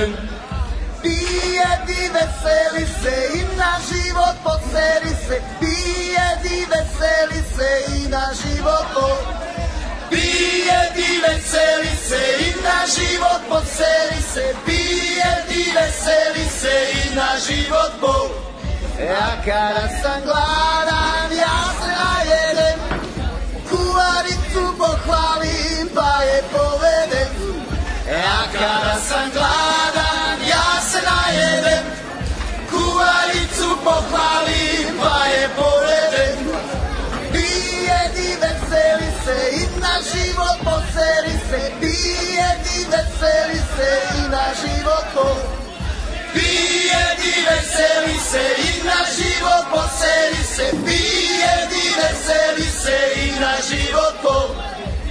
poderem. Pijedi, veseli se i na život poseri se. Pijedi, veseli se i na život. Pijedi, veseli se i na život poseri se. Pijedi, veseli se i na život. Ja kada sam gladan, ja se najedem, kuvaricu pohvalim pa je povedem. Ja kada sam gladan, ja se najedem, kuvaricu pohvalim pa je povedem. Pijedi, veseli se i na život poseri se. Pijedi, veseli se i na život. Pijedi, veseli se i na život poseri se. Pijedi, veseli se i na život.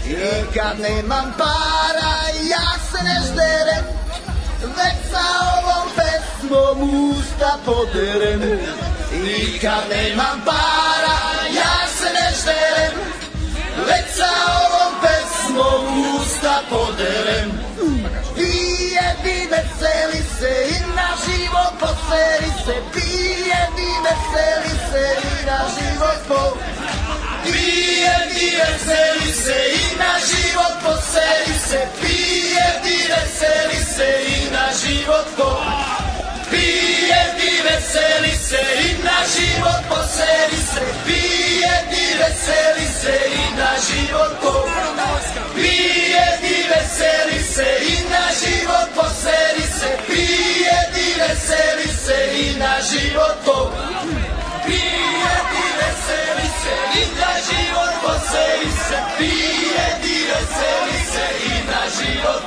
I kad nemam para, ja se ne žderem, već sa ovom pesmom usta poderem. I kad nemam para, ja se ne žderem, već sa ovom pesmom usta poderem. Pijedi, veseli se i na život poseri se. Pijedi, veseli se i na život. Pijedi, veseli se i na život poseri se. Pijedi, veseli se i na život. Pijedi, veseli se i na život poseri se. Pijedi, veseli se i na život. Pijedi, veseli se i na život poseri se. Pijedi, veseli se i na život. Pijedi, veseli se i na život poseri se. Pijedi, veseli se i na život.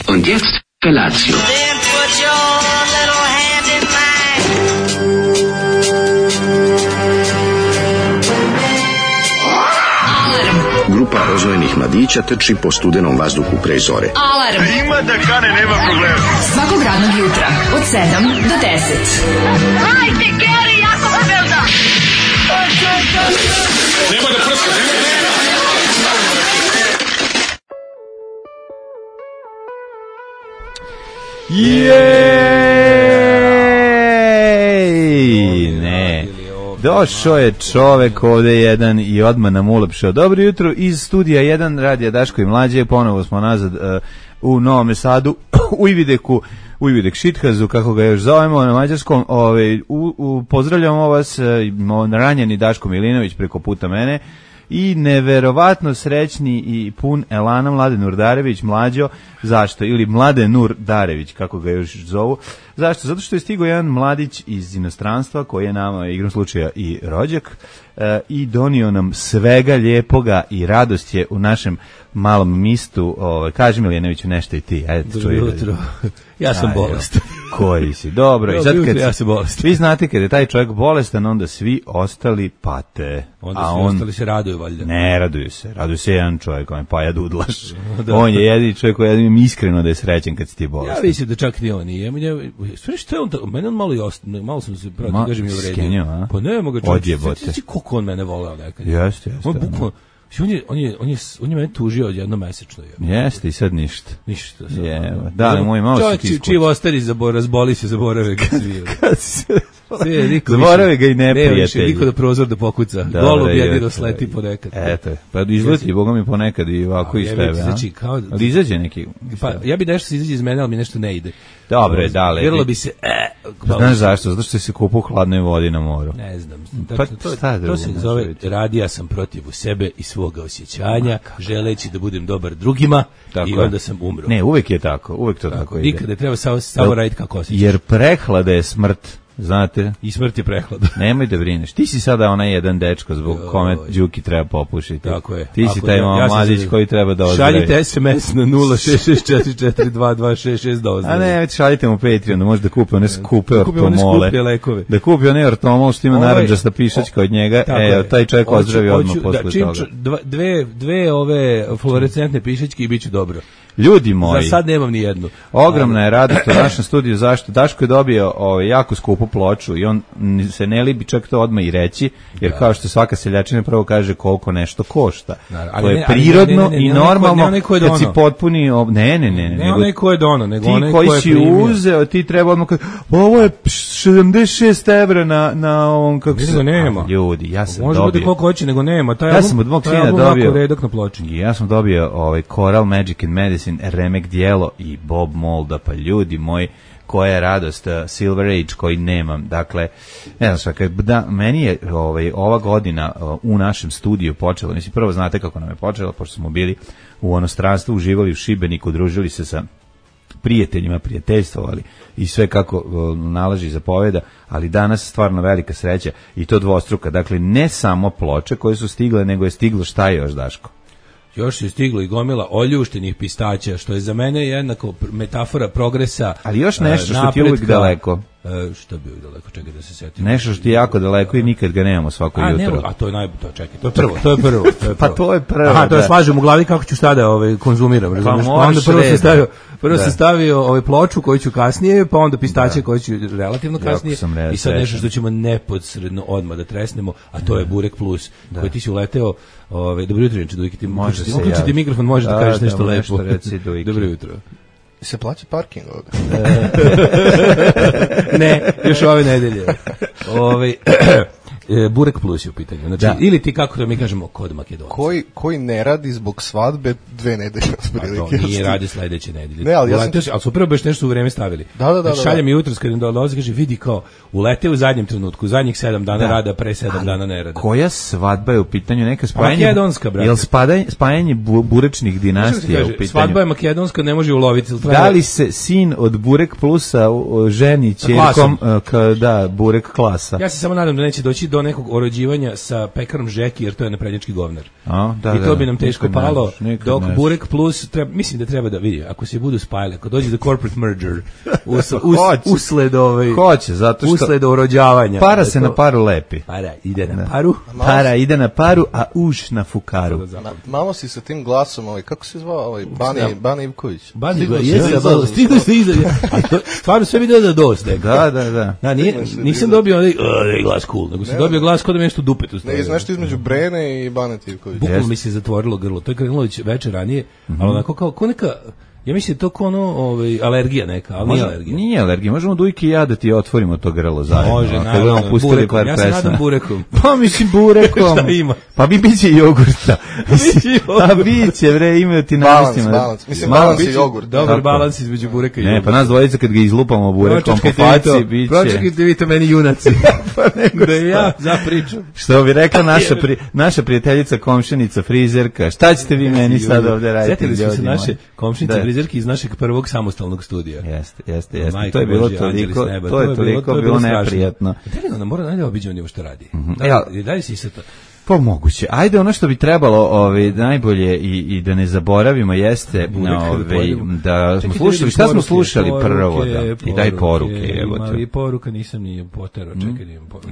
Und jetzt Felatio. Then put your little hand in mine. Grupa rozvojenih mladića trči po studenom vazduhu pre zore. Alarm. Ima da kane, nema problema. Svakog radnog jutra od 7 do 10. Hajde, Geri, jako se velda. Nema da prska, nema. Jej! Ne. Došao je čovek ovde jedan i odmah nam ulepšao. Dobro jutro iz studija 1 Radija Daško i Mlađe. Ponovo smo nazad u Novom Sadu, u Ivideku, u Ividek Šithazu, kako ga još zovemo na mađarskom. Pozdravljamo vas, ranjeni Daško Milinović preko puta mene. I neverovatno srećni i pun elana Mladen Urdarević, Mlađo. Zašto? Ili Mladen Urdarević, kako ga još zovu. Zašto? Zato što je stigao jedan mladić iz inostranstva koji je nama igrom slučaja i rođak i donio nam svega lijepoga i radost je u našem malom mistu. Kaži Miljanoviću nešto i ti. Dobro jutro. Ja sam bolestan. Koji si? Dobro. I sad kad ja sam bolestan. Vi znate kad je taj čovjek bolestan, onda svi ostali pate. Onda svi ostali se raduju valjda. Ne, raduju se. Raduje se jedan čovjek, on je Paja Dudlaš. On je jedini čovjek koji je iskreno da je srećen kad si ti bolestan. Ja mislim da čak ni on nije. Sve što je on, mene on malo sam se protiv, kažem, i uvredio. Pa ne mogu čovjek. Ti koliko on mene voleo nekad. Jeste. On bukvalno, on je mene tužio jednomesečno. Jeste i sad ništa. Ništa. Da, moj malo čovjek čiji ostari razboli se, zaborave ga sviju. Zaborave ga i neprijatelji. Niko da prozor da pokuca. Golub jedino sleti ponekad. Eto, pa izleti, Boga mi ponekad i ovako iz tebe. Ali izađe neki. Pa ja bi nešto se izađe iz mene, ali mi nešto ne ide. Dobre, dale. Vjerilo bi se... Znaš zašto? Zato što se kupu u hladnoj vodi na moru. Ne znam. To se zove radija sam protiv sebe i svoga osjećanja, želeći da budem dobar drugima i onda sam umro. Ne, uvek je tako. Uvek to tako ide. Nikada treba samo raditi kako osjećaš. Jer prehlada je smrt. znate. I smrt je prehlad. Nemoj da brineš. Ti si sada onaj jedan dečko zbog kome Đuki treba popušiti. Tako je. Ti si taj mladić koji treba da ozdravi. Šaljite SMS na 066442266 da ozdravi. A ne, šaljite mu Patreon, da može da kupe one skupe ortomole. Da kupi one ortomol što ima narandžasta pišačka od njega. Taj čovjek ozdravi odmah posle toga. Dve ove fluorescentne pišačke i bit će dobro. Ljudi moji. Za sad nemam ni jednu. Ogromna je radost u našem studiju. Zašto? Daško je dobio jako skupu ploču i on se ne libi čak to odmah i reći, jer kao što svaka seljačina prvo kaže koliko nešto košta. To je prirodno i normalno kad si potpuni... Ne onaj ko je dono, nego onaj ko je primio. Ti koji si uzeo, ti treba odmah kada... Ovo je 76 evra na ovom... Nego nema. Ljudi, ja sam može dobio... Može biti koliko hoće, nego nema. Ja sam od mog sina dobio... redak na ploči. Ja sam dobio Coral Magic and Medicine remek dijelo i Bob Molda, pa ljudi moji, koja je radost, Silver Age koji nemam. Dakle, ne znam, meni je ova godina u našem studiju počela, mislim, prvo znate kako nam je počela, pošto smo bili u inostranstvu, uživali u Šibeniku, družili se sa prijateljima, prijateljstvovali i sve kako nalaži zapoveda, ali danas stvarno velika sreća i to dvostruka. Dakle, ne samo ploče koje su stigle, nego je stiglo šta još, Daško? Još je stiglo i gomila oljuštenih pistaća, što je za mene jednako metafora progresa. Ali još nešto što ti je uvijek daleko. Što bi uvijek daleko, čekaj da se setim. Nešto što ti je jako daleko i nikad ga nemamo svako jutro. A to je čekaj, to je prvo. Pa to je prvo. Aha, to je slažem u glavi kako ću sada konzumiram, razumiješ? Pa onda prvo sam stavio ploču koju ću kasnije, pa onda pistaće koje ću relativno kasnije. I sad nešto što ćemo neposredno odmah da tresnemo, a to je Burek Plus, koji ti si uleteo. Dobro jutro, Inče Dujki, ti uključiti mikrofon, možeš da kažeš nešto lepo. Dobro jutro. Se plaća parking ovdje? Ne, još ove nedelje. Burek Plus je u pitanju. Znači, ili ti, kako da mi kažemo, kod Makedonaca. Koji ne radi zbog svadbe 2 nedelje. To nije radi sledeće nedelje. Ne, ali ali su prvo baš nešto u vreme stavili. Da. Šalje mi jutros kad im dolazi, kaže, vidi kao, ulete u zadnjem trenutku, zadnjih 7 dana rada, pre 7 dana ne rada. Koja svadba je u pitanju? Neka spajanje... Makedonska, brate. Jel spajanje burečnih dinastija u pitanju? Svadba je makedonska, ne može uloviti. Da li se sin od Burek Plusa ženi ćerkom, Burek klasa? Ja se samo nadam da neće doći do nekog orođivanja sa pekarom Žeki, jer to je naprednjački govnar. I to bi nam teško palo, dok Burek Plus, mislim da treba da vidi, ako se budu spajali, ako dođe do corporate merger, usled orođavanja. Para se na paru lepi. Para ide na paru. Para ide na paru, a uš na fukaru. Malo si sa tim glasom, kako se zvao, Bani Ivković. Bani Ivković, stigli se iza. Stvarno sve vidio da dosta. Da. Nisam dobio glas cool, nego sam dobio glas kod da me nešto dupetu stavio. Ne, nešto između Brene i Bane Ivković. Bukvalno mi se zatvorilo grlo. To je krenulo večer ranije, ali onako kao neka... Ja mislim da je to alergija neka, ali nije alergija. Nije alergija, možemo Dujki i ja da ti otvorimo to grlo zajedno. Može, naravno, ja se nadam burekom. Pa mislim burekom. Šta ima? Pa biće jogurta. A biće, imaju ti namestima. Balans. Mislim, balans i jogurt. Dobar balans između bureka i jogurta. Ne, pa nas dvojica kad ga izlupamo burekom po faci, biće. Pročekajte vi to meni junaci. Da ja zapričam. Što bi rekla naša prijateljica, komšinica, frizerka, šta ćete vi meni sad ovde raditi? Setili smo se naše komšinice frizerke iz našeg prvog samostalnog studija. Jeste. To je bilo toliko bilo neprijatno. Da li mora najde obiđe on što radi? Da li si se to... Pa moguće. Ajde, ono što bi trebalo najbolje i da ne zaboravimo jeste da smo slušali, šta smo slušali prvo, i daj poruke. I poruka nisam ni poterao, čekaj da imam poruke.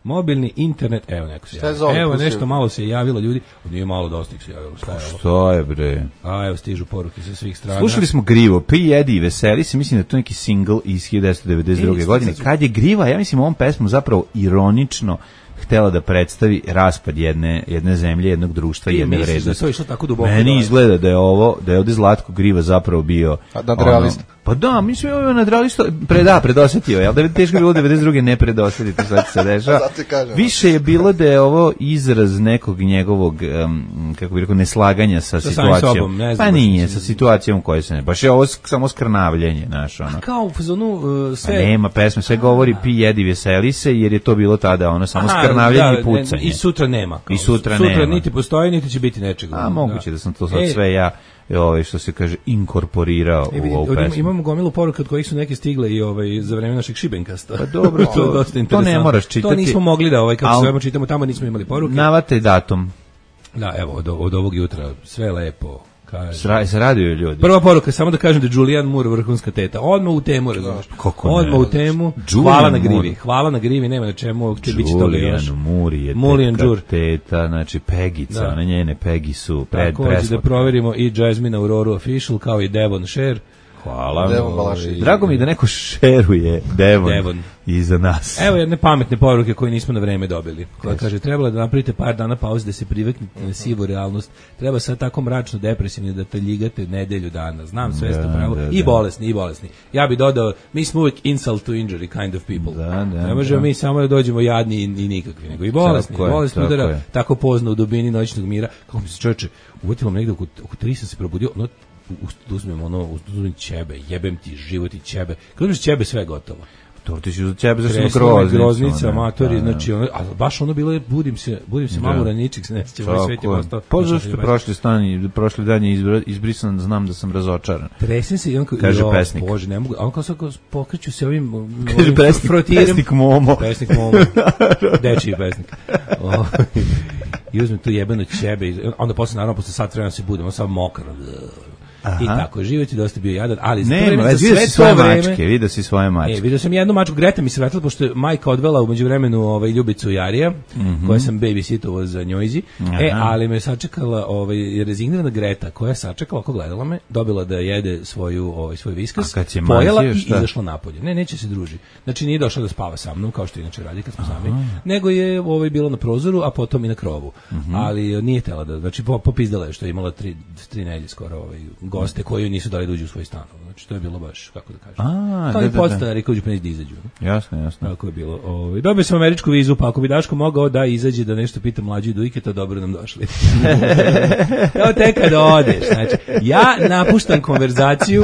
Mobilni internet, evo neko se javilo. Evo nešto malo se javilo ljudi, nije malo dosta ih se javilo. Šta je bre? A evo stižu poruke sa svih strana. Slušali smo Grivo, Prijedi i veseli se, mislim da je to neki single iz 1992. godine. Kad je Griva, ja mislim ovom pesmom zapravo ironično htela da predstavi raspad jedne zemlje, jednog društva i jedne vrednosti. Meni izgleda da je ovde Zlatko Griva zapravo bio nadrealista. Pa da, mislim je nadrealista, predosetio je, ali da je teško bilo 92. ne predosetiti šta se dešava. Više je bilo da je ovo izraz nekog njegovog, kako bih rekao, neslaganja sa situacijom. Pa nije, sa situacijom u kojoj se ne. Baš je ovo samo skrnavljenje, znaš, ono. A kao u fazonu sve... Nema pesme, sve govori pi, jedi, veseli se, jer je to bilo tada ono samo skrnavljenje i pucanje. I sutra nema. I sutra nema. Sutra niti postoji, niti će biti nečega. A moguće da sam to sad sve ja što se kaže, inkorporirao u ovu pesmu. Imamo gomilu poruka od kojih su neke stigle i za vreme našeg Šibenkasta. Pa dobro, to ne moraš čitati. To nismo mogli da, kako se zovemo, čitamo tamo, nismo imali poruke. Navataj datum. Da, evo, od ovog jutra sve lepo. Se raduju ljudi. Prva poruka, samo da kažem da Julianne Moore vrhunska teta. Odmah u temu, razumiješ? Odmah u temu. Hvala na grivi, nema na čemu, će biti to li još. Julianne Moore je teta, znači Pegica, one njene Pegi su tako, da proverimo i Jasmine Aurora Official, kao i Devon Share. Hvala. Drago mi da neko šeruje Devon iza nas. Evo jedne pametne poruke koje nismo na vreme dobili. Koja kaže, trebalo da napravite par dana pauze da se priveknete na sivu realnost. Treba sad tako mračno depresivni da te ljigate nedelju dana. Znam, sve ste pravo. I bolesni. Ja bih dodao, mi smo uvijek insult to injury kind of people. Ne možemo mi samo da dođemo jadni i nikakvi, nego i bolesni. Bolesni udara tako pozno u dubini noćnog mira. Kako mi se čovječe, uvjetilo negdje oko 3 sam se probudio, uzmem ćebe, jebem ti život i ćebe. Kad uzmeš ćebe, sve je gotovo. To ti si uz ćebe, zašto groznica, amatori, znači, baš ono bilo je, budim se malo raničik, se ne sjeća, ovaj svet je postao. Zašto prošli dan je izbrisan, znam da sam razočaran. Tresem se i on kaže pesnik. Bože, ne mogu, a on kao sad pokreću se ovim kaže pesnik Momo. Pesnik Momo, dečiji pesnik. I uzmem tu jebeno ćebe, onda posle sat vremena se budem, on sam mokar. I tako, život je dosta bio jadan, ali vidio si svoje mačke. Vidio sam jednu mačku, Greta mi se vratila, pošto je majka odvela u međuvremenu Ljubicu Jarija, koja sam babysittovao za njojzi, ali me sačekala rezignirana Greta, koja je sačekala, ako gledala me, dobila da jede svoj viskas, pojela i izašla napolje. Neće se druži. Znači nije došla da spava sa mnom, kao što inače radi kad smo sami, nego je bilo na prozoru, a potom i na krovu. Ali nije tela da, znači popizdala je što je imala 3 nedelje skoro goste koji nisu dali da uđu u svoj stan. Znači to je bilo baš, kako da kažem. To je podstanari koji uđu da izađu. Jasno. Tako je bilo. Dobio sam američku vizu, pa ako bi Daško mogao da izađe da nešto pita mlađu i Dujke, to dobro nam došli. Evo te kada odeš. Znači, ja napuštam konverzaciju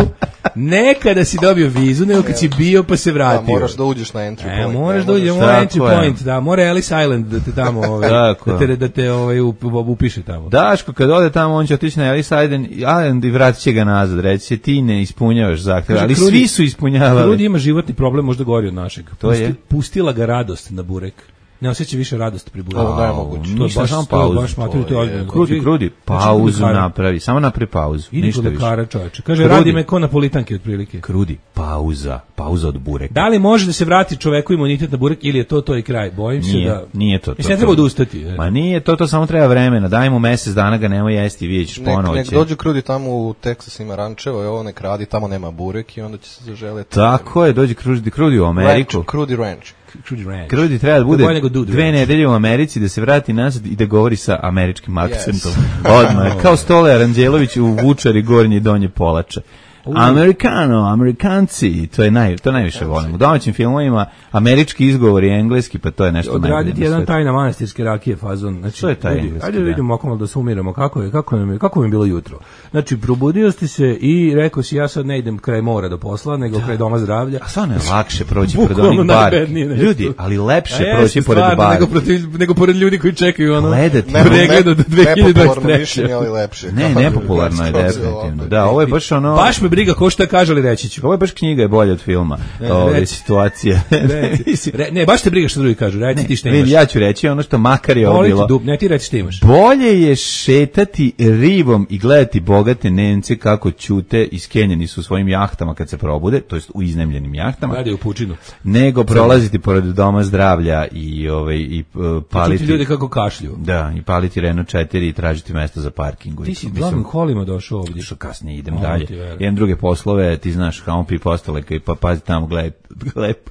ne kada si dobio vizu, nego kad si bio pa se vratio. Da, moraš da uđeš na entry point. Moraš da uđeš na entry point, da, mora Ellis Island da te tamo, da te upiše tamo. Daško, kad ode tamo, on će otići na Ellis Island i vratit će ga nazad, reći će ti ne ispunjavaš zahtjeve, ali svi su ispunjavali. Krudi ima životni problem, možda gori od našeg. Pustila ga radost na burek. Ne osjeća više radost pri bureku. Ovo je moguće. To je baš pauzu. Krudi, pauzu napravi. Samo napravi pauzu. Ništa više. Kaže, radi me ko napolitanke otprilike. Krudi, pauza od bureka. Da li može da se vrati čoveku imunitet na burek ili je to i kraj? Bojim se da... Nije to. Mislim, ne treba odustati. Ma nije to samo treba vremena. Daj mu mesec dana ga nemoj jesti, vidjet ćeš ponovo. Nek dođe Krudi tamo u Texas, ima rančevo, ovo nek radi, tamo nema burek i onda će se zaželeti. Tako je, dođe Krudi u Ameriku. Krudi Ranch. Krudi treba da bude 2 nedelje u Americi, da se vrati nazad i da govori sa američkim akcentom. Odmah, kao Stole Aranđelović u Vučari Gornje i Donje Polača. Amerikanci, to najviše volim. U domaćim filmovima američki izgovor i engleski, pa to je nešto najbolje. Odraditi jedan tajna manastirske rakije fazon. Znači, to je taj engleski. Ajde da vidimo malo da se umiramo kako mi je bilo jutro. Znači, probudio si se i rekao si ja sad ne idem kraj mora do posla, nego kraj doma zdravlja. A stvarno je lakše proći pored onih bar. Ljudi, ali lepše proći pored bar. Nego pored ljudi koji čekaju ono pregled od 2023. Ali lepše. Ne, nepopularno je definitivno. Da, ovo je baš ono... Baš me briga ko šta kaže, ali reći ću. Ovo je baš knjiga je bolja od filma. Ove situacije. Ne, baš te briga što drugi kažu. Reci ti šta imaš. Ja ću reći ono što makar je ovo bilo. Ne, ti reci šta imaš. Bolje je šetati rivom i gledati bogate Nemce kako ćute iskenjeni su svojim jahtama kad se probude, to jest u iznajmljenim jahtama. Radi u pučinu. Nego prolaziti pored doma zdravlja i paliti ljudi kako kašlju. Da, i paliti Renault 4 i tražiti mesto za parking. Ti si glavnim kolima došao ovdje. Što kasnije idem dalje. Jedan druge poslove, ti znaš, Hampi postale, pa pazi tamo,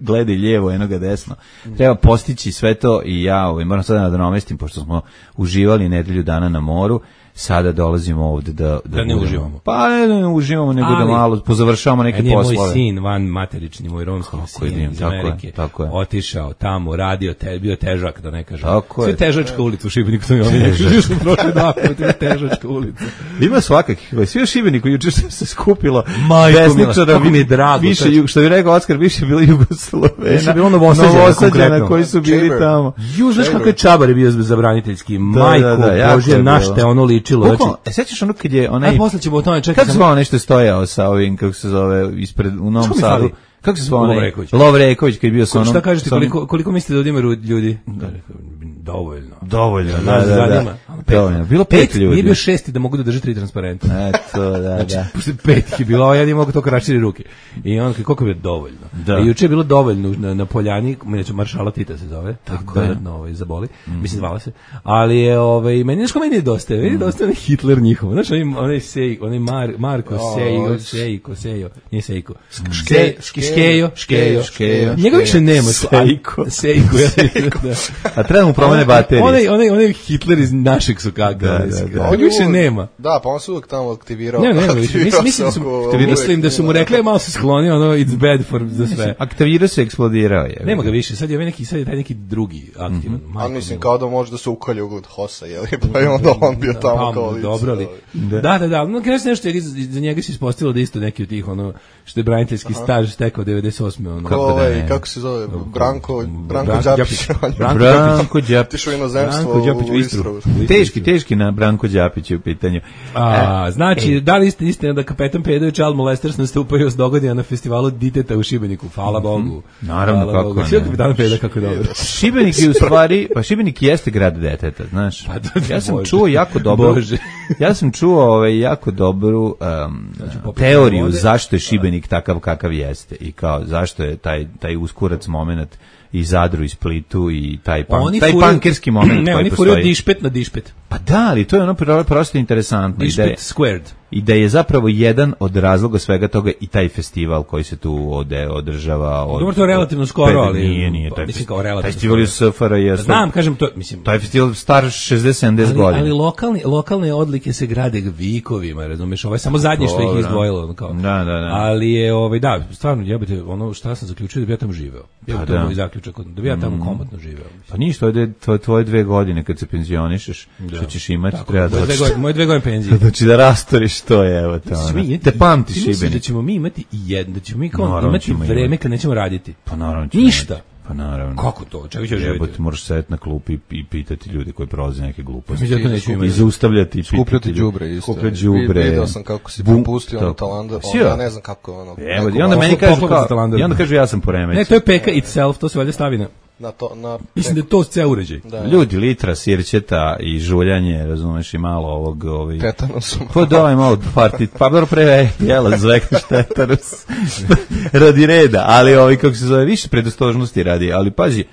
gledaj lijevo, enoga desno. Treba postići sve to i ja moram sada da nadomestim, pošto smo uživali nedelju dana na moru, sada dolazimo ovde da ne uživamo. Pa ne uživamo, nego da malo pozavršavamo neke poslove. Moj sin, van materični, moj romski sin iz Amerike, otišao tamo, radio, bio težak, da ne kažem. Sve težačka ulica u Šibeniku, to mi omiljeno. Živio sam prošle dakle, težačka ulica. Ima svakakih, svi u Šibeniku, juče se skupilo desničara, mi je drago. Više, što bi rekao Oskar, više je bilo Jugoslovena. Više je bilo Novosađana koji su bili tamo. Znaš kako je Čabar bio zabraniteljski, majko, Bože, na šta ono liči. učilo. Znači, sećaš ono kad je onaj... A posle ćemo o tome čekati. Kako zvao nešto stojao sa ovim, kako se zove, ispred, u Novom Sadu? Kako se zvao onaj? Lovreković, kad je bio sa onom... Šta kažete, koliko mislite da odima ljudi? Dovoljno. Da. Bilo 5 ljudi. Nije bio 6 da mogu da drže 3 transparenta. Eto, da. Znači, posle 5 je bilo, a ja nije mogu to raširi ruke. I on, koliko je bilo dovoljno. Da. I juče je bilo dovoljno na Poljani, neću Maršala Tita se zove, tako dodatno zaboli, mislim zvala se. Ali je, meni nešto meni je dosta, Hitler njihov. Znaš, onaj Marko Sejo, nije Sejko. Škejo. Njega više nema. Sejko. A treba mu promene baterije. Onaj Hitler iz našeg Sokaka. On više nema. Da, pa on se uvijek tamo aktivirao. Mislim da su mu rekli, malo se sklonio, it's bad za sve. Aktivirao se, eksplodirao je. Nema ga više, sad je taj neki drugi aktivan. A mislim, kao da može da se ukalje ugled Hosa, pa je onda on bio tamo kao lice. Dobro li. Da. No, kreći nešto, za njega se ispostavilo da isto neki od tih, što je braniteljski staž stekao 98. Kako se zove? Branko Đapić. Branko Đapić. Tišao inozemstvo u Istru. Teški na Branko Đapić u pitanju. Znači, da li ste istina da kapetan Pedo i Child Molesters nastupaju s dogodina na festivalu Diteta u Šibeniku? Hvala Bogu. Naravno, kako ne. Sve kapetan Pedo, kako je dobro. Šibenik je u stvari, pa Šibenik jeste grad deteta, znaš. Ja sam čuo jako dobro. Ja sam čuo jako dobru teoriju zašto je Šibenik takav kakav jeste i kao zašto je taj uskurac moment i Zadru i Splitu i taj pankerski moment koji postoji. Ne, oni furaju dišpet na dišpet. Pa da, ali to je ono prosto interesantno. Dišpet squared. I da je zapravo jedan od razloga svega toga i taj festival koji se tu održava. Dobro, to je relativno skoro, ali... Nije. Mislim kao relativno taj festival je SFRJ. Znam, kažem to, mislim... Taj festival star 60-70 godina. Ali lokalne odlike se grade vikovima, razumiješ, ovo je samo zadnje što ih izdvojilo. Da. Ali je, da, stvarno, jebate, ono šta sam zaključio da bi ja tamo živeo. Da bi ja tamo komotno živeo. Pa ništa, to je tvoje 2 godine kad se penzionišeš, što ćeš imati, treba da... Moje 2 godine penzije. Znači da rastoriš to je, evo to. Te pamtiš Šibenik. Da ćemo mi imati da ćemo mi imati vreme kad nećemo raditi. Pa naravno. Ništa. Pa naravno. Kako to? Čega ćeš živjeti? Možeš sedeti na klupi i pitati ljude koji prolaze neke gluposti. I zaustavljati. Skupljati đubre isto. Vidio sam kako si propustio na Talander. Ja ne znam kako ono. I onda meni kažu ja sam poremećen. Ne, to je peka itself, to se valjda stavi na... Mislim da je to ceo uređaj. Ljudi, litra sirćeta i žuljanje, razumeš, i malo ovog... Tetanusom. Pa daj malo partiti, pa dobro pre jela zvekneš tetanus. Radi reda, ali kako se zove, više predostrožnosti radi, ali pazi,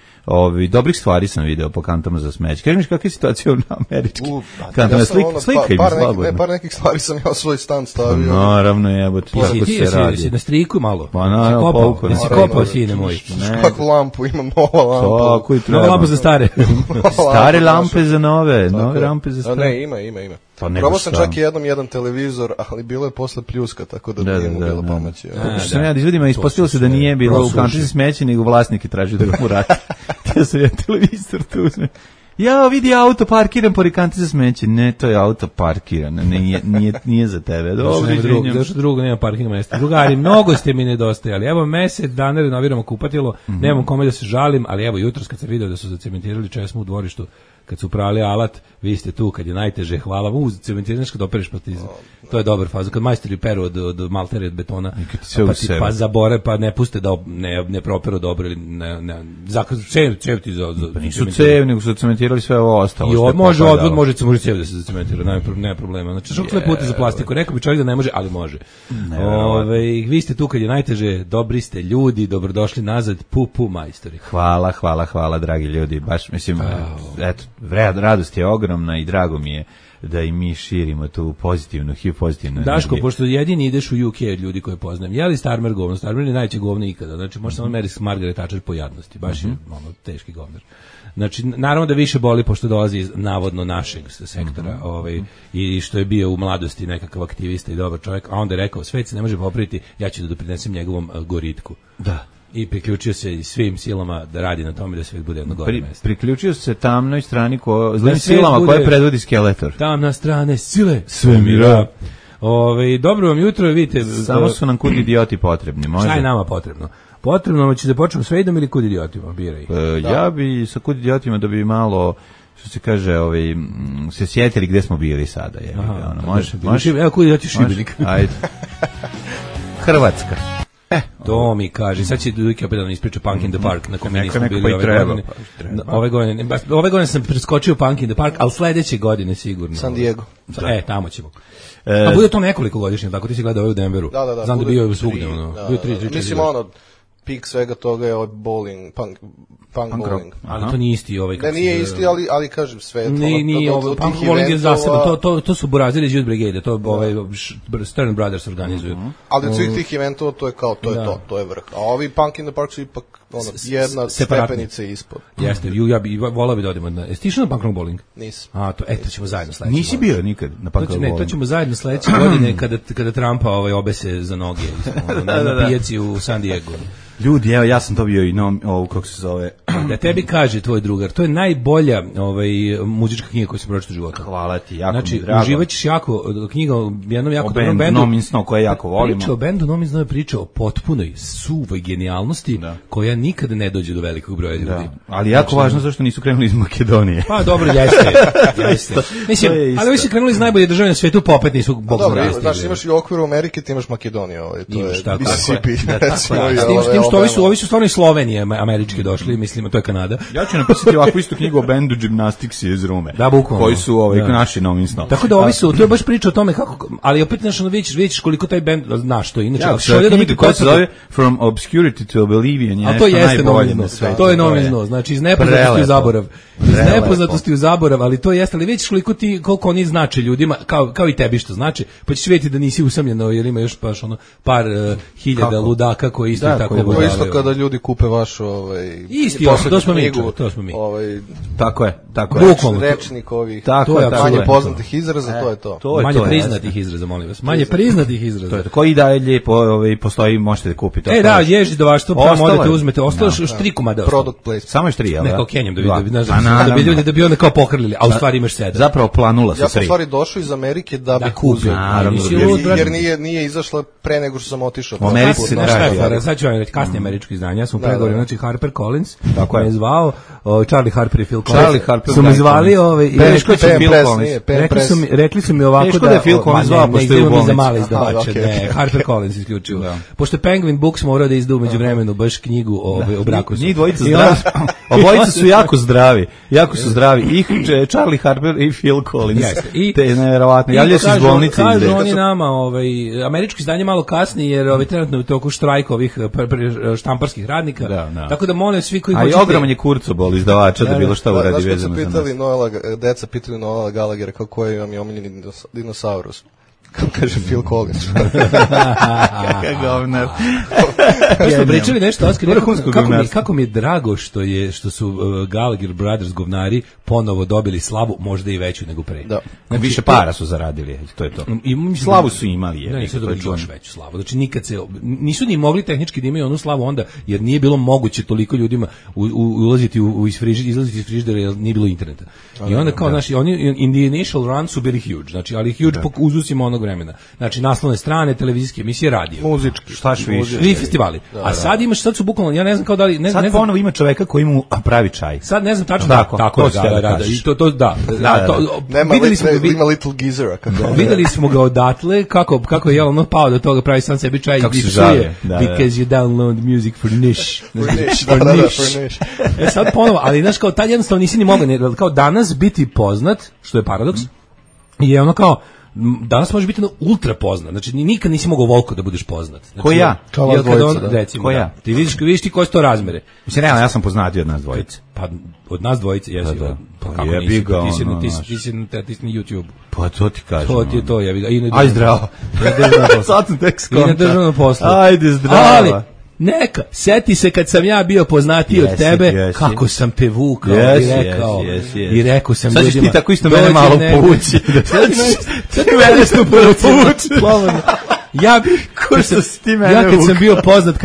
dobrih stvari sam video po kantama za smeće. Kaži mi kakva je situacija na američki kantama, slika im slabo. Par nekih stvari sam ja svoj stan stavio. Naravno, jebote, tako se radi. Si na striku malo? Pa naravno, si kopao, sine moj. Kakvu lampu, imam nova lampa. Tako i treba. Nova lampa za stare. Stare lampe za nove lampe za stare. Ne, ima. Probao sam čak i jedan televizor, ali bilo je posle pljuska, tako da nije mu bilo pomoći. Sam ja da izvedim, a ispostavilo se da nije bilo u kanti za smeće, nego vlasnik je tražio da ga mu vrati. Ja sam jedan televizor tu uzme. Ja vidi auto parkiran pored kanti za smeće. Ne, to je auto parkiran, nije za tebe. Zašto drugo nema parking mesta? Drugari, mnogo ste mi nedostajali. Evo mesec dana renoviramo kupatilo, nemam kome da se žalim, ali evo jutros kad sam video da su zacementirali česmu u dvorištu, kad su prali alat, vi ste tu kad je najteže, hvala vam, cementiranaš kad opereš, to je dobar faza, kad majstori peru od malteri od betona, pa ti pa zabore, pa ne puste da ne properu dobro, ili cev ti za pa nisu cev, nego su cementirali sve ovo ostalo. I može odvod, može cev da se zacementira, nema problema. Znači, šokle puta za plastiku, rekao bi čovjek da ne može, ali može. Vi ste tu kad je najteže, dobri ste ljudi, dobrodošli nazad, pu majstori. Hvala, dragi ljudi, baš, mislim, eto, radost je ogromna i drago mi je da i mi širimo tu pozitivnu energiju. Daško, pošto jedini ideš u UK od ljudi koje poznajem, je li Starmer govno? Starmer je najveće govno ikada, znači može samo meriti s Margaret Thatcher po jadnosti, baš je teški govnar. Znači, naravno da više boli pošto dolazi iz navodno našeg sektora i što je bio u mladosti nekakav aktivista i dobar čovjek, a onda je rekao, svet se ne može popraviti, ja ću da doprinesem njegovom goritku. Da. I priključio se svim silama da radi na tome da svet bude jedno gore mesto. Priključio se tamnoj strani zlim silama koje predvodi Skeletor. Tamna strane sile svemira. Dobro vam jutro, vidite. Samo su nam kud idioti potrebni. Može? Šta je nama potrebno? Potrebno će da počnemo s Vejdom ili kud idiotima? Biraj. Ja bi sa kud idiotima da bi malo što se kaže, se sjetili gde smo bili sada. Može? Evo koji ja ti Šibenik. Ajde. Hrvatska. To mi kaže, sad će Dujke opet da nam ispriča Punk in the Park, na kome nismo bili ove godine. Ove godine sam preskočio Punk in the Park, ali sledeće godine sigurno. San Diego. Tamo ćemo. A bude to nekoliko godišnje, tako ti si gledao u Denveru. Da. Znam da bio je svugde. Bio 3-4. Mislim, pik svega toga je bowling, punk bowling. Ali to nije isti Ne, nije isti, ali kažem sve. Nije punk bowling je zaseban, to su Burazili iz Youth Brigade, to Stern Brothers organizuju. Ali od svih tih eventova to je kao, to je vrh. A ovi Punk in the Park su ipak jedna stepenica ispod. Jeste, ja bi volao bi da odemo. Jesi ti išao na punk bowling? Nisam. To ćemo zajedno sledeće. Nisi bio nikad na punk bowling? Ne, to ćemo zajedno sledeće godine kada Trumpa obese za noge na pijaci u San Diego. Ljudi, evo, ja sam to bio i kako se zove. Da tebi kaže tvoj drugar, to je najbolja muzička knjiga koju sam pročitao u životu. Hvala ti, jako znači, mi drago. Uživaćeš jako, knjiga o jednom jako dobrom bendu. Nominsno, koje jako volimo. Priča o bendu Nominsno je priča o potpunoj suvoj genijalnosti, koja nikada ne dođe do velikog broja ljudi. Ali jako važno zašto nisu krenuli iz Makedonije. Pa dobro, jeste. Mislim, ali ovi su krenuli iz najbolje države na svetu, pa opet nisu bog zna. Dobro, znači imaš i u okviru Amerike, ti imaš Makedoniju. To je Mississippi. Ovi su stvarno iz Slovenije američki došli, mislim, to je Kanada. Ja ću napisati ovakvu istu knjigu o bendu Gymnastics iz Rume. Da, bukvalno. Koji su naši Nominsno. Tako da ovi su, to je baš priča o tome kako, ali opet vidiš koliko taj bend znaš to. Inače, knjiga koja se zove From Obscurity to Oblivion je nešto najbolje na svetu. To je Nominsno, znači iz nepoznatosti u zaborav. Iz nepoznatosti u zaborav, ali to jeste, ali vidiš koliko oni znače ljudima, kao i tebi što znači, pa ćeš vidjeti da nisi usamljeno, jer ima još baš par hiljada ludaka koji isto tako to isto kada ljudi kupe vaš isti, to smo mi. Tako je. Rečnik ovih manje poznatih izraza, to je to. Manje priznatih izraza, molim vas. Manje priznatih izraza. Koji dalje postoji, možete da kupite. Da, ježi do vaš, to odete uzmete. Ostalo još 3 komada. Product placement. Samo još 3, jel? Neko Kenjam da bi onda kao pohrlili, a u stvari imaš 7. Zapravo planula sa 3. Ja sam u stvari došao iz Amerike da bih uzeo. Jer nije izašla pre nego što sam otišao. Sad ću vam reći kasnije američko izdanje. Ja sam u pregovorima, znači Harper Collins, tako je zvao, Charlie Harper i Phil Collins. Su mi zvali rekli su mi ovako da je Phil Collins zvao, pošto je u bolnici. Za male izdavače, Harper Collins isključivo. Pošto je Penguin Books morao da izda umeđu vremenu baš knjigu o braku. Njih dvojica zdravi. Obojica su jako zdravi. I Charlie Harper i Phil Collins. Te nevjerovatno. Javljaju se iz bolnice. Kažu oni nama, američko izdanje malo kasnije, jer trenutno u toku štrajka ovih štamparskih radnika. Tako da molim svi koji hoćete. A i ogroman je Kurzobol izdavača da bilo šta uradi vezano za nas. Deca pitali Noela Gallaghera kako je vam je omiljeni dinosaurus. Kako kaže Phil Collins. Kakav govnar. Smo pričali nešto, Oskar, kako mi je drago što su Gallagher Brothers govnari ponovo dobili slavu, možda i veću nego pre. Da. Više para su zaradili, to je to. Slavu su imali. Da, nisu dobili još veću slavu. Znači nisu ni mogli tehnički da imaju onu slavu onda, jer nije bilo moguće toliko ljudima ulaziti izlaziti iz frižidera, jer nije bilo interneta. I onda kao, znači, oni in the initial run su bili huge, znači, ali huge po uzusima onog vremena. Znači, naslovne strane, televizijske emisije, radio. Muzički, štaš više. I festivali. A sad sad su bukvalno, ja ne znam kao da li... Sad ponovo ima čoveka koji mu pravi čaj. Sad ne znam tačno. Tako, ima Little Geezera. Videli smo ga odatle, kako je ono pao do toga, pravi sam sebi čaj i psuje. Because you download music for niche. For niche. Sad ponovo, ali znaš, kao tad jednostavno nisi ni mogao, kao danas biti poznat, što je paradoks, je ono kao, danas možeš biti ultra poznat. Znači nikad nisi mogao Volko da budeš poznat. Znači, ko ja? Kao vas dvojica, da. Recimo, ko ja? Ti vidiš ti koje su to razmere. Mislim, realno, ja sam poznatiji od nas dvojice. Pa od nas dvojice, jesi. Pa kako nisi? Ti si na YouTube. Pa to ti kažem. To ti je to, Aj zdravo. Sad sam tek skonta. I na državnom poslu. Ajde zdravo. Ali, neka, seti se kad sam ja bio poznatiji od tebe, kako sam te vukao i rekao sam ljudima. Sad ćeš ti tako isto mene malo povući. Sad ću mene isto povući. Ja bih Ko što si ti mene ja kad sam bio poznat,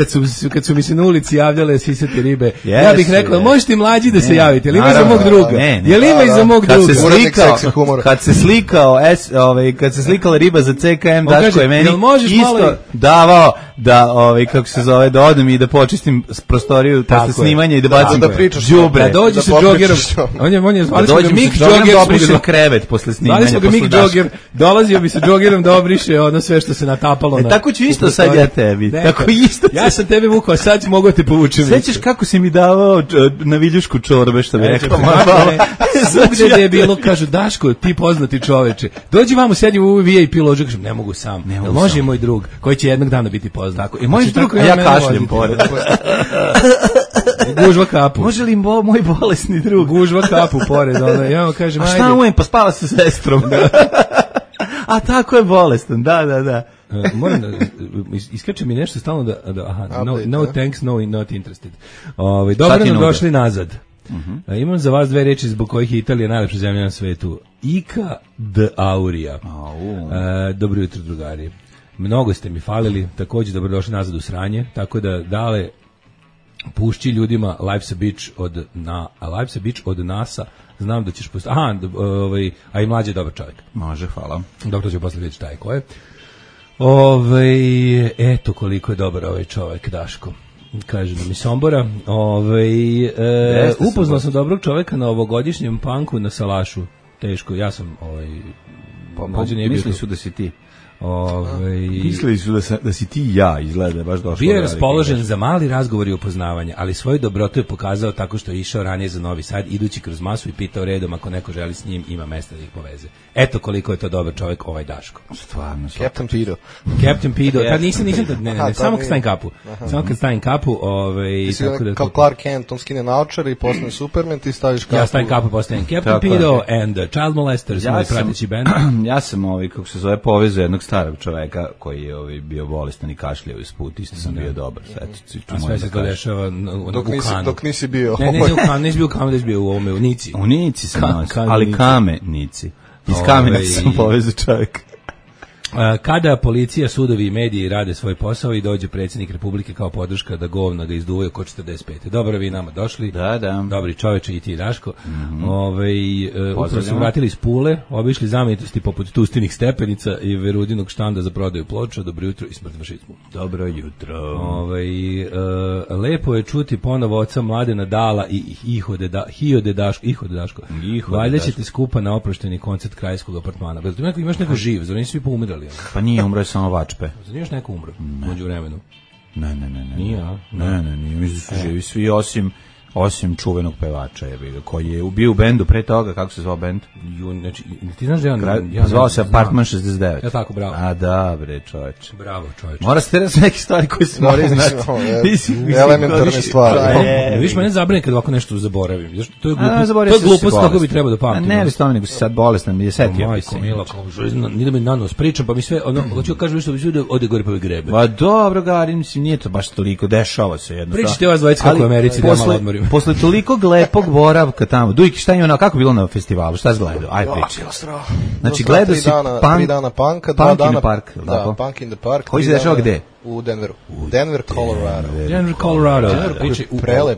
kad su mi se na ulici javljale sisate ribe, yes, ja bih rekao, možete mlađi da se javite, ili ima za mog druga? Jel ima i za mog druga? Kad se slikala riba za CKM, Daško je meni isto davao da, kako se zove, da odem i da počistim prostoriju posle snimanja i da bacim đubre. Da dođe sa džogerom. On je zvali smo ga Mik Džoger, obriše krevet posle snimanja. Zvali smo ga Mik Džoger, dolazio bi sa džogerom da obriše ono sve što se natapalo. Tako ću isto sad ja tebi. Tako isto. Ja sam tebe vukao, sad mogu da te povučem. Sećaš kako si mi davao na viljušku čorbe, što bi rekao? Svugde je bilo, kažu, Daško, ti poznati čoveče, dođi vamo, sedi u VIP ložu, kažem, ne mogu sam. Može i moj drug, koji će jednog dana biti poznat. I moj drug, ja kašljem pored. Gužva kapu. Može li moj bolesni drug? Gužva kapu pored. Ja vam kažem, ajde. A šta ujem, pa spava sa sestrom. A tako je bolestan, da. Moram da iskače mi nešto stalno no thanks, no not interested. Dobro nam došli nazad. Imam za vas dve reči zbog kojih je Italija najlepša zemlja na svetu. Ica d Auria. Dobro jutro, drugari. Mnogo ste mi falili, također dobrodošli nazad u sranje, tako da dale pušći ljudima Life's a Bitch od NASA. Znam da ćeš pustiti. A i mlađi je dobar čovjek. Može, hvala. Dobro, će posle vidjeti šta je ko je. Eto koliko je dobar ovaj čovjek, Daško. Kaže da mi Sombora. Upoznao sam dobrog čovjeka na ovogodišnjem panku na Salašu. Teško, ja sam mislili su da si ti. Mislili su da si ti ja, izgleda baš došlo. Bio je raspoložen za mali razgovor i upoznavanje, ali svoju dobrotu je pokazao tako što je išao ranije za Novi Sad, idući kroz masu i pitao redom ako neko želi s njim, ima mesta da ih poveze. Eto koliko je to dobar čovjek, ovaj Daško. Stvarno. Captain Pido. Tad nisam, ne, samo kad stavim kapu. Samo kad stavim kapu, kao Clark Kent, on skine naočare i postane Superman, ti staviš kapu. Ja stavim kapu, postavim Captain Pido and Child Molesters, moj prateći band. Ja sam kako se zove, povezao jednog starog čoveka koji je bio bolestan i kašljao isput, isto sam bio dobar. A sve se to dešava dok nisi bio. Ne, u Kanu, nisi bio u Kanu, da si bio u Nici. U Nici sam nosio, ali Kamenici. Iz Kamena sam povezao čovjeka. Kada policija, sudovi i mediji rade svoj posao i dođe predsjednik Republike kao podrška da govna ga izduvaju oko 45. Dobro, vi nama došli. Da. Dobri čoveče i ti, Daško. Upravo se vratili iz Pule, obišli znamenitosti poput Tustinih stepenica i Verudinog štanda za prodaju ploča. Dobro jutro i smrt fašizmu. Dobro jutro. Lepo je čuti ponovo oca Mladena Dala i Ihode Daško. Valjda ćete skupa na oprošteni koncert Krajskog apartmana. Imaš neko živ, zar nisu svi poumirali? Pa nije umro, je samo Vačpe. Zar još neko umro među vremenu? Ne. Nije, a? Ne, mislim da su živi svi osim čuvenog pevača koji je bio u bendu pre toga. Kako se zvao bend? Znači, ti znaš da ja zvao se Apartman 69. Ja tako, bravo. A da, bre, čoveče. Bravo, čoveče. Mora se reći neke stvari koje se moraju znati. Elementarne stvari. Viš mene zabrane kad ovako nešto zaboravim. To je glupost kako bi trebao da pamtim. Ne, ali nego si sad bolestan, mi je setio. Majko, mila, nije da mi nanos pričam, pa mi sve, hoću kažem što bi sve ode gore pa mi grebe. Pa dobro, Gari, mislim, nije to baš toliko, dešava se jedno. Pričajte vas dvojica kako u Americi, da malo odmorim. Posle toliko lepog boravka tamo, Dujki, šta je ono, kako bilo na festivalu, šta si gledao? Aj, pričaj. Znači, gledao si 3 dana panka, 2 dana park. Da, Punk in the Park. Koji se dešava gde? U Denveru. Denver, Colorado. Denver, Colorado.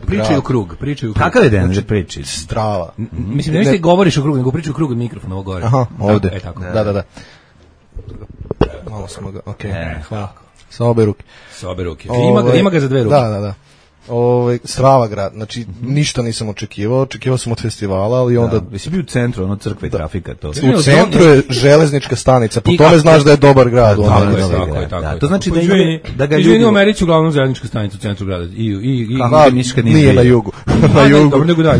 Pričaju krug. Kakav je Denver priči? Strava. Mislim, ne govoriš o krugu, nego pričaju krug od mikrofona ovo gore. Aha, ovde. E, tako. Da. Malo smo ga, okej. Hvala. Sa obe ruke. Ima ga za dve ruke. Da. Strava grad, znači ništa nisam očekivao sam od festivala, ali onda... Jesi bio u centru, ono crkve i trafika, to. U centru je železnička stanica, po tome znaš da je dobar grad. Tako je. To znači da ga ljudi... u Americi uglavnom železnička stanica u centru grada. Nije na jugu.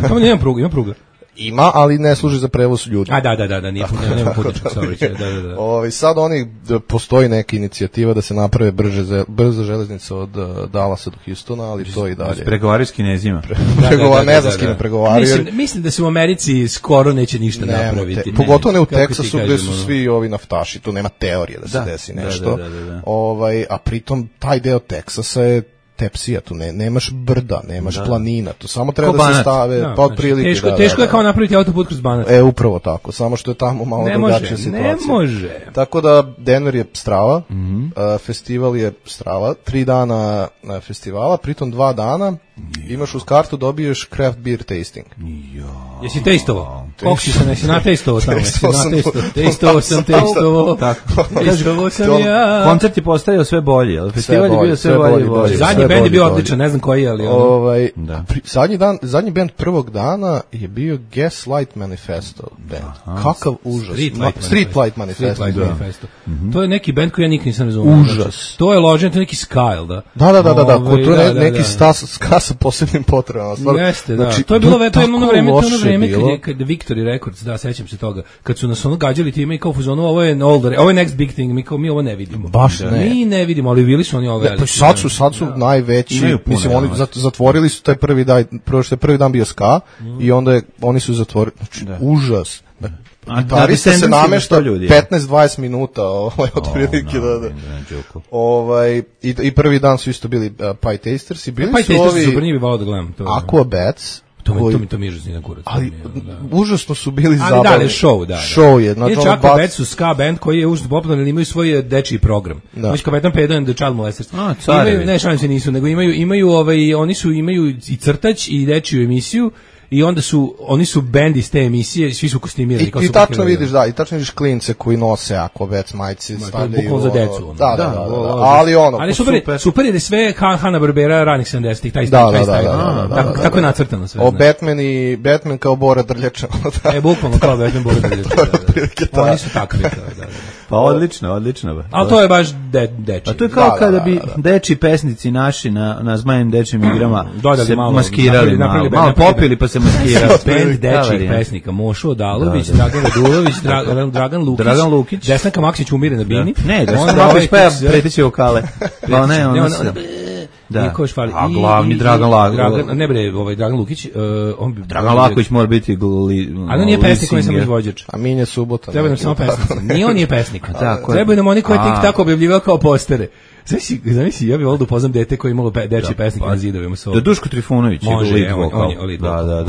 Tamo nema pruga, ima pruga. Ima, ali ne služi za prevoz ljudi. Da, nema putničkog saobraćaja. Da. Sad postoji neka inicijativa da se naprave brza železnica od Dallasa do Houstona, ali to i dalje. Pregovaraju s Kinezima. Ne znam s kim pregovaraju. Mislim da se u Americi skoro neće ništa napraviti. Pogotovo ne u Teksasu gde su svi ovi naftaši, tu nema teorije da se desi nešto. A pritom taj deo Teksasa je tepsija, tu nemaš brda, nemaš planina, tu samo treba da se stave, pa otprilike. Teško je kao napraviti autoput kroz Banat. Upravo tako, samo što je tamo malo drugačija situacija. Ne može. Tako da Denver je strava, festival je strava, 3 dana festivala, pritom 2 dana imaš uz kartu, dobiješ craft beer tasting. Jesi testovao? Koliko si se nesi natestovao tamo? Testovao sam. Testovao sam ja. Koncert je postajao sve bolji, ali festival je bio sve bolji. Zadnji bend je bio odličan, ne znam koji, ali... Zadnji bend prvog dana je bio Gaslight Manifesto band. Kakav užas. Streetlight Manifesto. To je neki bend koji ja nikad nisam razumio. Užas. To je ložen, to je neki Skyle, da? Da. To je neki ska sa posebnim potrebama. Jeste, da. To je bilo ono vreme kad Victory Records, da, sećam se toga, kad su nas ono gađali time i kao fuzonu, ovo je next big thing, mi ovo ne vidimo. Baš ne. Mi ne vidimo, ali bili su oni ove. Pa sad su najveći, mislim, oni zatvorili su taj prvi dan, prvi dan bio ska i onda oni su zatvorili, znači, užas. Gitarista se namešta 15-20 minuta otprilike i prvi dan su isto bili Pie Tasters i bili su ovi Aquabats. To mi užasni na kurac. Ali užasno su bili zabavni. Ali da, show, da. Show je. Inače, Aquabats su ska band koji je užasno popularan, ali imaju svoj dečiji program. Znači, Kapetan Pedro and the Child Molesters. Ne, šalim se nisu, nego imaju i crtač i dečiju emisiju. I onda oni su bend iz te emisije, svi su kostimirani. I tačno vidiš klince koji nose Aquabats majice, stavljaju. Bukvalno za decu. Da. Ali super je da sve Hanna-Barbera ranih 70-ih, taj stil. Tako je nacrtano sve. Batman kao Bora Drljača. Bukvalno kao Batman Bora Drljača. Oni su takvi. Pa odlično. Ali to je baš deči. A to je kao kada bi deči pesnici naši na Zmajem dečim igrama se maskirali malo popili pa se maskirali. Band dečih pesnika, Mošo Odalović, Dragan Radulović, Dragan Lukić, Desnaka Maksić umire na bini. Ne, Desnaka Maksić pa preteće vokale. Pa ne, on se... Da. A glavni Dragan Laković. Dragan Lukić, Dragan Laković mora biti a on nije pesnik, on je samo izvođač. A Minje Subota. Treba nam samo pesnici. Nije on nije pesnik. Treba nam oni koji tik tako objavljivao kao postere. Zamisli, ja bih volio da upoznam dete koje je imalo dečji pesnik na zidovima. Da Duško Trifunović je lead vokal. Da.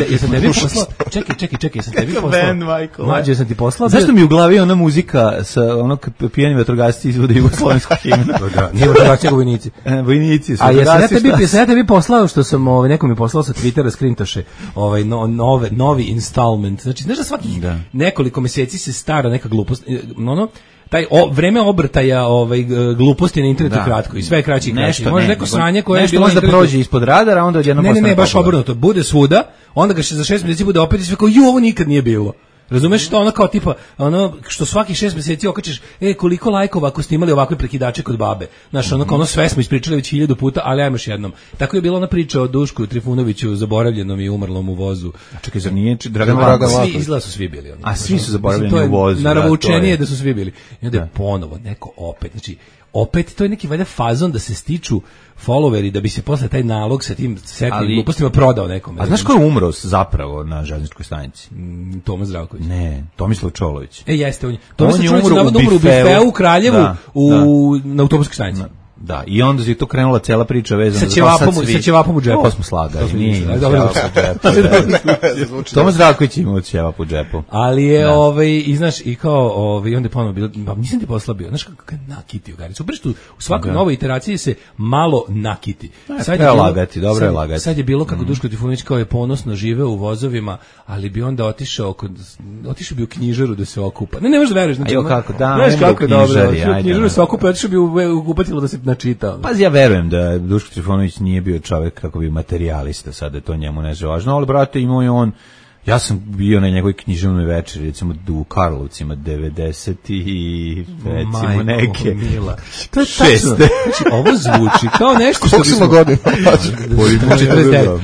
Jesam tebi poslao? Čekaj, jesam tebi poslao? Mlađe, jesam ti poslao? Zašto mi u glavi ona muzika sa onog pijani vatrogasci izvode jugoslovenskog himna? Nije vatrogasci, nego vojnici. Vojnici su. A jesam ja tebi poslao što sam, neko mi poslao sa Twittera skrintoše, novi installment. Znači, znaš da svakih nekoliko meseci se stara neka glupost, taj vreme obrtaja gluposti na internetu kratko i sve kraći i kraći. Može neko sranje koje je bilo možda prođe ispod radara, onda odjednom postane. Ne, baš obrnuto. Bude svuda, onda ga za 6 mjeseci bude opet i sve kao ovo nikad nije bilo. Razumeš što ono kao tipa, što svaki 6 mjeseci okačiš, koliko lajkova ako ste imali ovakve prekidače kod babe. Znaš, ono sve smo ispričali već 1000 puta, ali ajmo još jednom. Tako je bila ona priča o Dušku Trifunoviću, zaboravljenom i umrlom u vozu. Čekaj, zar nije Dragan Laković? Izgleda su svi bili. A svi su zaboravljeni u vozu. Naravoučenije da su svi bili. I onda je ponovo neko opet, znači, opet to je neki valjda fazon da se stiču followeri da bi se posle taj nalog sa tim setnim glupostima prodao nekome. A znaš ko je umro zapravo na željezničkoj stanici? Toma Zdravković. Ne, Tomislav Čolović. Jeste, on je umro u bifeu u Kraljevu na autobuskoj stanici. Da, i onda je to krenula cela priča vezana sa ćevapom u džepu. To smo slagali. Toma Zdravković imao ćevap u džepu. Ali je, i znaš, i kao, i onda je ponovno bilo, nisam ti poslabio, znaš kako je nakitio Garicu. Breštu, u svakoj novoj iteraciji se malo nakiti. Dobro je lagati. Sad je bilo kako Duško Trifunović kao je ponosno živeo u vozovima, ali bi onda otišao bi u knjižaru da se okupa. Ne možeš da veruješ. Ajo kako, da, kako je dobro. U knjižaru se okupa, otišao bi u kupatilo da se načitao. Pa ja verujem da Duško Trifunović nije bio čovjek kako bi materijalista, sad je to njemu ne važno, ali brate imao je on, ja sam bio na njegovoj književnoj večeri, recimo u Karlovcima 90 i recimo neke. To je tačno. Znači, ovo zvuči kao nešto što bismo godina. 49.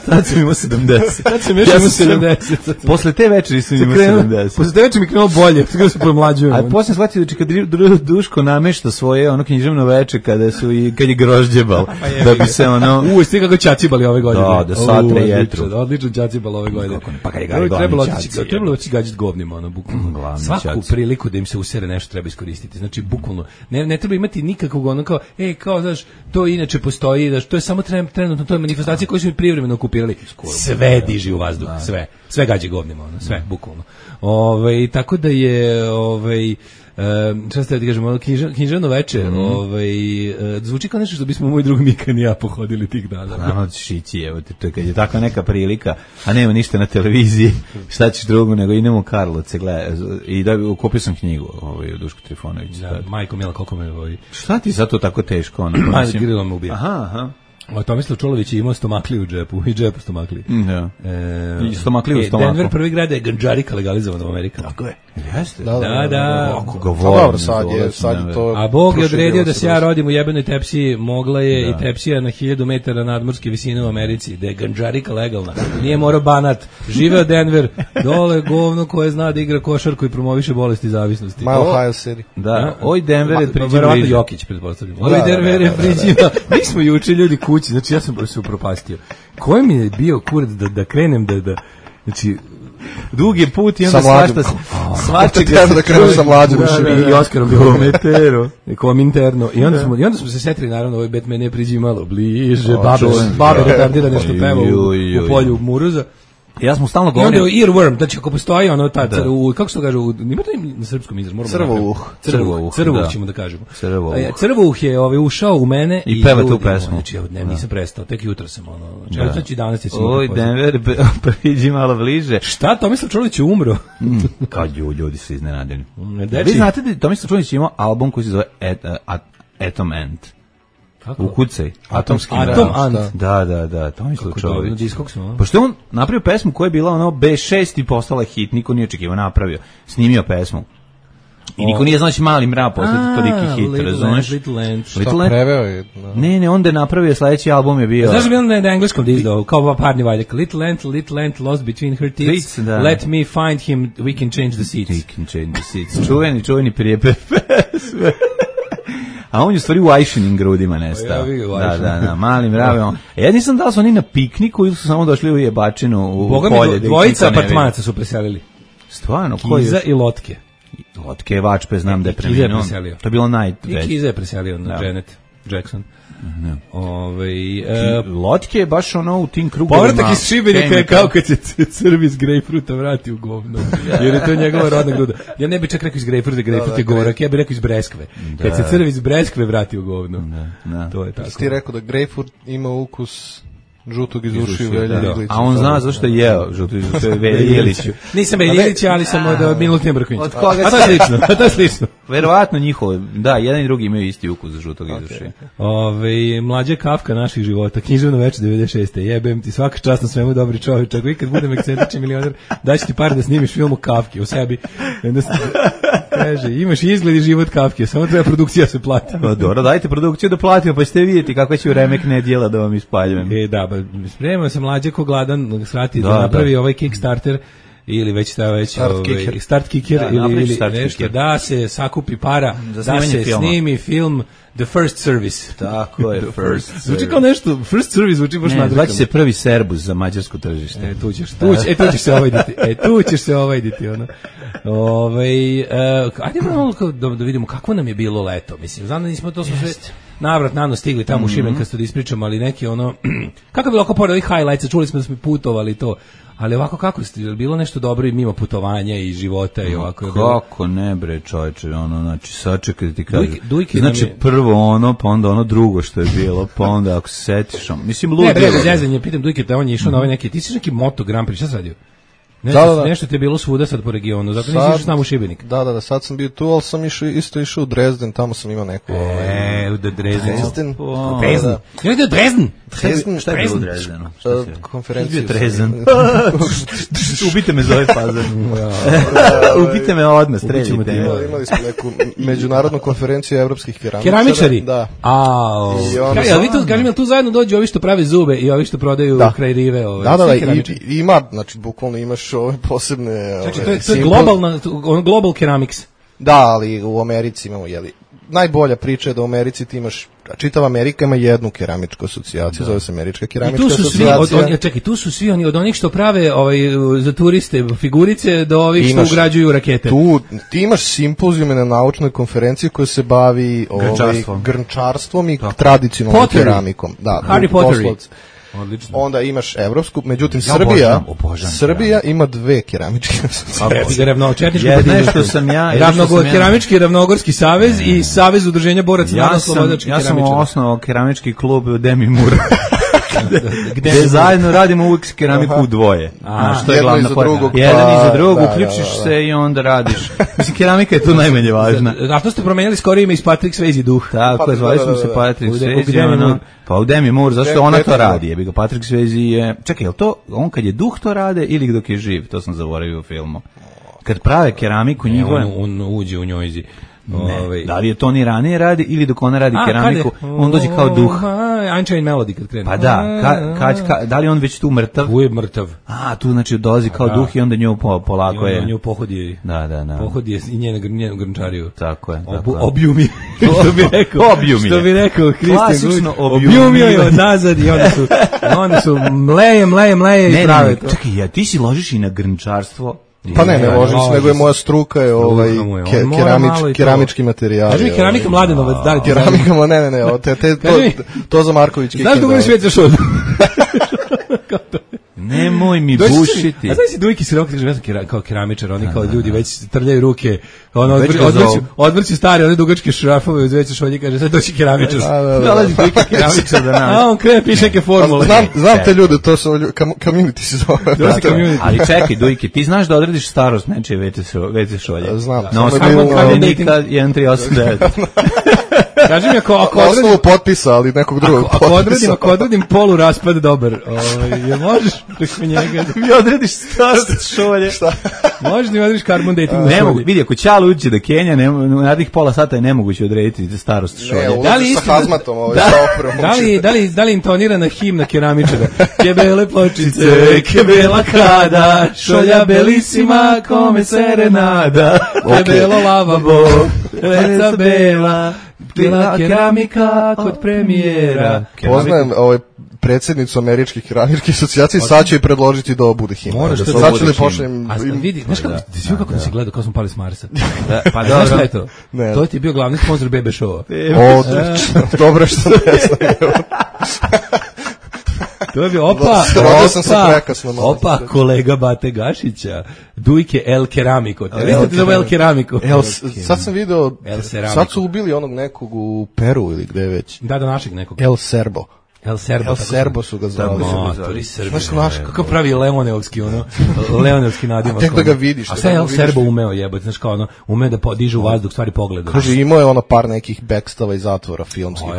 Tad sam imao 70. Tad sam još imao 70. Posle te večeri sam imao 70. Posle te večeri mi krenulo bolje, tako da se pomlađujem. A posle shvatio da kad Duško namešta svoje ono književno veče kad je grožđebal, da bi se ono... Svi kako ćacibali ove godine. Da satre jetru. Odlično ćacibal ove godine. kako ne. Pa kad je Gari glavni ćaci. Trebalo oći gađati govnima, ono, bukvalno. Svaku priliku da im se usere nešto treba iskoristiti. Znači, bukvalno, ne treba imati nikakvog ono kao, znaš, to inače postoji, da to je samo trenutno, to je manifestacija koju su privremeno okupirali. Sve diži u vazduh, sve gađe govnima, ono, sve, bukvalno. Tako da je, šta ste da kažemo, književno veče, zvuči kao nešto što bismo moj drug Mikan i ja pohodili tih dana. Nama ćeš ići, evo te, to je kad je takva neka prilika, a nema ništa na televiziji, šta ćeš drugo nego idemo u Karlovce, gledaj, i da kupio sam knjigu, Duško Trifonović. Da, majko mila, koliko me Šta ti sad to tako teško? Ajde, Kirilo me ubija. Aha. Tomislav Čolović je imao stomakliju u džepu, i džepu stomakliji. Da. I stomakliju u stomaku. Denver prvi grad je ganđarika legalizovana u Amerika. Tako je. Jeste? Da. Ako ga volim. Sad je to... A Bog je odredio da se ja rodim u jebenoj tepsiji, mogla je i tepsija na 1000 metara nadmorske visine u Americi, da je ganđarika legalna. Nije morao Banat. Živeo Denver, dole govno koje zna da igra košarku i promoviše bolesti zavisnosti. Mile Ohio City. Da. Oj, Denver je priđima. Verovatno Jokić, pretpostavljam. Oj, Denver je priđima. Mi smo juče ljudi kući, znači ja sam se upropastio. Koji mi je bio kurac da krenem da znači dug je put i onda svačega treba da krenu sa mlađom i Oskarom bio metero Kominterno i onda smo se setili, naravno, ovaj Batman je priđi malo bliže, babe retardira nešto peva u polju Muruza. Ja smo stalno govorili. I onda je earworm, znači ako postoji ono kako se to kaže, ima to na srpskom izraz, moramo crvuh ćemo da kažemo. Crvuh je ušao u mene i peva tu pesmu. Znači nisam prestao, tek jutro sam znači danas je se. Oj, Denver, priđi malo bliže. Šta, Tomislav Čolić je umro? Kao ljudi su iznenadeni. Vi znate da Tomislav Čolić ima album koji se zove Atom Ant. Ukucaj. Atomski Ant. Da, Tomislav Čolović. Pošto je on napravio pesmu koja je bila B6 i postala hit, niko nije očekivao, napravio. Snimio pesmu. I niko nije znači mali mrav postati toliki hit, razumeš? Little Ant. Šta preveo je? Ne, onda je napravio, sledeći album je bio... Znaš da bi on na engleskom dizdao, kao parni valjak. Little Ant lost between her teeth, let me find him, we can change the seats. We can change the seats. Čuveni prijepe pesme. A on je u stvari u Ajšinim grudima nestao. Da, mali mrave. Ja nisam dao su oni na pikniku ili su samo došli u jebačinu u polje. Dvojica apartmanaca su preselili. Stvarno? Kiza i Lotke. Lotke je Vačpe, znam da je preminuo. To je bilo najveće. I Kiza je preselio na Janet Jackson. Lotke je baš u tim krugovima. Povratak iz Šibenika je kao kad se crv iz grejpfruta vrati u govno, jer je to njegova rodna gruda. Ja ne bi čak rekao iz grejpfruta, grejpfrut je gorak, ja bih rekao iz breskve. Kad se crv iz breskve vrati u govno. To je tako. Ti rekao da grejpfrut ima ukus žutog iz ušiju Velja Ilića. A on zna zašto je jeo žutog iz ušiju Velja Ilića. Nisam Velja Ilića, ali sam od Milutine Brkovića. Od koga a to je slično. Verovatno njihovo, da, jedan i drugi imaju isti ukus žutog iz ušiju. Mlađa Kafka naših života, književno veče 96. Jebem ti, svaka čast na svemu, dobri čovjek. Ako ikad budem ekscentrični milioner, daći ti par da snimiš film o Kafki, o sebi. Kaže, imaš izgled i život Kafke, samo treba produkcija se plati. Dobro, dajte produkciju da platimo, pa ćete vidjeti kako će remek nedjela da vam ispaljujem. Spremamo se mlađe ko gladan svrati da napravi ovaj Kickstarter ili već start kicker ili nešto, da se sakupi para, da se snimi film The First Service. Tako je, First Service. Zvuči kao nešto, First Service zvuči baš nadrukano. Zvaći se prvi Serbus za mađarsko tržište. Tu ćeš se ovajditi. Ajde da vidimo kako nam je bilo leto. Mislim, znam da nismo to sve navrat nano stigli tamo u Šiben kad ste da ispričamo, ali neki kako je bilo oko pored ovih highlights, čuli smo da smo putovali to. Ali ovako kako ste, bilo nešto dobro i mimo putovanja i života i ovako je bilo? Kako ne bre čovječe, znači sačekaj da ti kažem. Znači prvo pa onda drugo što je bilo, pa onda ako se setiš, mislim ludilo. Ne bre, zezanje, pitam Dujke da on je išao na ovaj neki, ti si neki Moto Grand Prix, šta si radio? Nešto ti je bilo svuda sad po regionu, zato nisi išao s nama u Šibenik. Da, sad sam bio tu, ali sam išao u Dresden, tamo sam imao neku... u Dresden. Ja ide Dresden? Šta je bilo u Dresdenu? Konferenciju. Dresden. Ubite me za ovaj fazan. Ubite me odmah, streljite. Imali smo neku međunarodnu konferenciju evropskih keramičara. Keramičari? Da. Kažem, jel tu zajedno dođu ovi što prave zube i ovi što prodaju kraj rive? Da, ima, znači bukvalno imaš ove posebne... Znači, to je global ceramics. Da, ali u Americi imamo, najbolja priča je da u Americi ti imaš, čitava Amerika ima jednu keramičku asocijaciju, zove se Američka keramička asocijacija. Čekaj, tu su svi oni, od onih što prave za turiste figurice do ovih što ugrađuju rakete. Ti imaš simpozijume na naučnoj konferenciji koja se bavi grnčarstvom i tradicionalnom keramikom. Da, Harry Potter. Odlično. Onda imaš evropsku, međutim Srbija ima dve keramičke asocijacije. Keramički Ravnogorski savez i Savez udruženja boraca narodno-slobodačkih keramičara. Ja sam osnovao keramički klub u Demi Mur. Gde zajedno radimo uvijek keramiku u dvoje. Što je glavna pojma? Jedan iza drugog, uključiš se i onda radiš. Mislim, keramika je tu najmanje važna. A što ste promenjali skoro ime iz Patrick Swayze duh? Tako je, zvali smo se Patrick Swayze. Pa u Demi Moore, zašto ona to radi? Patrick Swayze je... Čekaj, je to on kad je duh to rade ili dok je živ? To sam zaboravio u filmu. Kad prave keramiku njihove... On uđe u njojzi. Ne, da li je to ni ranije radi ili dok ona radi keramiku, on dođe kao duh. Unchained Melody kad krene. Pa da, da li on već tu mrtav? Tu je mrtav. Tu znači dolazi kao duh i onda nju polako je. Nju pohodi. Da. Pohodi je i njenu grnčariju. Tako je. Objumi. Što bi rekao Kristijan Guć. Objumio je od nazad i onda su mleje i prave to. Čekaj, ti si ložiš i na grnčarstvo? Pa ne ložim se, nego je moja struka je keramički materijal. Kaži mi keramika Mladenovac, da li keramika, to za Marković. Znaš da govoriš već za šodu? Nemoj mi bušiti. A znaš si Dujki Sirok, kao keramičar, oni kao ljudi već trljaju ruke, odvrći stari, one dugačke šrafove uz veće šolje, kaže, sad doći keramičar. Dolazi Dujka keramičar da nam. A on krene, piše neke formule. Znam te ljude, to su community se zove. Ali čekaj, Dujki, ti znaš da odrediš starost nečije veće šolje? Znam. Na osnovu kamenika 1389. Kaži mi, ako osnovu potpisa, ali nekog drugog potpisa. Ako odredim polu raspad dobar, je možeš preko njega da mi odrediš starost šolje? Šta? Možeš da mi odrediš carbon dating na šolje? Ne, vidi, ako Ćalo uđe da Kenja, narednih pola sata je nemoguće odrediti starost šolje. Ne, ulazi sa hazmatom, da li intonirana himna keramičara? Kebele pločice, kebela kada, šolja belisima, kome serenada, kebelo lavabo, leca bela, bila keramika kod premijera. Poznajem predsjednicu Američkih keramičkih asocijacija, sad će i predložiti da ovo bude himna. Sad ću li pošljem... A vidi, znaš kako si gledao, kao smo pali s Marsa? Pa znaš šta je to? To ti je bio glavni sponsor BB Show-a. Dobro što ne znam. To je bio opa kolega Bate Gašića, Dujke El Keramiko. Vidite ti zove El Keramiko? Sad sam video, sad su ubili onog nekog u Peru ili gde već. Da, našeg nekog. El Serbo. El Serbo su ga zvali. Znaš kako pravi Leoneovski Leoneovski nadimak. Tek da ga vidiš. A sve El Serbo umeo jebati, znaš kao umeo da diže u vazduh, stvari pogleda. Kaže, imao je par nekih backstava i zatvora filmskih.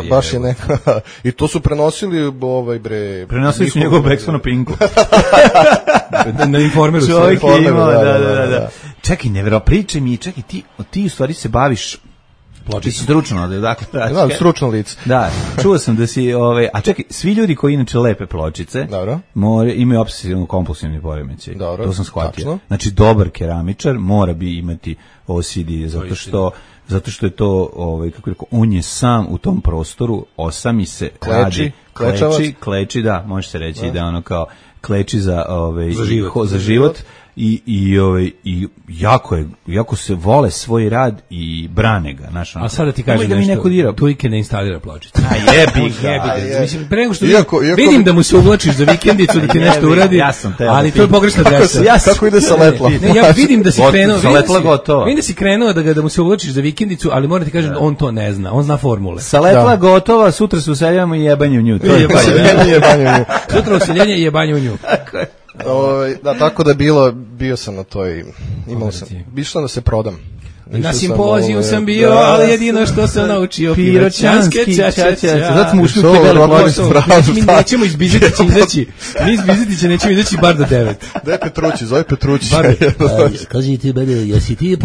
Baš je neka... I to su prenosili Prenosili su njegov backstav na Pinku. Na Informeru. Čovjek je imao, da. Čekaj, pričaj mi, ti u stvari se baviš ti si stručno, dakle, stručno lice. Da, čuo sam da si, a čekaj, svi ljudi koji inače lepe pločice, imaju obsesivno kompulsivni poremećaj. To sam shvatio. Tačno. Znači, dobar keramičar mora bi imati OCD, zato što je to, kako rekao, on je sam u tom prostoru, osami se, kleči, da, može se reći da ono kao kleči za život. I jako se vole svoj rad i brane ga, znaš. A sada ti kažem nešto, Dujke ne instalira pločice. A jebi ga. Mislim, pre nego što vidim da mu se uvlačiš za vikendicu da ti nešto uradi, ali to je pogrešna adresa. Kako ide sa letla? Ne, ja vidim da si krenuo, da mu se uvlačiš za vikendicu, ali moram ti kažem, on to ne zna, on zna formule. Sa letla gotova, sutra se useljamo i jebanje u nju. Sutra useljenje i jebanje u nju. Da, tako da bio sam na toj, išao da se prodam. Na simpoziju sam bio, ali jedino što sam naučio piroćanske čačača. Zato smo ušli u te vele pločice. Mi nećemo iz Bizetića izaći. Mi iz Bizetića nećemo izaći bar do 9. Daj Petrući, zove Petrući. Kaži ti mene, jesi ti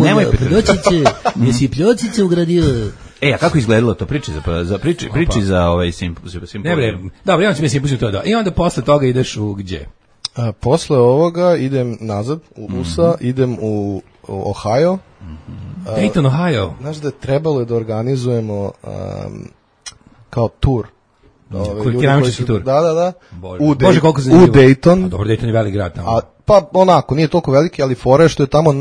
jesi pljočice ugradio? A kako izgledalo to? Priči za ovaj simpoziju. Dobro, ja ću mi simpoziju to da. I onda posle toga ideš u gdje? Posle ovoga idem nazad u USA, idem u Ohio. Dayton, Ohio. Znaš da je trebalo da organizujemo kao tur. Keramički tur. Da. Bože, koliko zanimljivo. U Dayton. A dobro, Dayton je velik grad tamo. Pa onako, nije toliko veliki, ali fora je što je tamo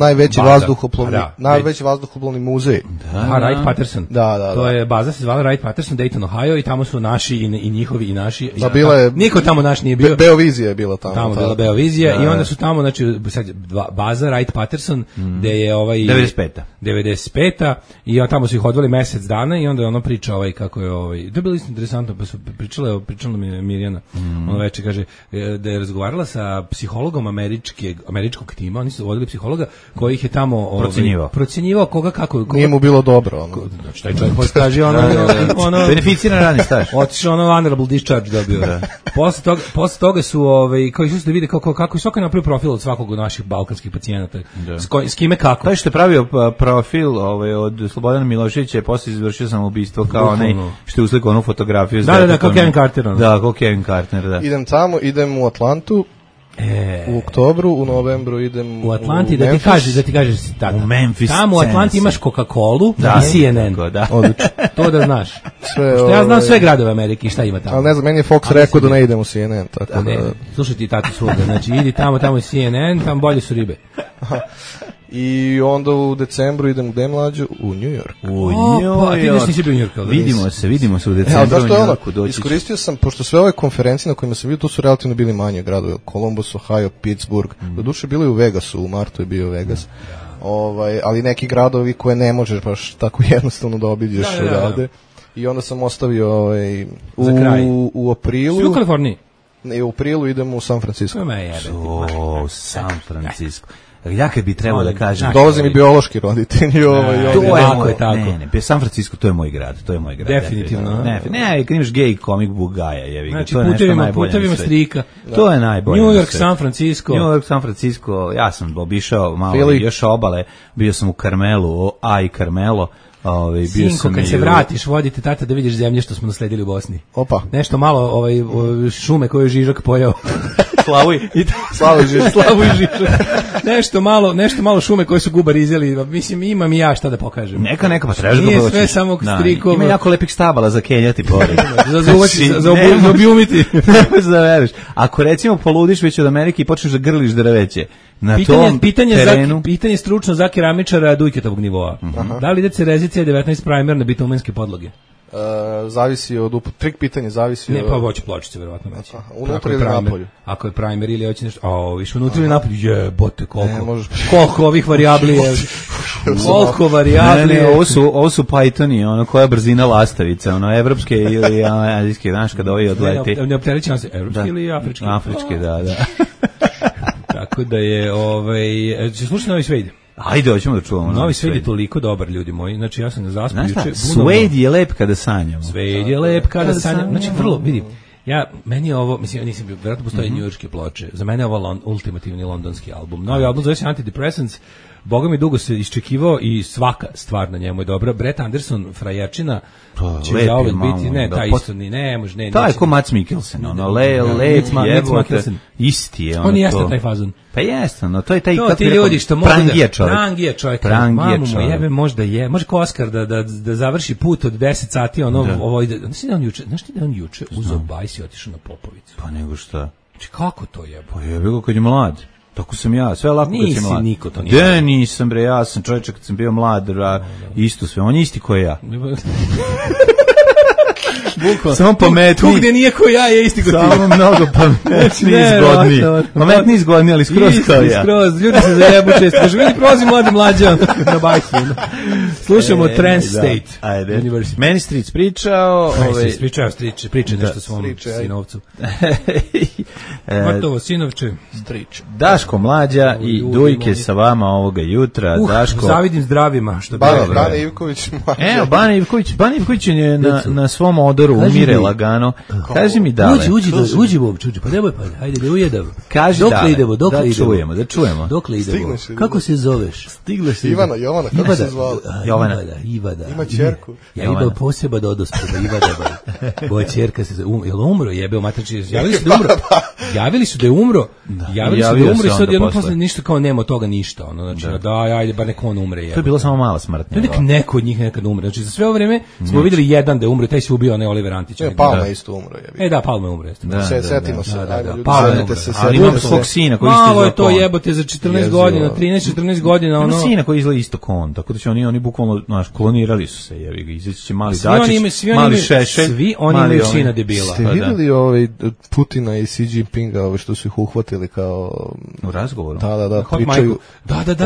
najveći vazduhoplovni muzej. Wright Patterson. Da. To je baza, se zvala Wright Patterson, Dayton, Ohio, i tamo su naši i njihovi i naši. Da, bila je, niko tamo naš nije bio. Beovizija je bila tamo. Tamo je bila Beovizija i onda su tamo, znači, baza Wright Patterson, gde je 95. I tamo su ih odveli mesec dana i onda je ono priča kako je to je bilo isto interesantno, pa su pričala mi je Mirjana, ono veče, kaže, da je razgovarala sa psihologom američkog tima, oni su vodili psihologa koji ih je tamo procenjivao koga kako. Nije mu bilo dobro. Znači, taj čovjek postaži ono beneficiran radni staž. Otišao ono honorable discharge dobio. Posle toga su koji su da vide kako svako napravio profil od svakog od naših balkanskih pacijenata. S kime kako. Taj što je pravio profil od Slobodana Miloševića je posle izvršio samoubistvo kao onaj što je uslikao onu fotografiju. Da, kao Kevin Carter. Da, kao Kevin Carter, da. Idem u Atlantu. U oktobru, u novembru idem u Atlanti, da ti kažeš tata. U Memphis. Tamo u Atlanti imaš Coca-Colu i CNN. Odlično. To da znaš. Što ja znam sve gradove Amerike i šta ima tamo. Ali ne znam, meni je Fox rekao da ne idem u CNN. Tako da. Slušaj ti tatu svoga, znači idi tamo je CNN, tamo bolje su ribe. I onda u decembru idem gde mlađu? U New York. A ti nisi bio u New Yorku. Vidimo se u decembru. Iskoristio sam, pošto sve ove konferencije na kojima sam bio, tu su relativno bili manje gradovi. Columbus, Ohio, Pittsburgh. Doduše bili u Vegasu, u martu je bio Vegas. Ali neki gradovi koje ne možeš baš tako jednostavno da obiđeš odavde. I onda sam ostavio u aprilu. Svi u Kaliforniji? Ne, u aprilu idem u San Francisco. U San Francisco. Ja kad bi trebao da kažem, dolaze mi biološki roditelji, to je tako. Ne, San Francisco to je moj grad, Definitivno. Ne, kad imaš gay comic book gaja, jevi ga, znači, to je nešto najbolje. Putevima strika. To je najbolje. New York, San Francisco. Ja sam obišao malo još obale, bio sam u Carmelu, i Carmelo. Sinko, kad se vratiš, vodite tata da vidiš zemlje što smo nasledili u Bosni. Opa. Nešto malo šume koje je Žižak pojao. Slavu i Žižak. Nešto malo šume koje su Gubar izjeli. Mislim, imam i ja šta da pokažem. Neka, pa trebaš da nije sve samo strikova. Ima jako lepih stabala za kenjati pored. za objumiti. Da veriš. Ako recimo poludiš već od Amerike i počneš da grliš drveće, na tom terenu... Pitanje stručno za keramičara Dujketovog nivoa. Da li ide cerezicija 19 primer na bitumenske podloge? Zavisi od trik pitanje, zavisi od... Ne, pa hoće pločice, verovatno već. Unutra ili napolju? Ako je primer ili hoće nešto... više unutra ili napolju? Jebote, koliko ovih varijabli je... Koliko varijabli je... Ovo su Pythoni, koja je brzina lastavice, evropske ili azijske, znaš, kada ovi odleti. Ne optereći nam se, evropske ili afričke? Afričke, da. Tako da je, će slušati Novi Svejde? Ajde, hoćemo da čuvamo. Novi Svejde je toliko dobar, ljudi moji. Znači, ja sam na zaspu juče... Svejde je lep kada sanjamo. Svejde je lep kada sanjamo. Znači, vrlo, vidi, meni je ovo, mislim, nisam bio, vjerojatno postoje njujorške ploče. Za mene je ovo ultimativni londonski album. Novi album zove se Antidepressants. Boga mi dugo se iščekivao i svaka stvar na njemu je dobra. Brett Anderson, frajerčina, će zauvek biti, taj isto ni ne može, ne. Taj ko Mats Mikkelsen, lep jebote, isti je ono to. On jeste taj fazon. Pa jeste, to je taj ti ljudi što mogu prangije čovjek. Mamu mu jebe, možda je, može ko Oskar da završi put od 10 sati, znaš ti da on juče uzeo bajs i otišao na Popovicu? Pa nego šta? Znači kako to jebe? Pa jebe ga kad je mlad. Tako sam ja, sve lako kad sam mlad. Niko to nije. Da, nisam bre, ja sam čovječe kad sam bio mlad, isto sve, on je isti ko ja. Samo pametniji. Tu gde nije ko ja je isti ko ti. Samo mnogo pametniji i zgodniji. Pametniji i zgodniji, ali skroz kao ja. Skroz, ljudi se zajebu često. Kaže, vidi, prolazi mlađa na bajsu. Slušamo Trans State. Ajde. Meni Stric pričao. Priča nešto svom sinovcu. Vrtovo, sinovče. Strič. Daško Mlađa i Dujke sa vama ovoga jutra. Daško. Zavidim zdravima. Bane Ivković. Evo, Bane Ivković je na svom odoru umire lagano. Kaži mi da. Uđi Bobče, pa nemoj pa, hajde da ujedamo. Kaži dokle idemo. Da čujemo. Dokle idemo. Kako se zoveš? Stigleš. Jovana, kako se zvala? Ivada. Ima ćerku. Ja idem poseba do odospreda Ivada. Boja ćerka se jel umro, jebeo matriči. Javili su da je umro. Javili su da umre i sad jedno posle ništa kao nema od toga ništa, ono, znači ajde, bar neko on umre. To je bilo samo mala smrt. Neko od njih nekad umre. Znači za sve ovo vreme smo videli jedan da je umre, taj se ubio, onaj Oliver Antić. Palma isto umro je. Da, Palma umre. Setimo se. Ali ima svog sina koji isto. Malo je to jebote za 14 godina, 13-14 godina, ono. Ima sina koji izgleda isto kon, tako da će oni bukvalno, znaš, klonirali su se, jebi ga, izaći će mali Dačić, mali Šešelj. Svi oni imaju sina debila. Ste vidjeli Putina i Xi Jinpinga, što su ih uhvatili kao u razgovoru? Da, pričaju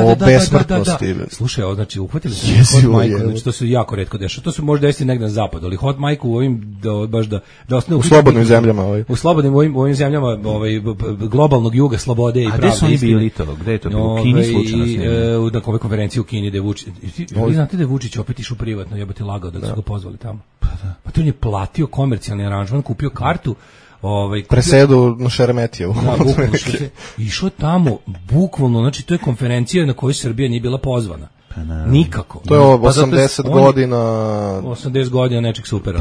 o besmrtnosti. Slušaj, znači uhvatili su Hot Mike, znači to se jako retko dešava. To se može desiti negde na zapadu, ali Hot Mike u ovim baš da ostane u slobodnim zemljama, u slobodnim ovim zemljama, globalnog juga slobode i pravde. A gde su oni bili to? Gde je to bilo? U Kini slučajno? Na kove konferenciji u Kini, gde Vučić. Vi znate da je Vučić opet išao privatno, jebote lagao da su ga pozvali tamo. Pa to on je platio komercijalni aranžman, kupio kartu, presedu na Šeremetijevu. Išao tamo, bukvalno, znači to je konferencija na kojoj Srbija nije bila pozvana. Nikako. To je 80 godina. 80 godina nečeg supera.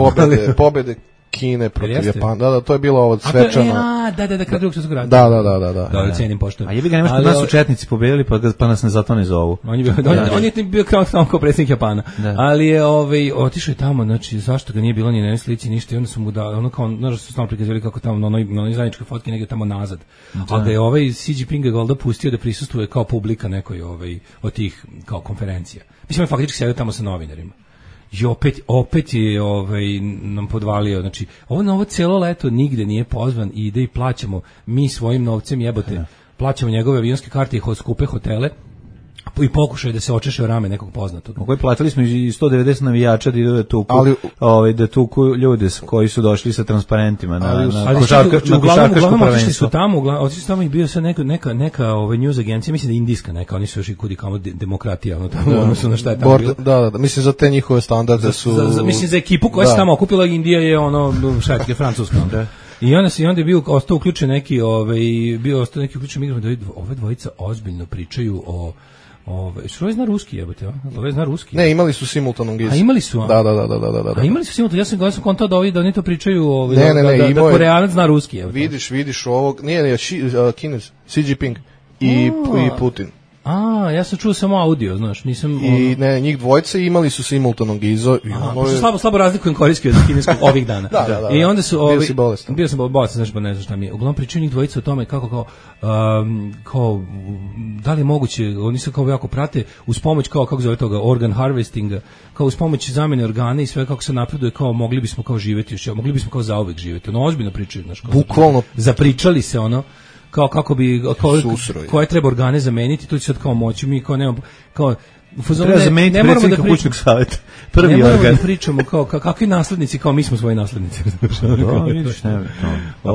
Pobede Kine protiv Japana. Da, to je bilo ovo svečano. Da, kad drugog svjetskog rata. Da. Da, cenim poštovno. A jebi ga, nemaš kod nas su četnici pobedili, pa nas ne zato ne zovu. On je bio kao predsjednik Japana. Ali je otišao je tamo, znači zašto ga nije bilo ni na jednoj slici, ništa, i onda su mu ono kao, znaš, su stalno prikazivali kako tamo na onoj zajedničkoj fotki negdje tamo nazad. A da je Xi Jinping ga valjda pustio da prisustvuje kao publika nekoj od tih kao konferencija. Mislim, on faktički sedio tamo sa novinarima. I opet je nam podvalio, znači ovo cijelo leto nigde nije pozvan i ide i plaćamo mi svojim novcem, jebote, plaćamo njegove avionske karte i skupe hotele i pokušaj da se očeše o rame nekog poznatog. Koji platili smo i 190 navijača da idu da tuku, da tuku ljude koji su došli sa transparentima na košarkaško prvenstvo. Otišli su tamo i bio sad neka news agencija, mislim da je indijska neka, oni su još i kudi kamo demokratija, ono su na šta je tamo bilo. Da, mislim za te njihove standarde su... Mislim za ekipu koja se tamo okupila, Indija je šajtke, Francuska. I onda je bio ostao uključen neki uključen mikrofon da ove dvojica ozbiljno pričaju o što zna ruski, jebote, ove zna ruski. Ne, imali su simultanog iz. A imali su? Da. A imali su simultanog, ja sam kontao da oni to pričaju, da Koreanac zna ruski, jebote. Vidiš ovog, nije, Kinez, Xi Jinping i Putin. Ja sam čuo samo audio, znaš, nisam... I njih dvojice imali su simultanog izo. Slabo razlikujem korejski od kineskog ovih dana. Da. I onda su... Bio si bolestan. Bio sam bolestan, znaš, pa ne znam šta mi je. Uglavnom pričaju njih dvojice o tome kako da li je moguće, oni se kao jako prate, uz pomoć kako zove toga, organ harvestinga, kao uz pomoć zamene organa i sve kako se napreduje, kao mogli bismo kao živjeti još, mogli bismo kao zauvek živjeti. Ozbiljno pričaju, znaš. Bukvalno. Zapričali se, kao kako bi koje treba organe zameniti, to će sad kao moći mi kao nemamo kao treba zameniti predsjednika kućnog savjeta. Prvi organ. Ne moramo da pričamo kao kakvi naslednici, kao mi smo svoji naslednici. Vidiš, ne.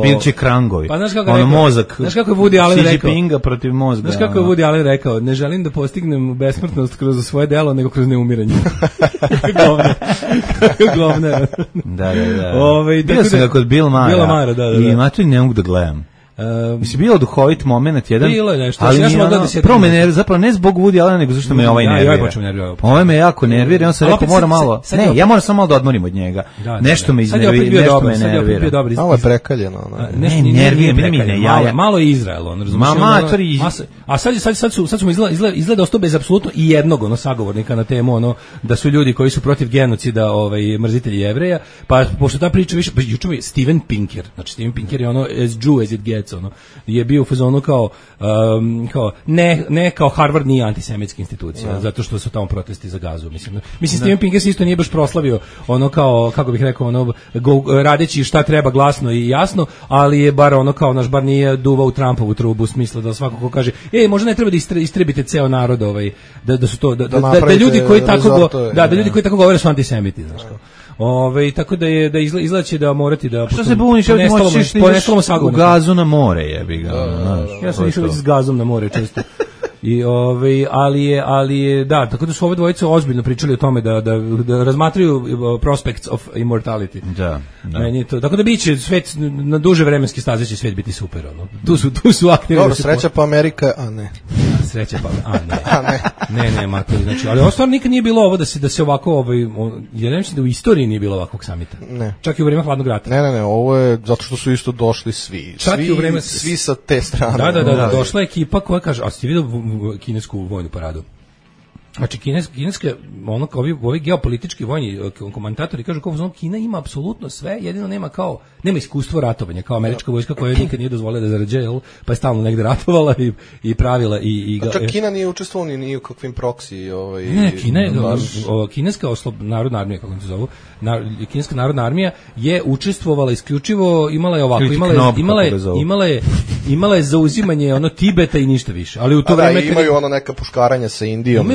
Bil će Krangovi. Pa znaš kako je mozak. Znaš kako je Woody Allen rekao? Xi Jinpinga protiv mozga. Znaš kako je Woody Allen rekao? Ne želim da postignem besmrtnost kroz svoje delo, nego kroz neumiranje. Govne. Da. Bio sam ga kod Bill Mara. I Matu ne mogu da gledam. Mislim, bilo duhovit moment jedan, bilo je nešto, ali prvo me nervira, zapravo ne zbog Woody Allena, nego zašto me ovaj nervira. Ovaj me jako nervira, on se rekao mora malo, ja moram samo malo da odmorim od njega. Nešto me iznervira, nešto me nervira. Malo je prekaljeno. Ne, nervira, malo je Izrael, on razumije. A sad smo izgleda ostao bez apsolutno i jednog sagovornika na temu da su ljudi koji su protiv genocida mrzitelji Jevreja, pa pošto ta priča više, juče mi Steven Pinker, znači Steven Pinker je as Jew as it gets, je bio u fazonu kao ne kao Harvard nije antisemitska institucija, zato što su tamo protesti za Gazu, mislim Steven Pinker se isto nije baš proslavio kao kako bih rekao radeći šta treba glasno i jasno, ali je bar bar nije duvao u Trumpovu trubu u smislu da svako ko kaže možda ne treba da istrebite ceo narod da su to da ljudi koji tako da ljudi koji tako govore su antisemiti, znači tako da izlači da morati da što se buniš, u Gazu na more, jebi ga. Ja sam išao s Gazom na more često. I ali je da, tako da su ove dvojice ozbiljno pričali o tome da razmatraju prospects of immortality. Da. Meni to, tako da biće svet na duže vremenske staze će svet biti super, Tu su aktivni. Dobro, sreća pa Amerika, a ne. sreća pa. Ne, matori, znači, ali ovo stvarno nikad nije bilo ovo da se ovako ja ne mislim da u istoriji nije bilo ovakvog samita. Ne. Čak i u vrijeme hladnog rata. Ne, ovo je zato što su isto došli svi. Čak i u vrijeme svi sa te strane. Da, došla je ekipa koja kaže, a ste vidio kinesku vojnu paradu? Znači, kineske, ovi geopolitički vojni komentatori kažu kao Kina ima apsolutno sve, jedino nema iskustvo ratovanja, kao američka vojska koja nikad nije dozvolila da zarađuje, pa je stalno negde ratovala i pravila. A čak Kina nije učestvovala ni u kakvim proksi. Ne, kineska narodna armija, kako se zovu, kineska narodna armija je učestvovala isključivo, imala je zauzimanje Tibeta i ništa više. Ali u to vreme imaju neka puškaranja sa Indijom.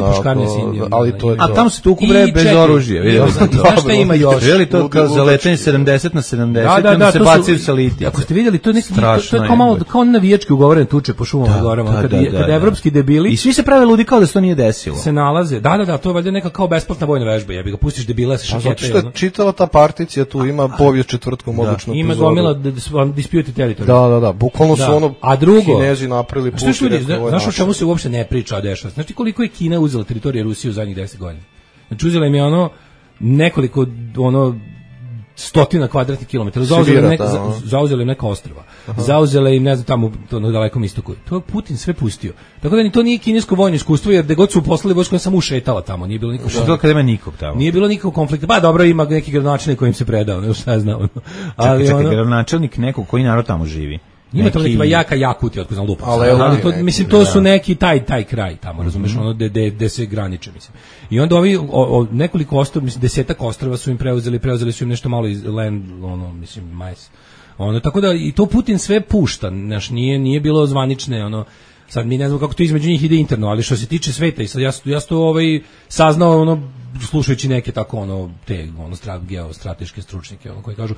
Ali to je a tamo se tu kubre bez oružja, vidjeli ste to. Šta ima još? Vidjeli to kao za letenje 70 na 70, da se bacaju sa liti. Ako ste vidjeli, to je kao malo, kao navijački ugovorene tuče po šumama i gorama, kada evropski debili... I svi se prave ludi kao da se to nije desilo. Se nalaze, da, to je valjda neka kao besplatna vojna vežba, jebi ga, pustiš debila sa šakete. Zato što je čitava ta particija tu, ima povijest četvrtkom obično. Ima gomila disputed territory. Da, bukvalno su Kinezi napravili put. Znaš o čemu se uopšte ne priča, a dešava? Znači koliko je Kina uzela teritorije Rusije u zadnjih 10 godina? Znači uzela im je nekoliko stotina kvadratnih kilometara, zauzela im neka ostrva, zauzela im, ne znam, tamo na dalekom istoku. To je Putin sve pustio. Tako da ni to nije kinesko vojno iskustvo, jer gde god su poslali vojsku, on samo ušetala tamo, nije bilo nikog konflikta. Kada ima nikog tamo. Nije bilo nikog konflikta. Pa dobro, ima neki gradonačelnik kojim se predao, ne šta znam. Ali gradonačelnik nekog koji narod tamo živi. Ima to neki jaka Jakuti, otko znam lupa. Ali to, mislim, to su neki taj kraj tamo, razumeš, gde se graniče, mislim. I onda ovi, nekoliko ostrva, mislim, 10 ostrva su im preuzeli su im nešto malo iz land, mislim, majs. Tako da, i to Putin sve pušta, znaš, nije bilo zvanične, sad mi ne znam kako to između njih ide interno, ali što se tiče sveta, i sad ja to saznao, slušajući neke tako geostrateške stručnjake koji kažu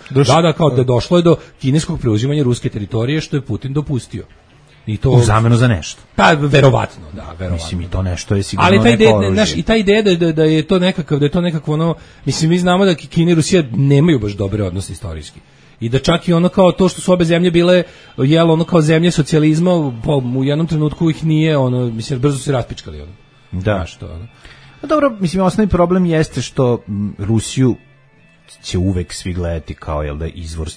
kao da došlo je do kineskog preuzimanja ruske teritorije što je Putin dopustio. I to u zamenu za nešto. Pa verovatno. Mislim, i to nešto je sigurno. Ali ta ideja da je to nekakvo mislim, mi znamo da Kina i Rusija nemaju baš dobre odnose istorijski. I da čak i kao to što su obe zemlje bile kao zemlje socijalizma, u jednom trenutku ih nije, mislim, brzo se raspičkali. Da. Dobro, mislim, osnovni problem jeste što Rusiju će uvek svi gledati kao, izvor,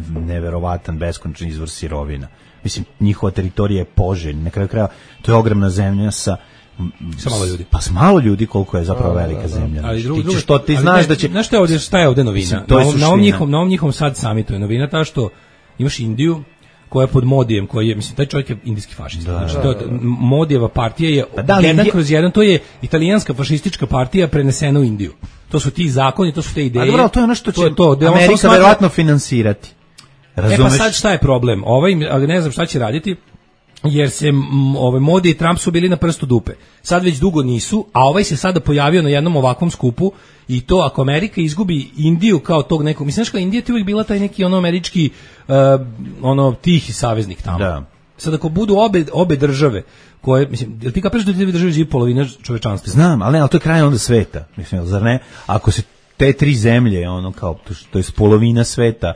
neverovatan, beskonačan izvor sirovina. Mislim, njihova teritorija je Poželj, na kraju kraja, to je ogromna zemlja sa malo ljudi. Pa s malo ljudi, koliko je zapravo velika zemlja. Ti znaš da će... Znaš šta je ovde novina? Na ovom njihovom sad samitu je novina ta što imaš Indiju, koja je pod Modijem, koji je, mislim, taj čovjek je indijski fašista. Znači, Modijeva partija je jedan kroz jedan, to je italijanska fašistička partija prenesena u Indiju. To su ti zakoni, to su te ideje. A dobro, to je ono što će Amerika verovatno finansirati. Razumeš? Pa sad šta je problem? Ne znam šta će raditi, jer se Modi i Trump su bili na prstu dupe. Sad već dugo nisu, a ovaj se sada pojavio na jednom ovakvom skupu i to ako Amerika izgubi Indiju kao tog nekog, mislim što Indija je uvijek bila taj neki američki tihi saveznik tamo. Da. Sad ako budu obe države koje, mislim, jel ti kapiraš da ti države živi polovina čovečanstva? Znam, ali to je kraj onda sveta, mislim, zar ne? Ako se te tri zemlje, kao, to je polovina sveta,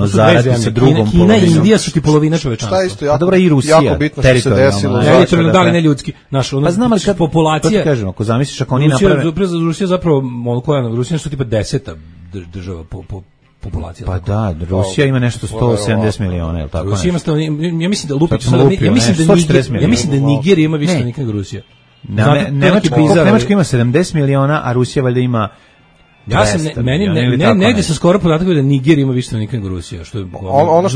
zaradi sa drugom polovinom. Kina i Indija su ti polovina čovečanstva. Šta isto dobro, i Rusija, jako bitno što se desilo. Da li ne ljudski. Pa znam, ali kad populacija... To ti kažem, ako zamisliš, ako oni naprave... Rusija zapravo, Rusija su tipa 10. država po populacija. Pa da, Rusija ima nešto 170 miliona, je li tako? Rusija ima, ja mislim da lupić, ja mislim da Niger ima više stanovnika nego Rusija. Nemačka ima 70 miliona, a Rusija valjda ima... Ja sam negdje sam skoro podatak da Niger ima više stanovnika nego Rusija, što je ono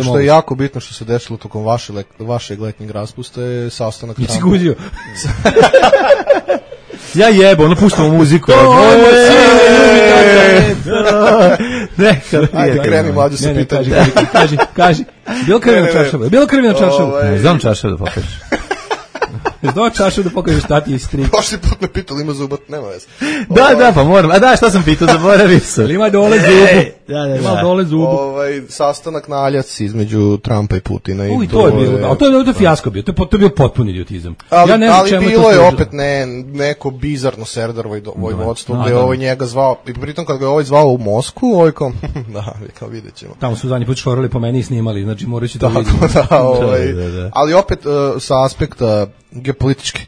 što je jako bitno što se desilo tokom vašeg letnjeg raspusta je sastanak tamo. Nisi guđio. Ja jebo, puštamo muziku. Ajde, kreni mlađu sa pitanjem. Kaži. Bilo krvi na čaršavu? Ne znam čaršavu da pokažeš. Znao čašu da pokažeš tati i strik. Prošli put me pitali, ima zubat, nema veze. Da, pa moram. A da, šta sam pitao, zaboravio sam. Ima dole zubu. Ima dole zubu. Sastanak na Aljaci između Trumpa i Putina. I to je bilo, to je fijasko bio, to je bio potpuni idiotizam. Ali bilo je opet neko bizarno Serdarovo vojvodstvo, gde je ovaj njega zvao, i pritom kad ga je ovaj zvao u Moskvu, ovaj kao vidjet ćemo. Tamo su zadnji put šorali po meni i snimali, znači morat ću to vidjeti. Ali opet sa aspekta geopolitičke.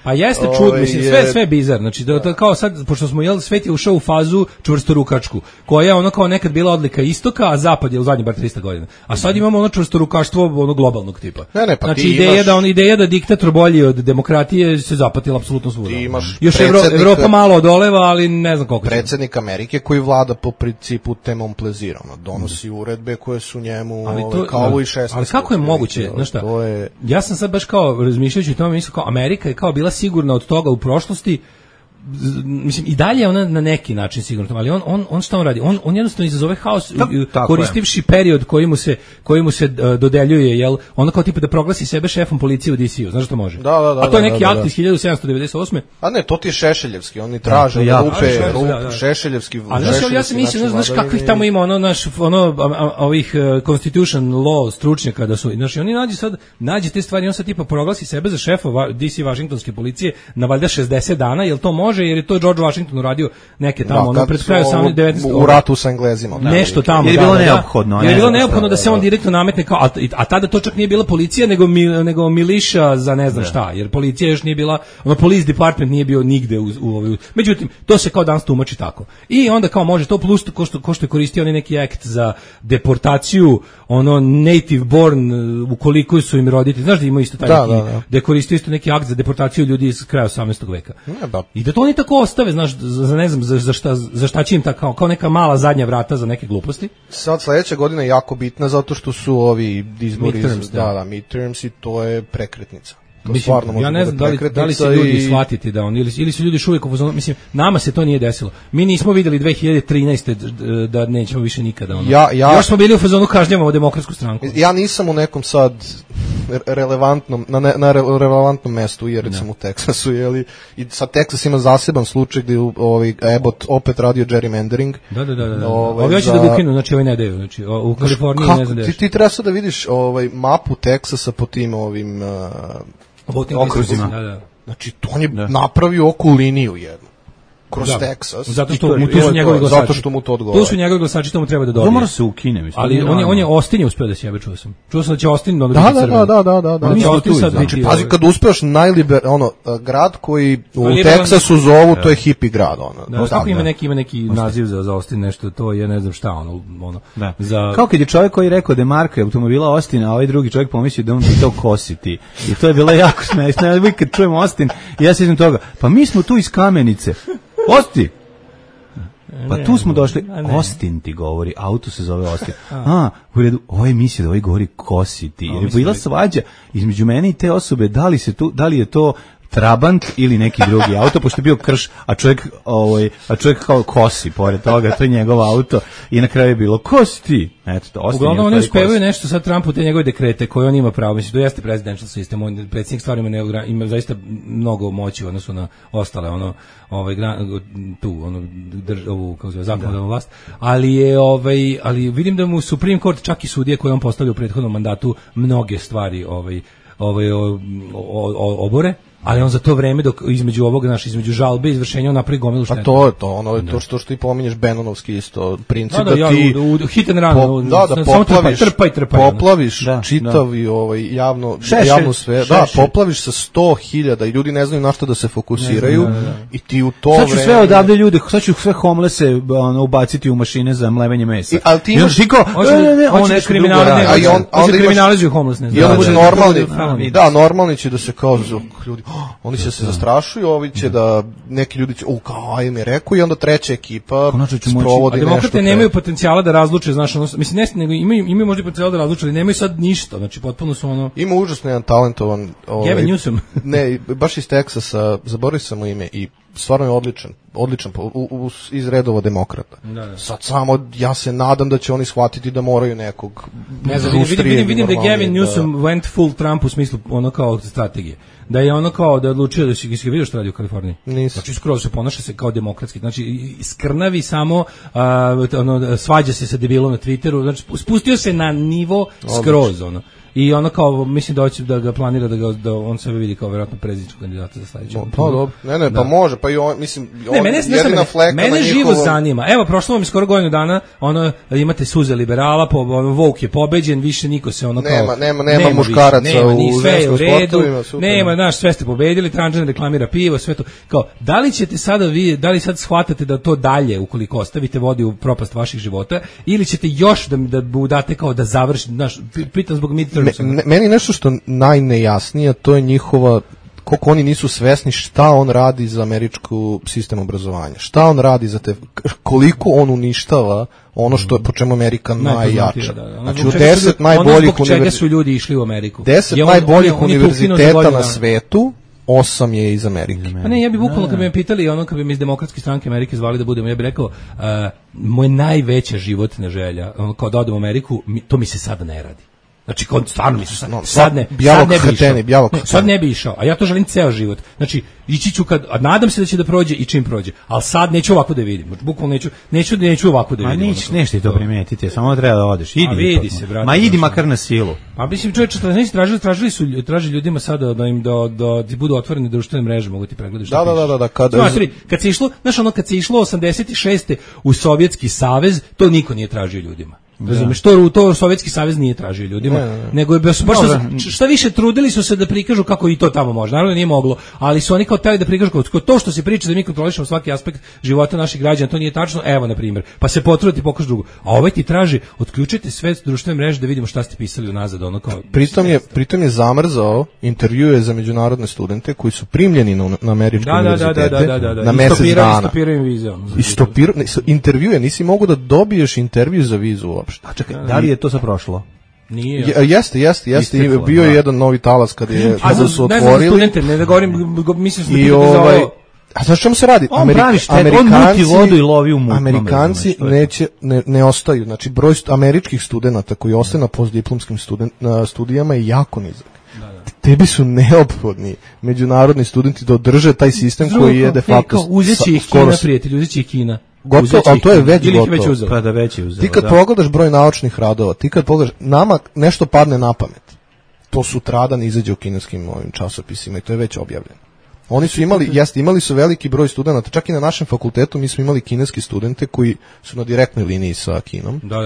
Pa jeste čudno, mislim, sve bizar, znači da kao sad, pošto smo svet je ušao u fazu čvrstorukačku, koja je ono kao nekad bila odlika istoka, a zapad je u zadnjih bar 300 godina. A sad imamo ono čvrstorukaštvo ono globalnog tipa. Pa znači ideja da diktator bolji od demokratije se zapatila apsolutno svuda. Još Evropa malo odoleva, ali ne znam koliko. Predsjednik Amerike koji vlada po principu temom plezira, donosi uredbe koje su njemu kao Louis XVI. Ali kako je moguće, znaš šta? Ja sam sad baš kao razmišljajući o tome, mislim kao Amerika je kao bila sigurna od toga u prošlosti, mislim i dalje ona na neki način sigurno, ali on šta on radi? On jednostavno izazove haos koristivši period koji mu se dodeljuje, jel? Ona kao tipa da proglasi sebe šefom policije u DC-u, znaš što može? A to je neki akt iz 1798. A ne, to ti je Šešeljevski, oni traže rupe Šešeljevski. Ali ja sam mislim, znaš kakvih tamo ima ovih Constitution law stručnjaka da su, znaš, oni nađe te stvari, on sad tipa proglasi sebe za šefa DC Vašingtonske policije na valjda 60 dana, jel to može, jer je to George Washington uradio neke tamo, pred kraju 19. u ratu sa Englezima. Nešto tamo. Je bilo neophodno. Je bilo neophodno da se on direktno nametne kao, a tada to čak nije bila policija, nego miliša za ne znam šta, jer policija još nije bila, police department nije bio nigde međutim, to se kao danas tumači tako. I onda kao može to plus ko što je koristio oni neki akt za deportaciju, native born, ukoliko su im roditelji, znaš da ima isto taj da je koristio isto neki akt za deportaciju ljudi iz kraja 18. veka. I da to oni tako ostave, znaš, ne znam za šta će im tako, kao neka mala zadnja vrata za neke gluposti. Sad sledeća godina je jako bitna zato što su ovi izbori, midterms i to je prekretnica. Mislim, ja ne znam da li se ljudi shvatiti da ili su ljudi uvijek u fazonu, mislim, nama se to nije desilo. Mi nismo videli 2013. da nećemo više nikada. Još smo bili u fazonu kažnjavamo Demokratsku stranku. Ja nisam u nekom sad relevantnom, na relevantnom mestu, jer sam u Teksasu, jeli, i sad Teksas ima zaseban slučaj gdje Abbott opet radio gerrymandering. Da. Ovi hoće da ga ukinu, znači ne daju, znači u Kaliforniji ne znam ti treba sad da vidiš mapu Teksasa po tim ovim okruzima. Znači, to on je napravio oku liniju jednu. Kroz Texas. Zato što mu tu su njegovi glasači. Zato što mu to odgovara. Tu su njegovi glasači, to mu treba da dobije. To mora se ukine, mislim. Ali on je Austin je uspeo da sjebe, čuo sam. Čuo sam da će Austin da biti crven. Da. Znači, pazi, kad uspeš grad koji u Teksasu zovu, to je hippie grad. Tako ima neki naziv za Austin, nešto, to je ne znam šta, kao kad je čovjek koji rekao da je marka automobila Austin, a ovaj drugi čovjek pomislio da on bi to kositi. I to je bilo jako smešno. Ja kad čujem Austin, ja se sjećam toga, pa mi smo tu iz Kamenice. Osti! Pa tu smo došli, Austin ti govori, auto se zove Austin. U redu, ovo je mislio da ovaj govori kositi. Jer je bila svađa između mene i te osobe, da li je to Trabant ili neki drugi auto, pošto je bio krš, a čovjek kao kosi pored toga, to je njegov auto i na kraju je bilo kosti. Eto to, uglavnom oni uspevaju nešto sad Trumpu te njegove dekrete koje on ima pravo, mislim, to jeste presidential sistem, on predsjednik stvarno ima zaista mnogo moći u odnosu na ostale, ovu, kako se zove, zakonodavnu vlast, ali vidim da mu Supreme Court, čak i sudije koje on postavlja u prethodnom mandatu, mnoge stvari obore. Ali on za to vreme između između žalbe i izvršenja on napravi gomilu štete. A to je to što ti pominješ Bannonovski isto princip da ti hit and run, poplaviš čitav i javnu sve, poplaviš sa 100.000 i ljudi ne znaju na što da se fokusiraju i ti u to vreme. Sad ću sve odavde ljude, sad ću sve homelesse ubaciti u mašine za mlevenje mesa. Ali ti imaš kriminalizuju homelessness. I onda bude normalni, normalni će da se kao ljudi, oni će se zastrašuju, ovi će da neki ljudi će, kao im je rekao, i onda treća ekipa sprovodi nešto. A demokrate nemaju potencijala da razluče, znaš, mislim, nego imaju možda potencijala da razluče, ali nemaju sad ništa, znači potpuno su Ima užasno jedan talentovan Gavin Newsom. Ne, baš iz Teksasa, zaboravio sam mu ime i stvarno je odličan iz redova demokrata. Sad samo ja se nadam da će oni shvatiti da moraju nekog vidim da Gavin Newsom went full Trump u smislu kao strategije. Da je kao da je odlučio da si vidio što radi u Kaliforniji. Znači skroz se ponaša se kao demokratski. Znači skrnavi samo, svađa se sa debilom na Twitteru. Znači spustio se na nivo skroz i ono kao, mislim da hoće da ga planira da on sebe vidi kao verovatno predsjedničkog kandidata za sledeću. Pa dobro, pa može, pa i on, mislim, jedina fleka na njihovom... Mene živo zanima, evo, prošlo vam je skoro godinu dana, imate suze liberala, Vouk je pobeđen, više niko se ono kao... Nema muškaraca u ženskom sportovima, nema, znaš, sve ste pobedili, Tranđan reklamira pivo, sve to, kao, da li ćete sada vi, da li sad shvatate da to dalje, ukoliko ostavite, vodi u propast vaših života, ili ćete još da date kao da završi, znaš, pitam zbog midtermsa. Meni nešto što najnejasnije, to je njihova, koliko oni nisu svesni šta on radi za američku sistem obrazovanja, šta on radi za te, koliko on uništava ono što je po čemu Amerika najjača. Znači u 10 najboljih čega su ljudi išli u Ameriku. 10 najboljih univerziteta na svetu, 8 je iz Amerike. Pa ne, ja bih bukvalno kad bi me pitali, kad bi me iz Demokratske stranke Amerike zvali da budemo, ja bih rekao, moja najveća životna želja, kao da odem u Ameriku, to mi se sada ne radi. Znači, stvarno mi se sad ne bi išao, a ja to želim ceo život. Znači, ići ću a nadam se da će da prođe i čim prođe, ali sad neću ovako da vidim. Bukvalno neću ovako da vidim. Nećeš to primetiti, samo treba da odeš. Vidi se, brate. Ma idi makar na silu. Pa mislim, čovječe, traži ljudima sada da im da budu otvorene društvene mreže, mogu ti pregledati što piše. Kad se išlo 86. u Sovjetski savez, to niko nije tražio ljudima. Razumeš, to Sovjetski savez nije tražio ljudima, nego je baš šta više trudili su se da prikažu kako i to tamo može. Naravno nije moglo, ali su oni kao hteli da prikažu kako to što se priča da mi kontrolišemo svaki aspekt života naših građana, to nije tačno. Evo na primjer, pa se potrudite pokažu drugo. A ovaj ti traži otključite sve društvene mreže da vidimo šta ste pisali unazad, ono kao. Pritom je zamrzao intervjue za međunarodne studente koji su primljeni na američke univerzitete na mesec dana. Intervjue, nisi mogao da dobiješ intervju za vizu uopšte. A čekaj, da li je to sad prošlo? Nije. Jeste, bio je jedan novi talas kad su otvorili. Studente, ne da govorim, mislim da a znaš čemu se radi? Amerikanci ne ostaju. Znači, broj američkih studenata koji ostaju na postdiplomskim studijama je jako nizak. Tebi su neophodni međunarodni studenti da održe taj sistem koji je de facto... Uzeći ih Kina, prijatelj, uzeći ih Kina. Gotovo, ali to je već gotovo. Pa da već je uzeo. Ti kad pogledaš broj naučnih radova, ti kad pogledaš, nama nešto padne na pamet. To sutradan izađe u kineskim ovim časopisima i to je već objavljeno. Oni su imali su veliki broj studenata, čak i na našem fakultetu mi smo imali kineski studente koji su na direktnoj liniji sa Kinom. Da.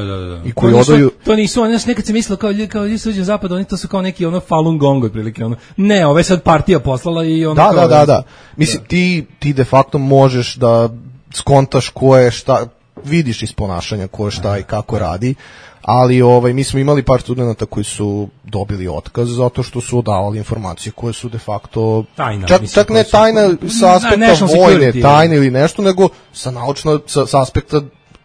I koji odaju... To nisu, oni nekad se mislilo kao ljudi suđe zapad, oni to su kao neki Falun Gong otprilike. Ne, ove sad partija poslala i Da. Mislim, ti de facto možeš da skontaš ko je šta, vidiš iz ponašanja ko je šta i kako radi, ali mi smo imali par studenata koji su dobili otkaz zato što su odavali informacije koje su de facto tajna, čak ne tajna sa aspekta vojne tajne ili nešto, nego sa aspekta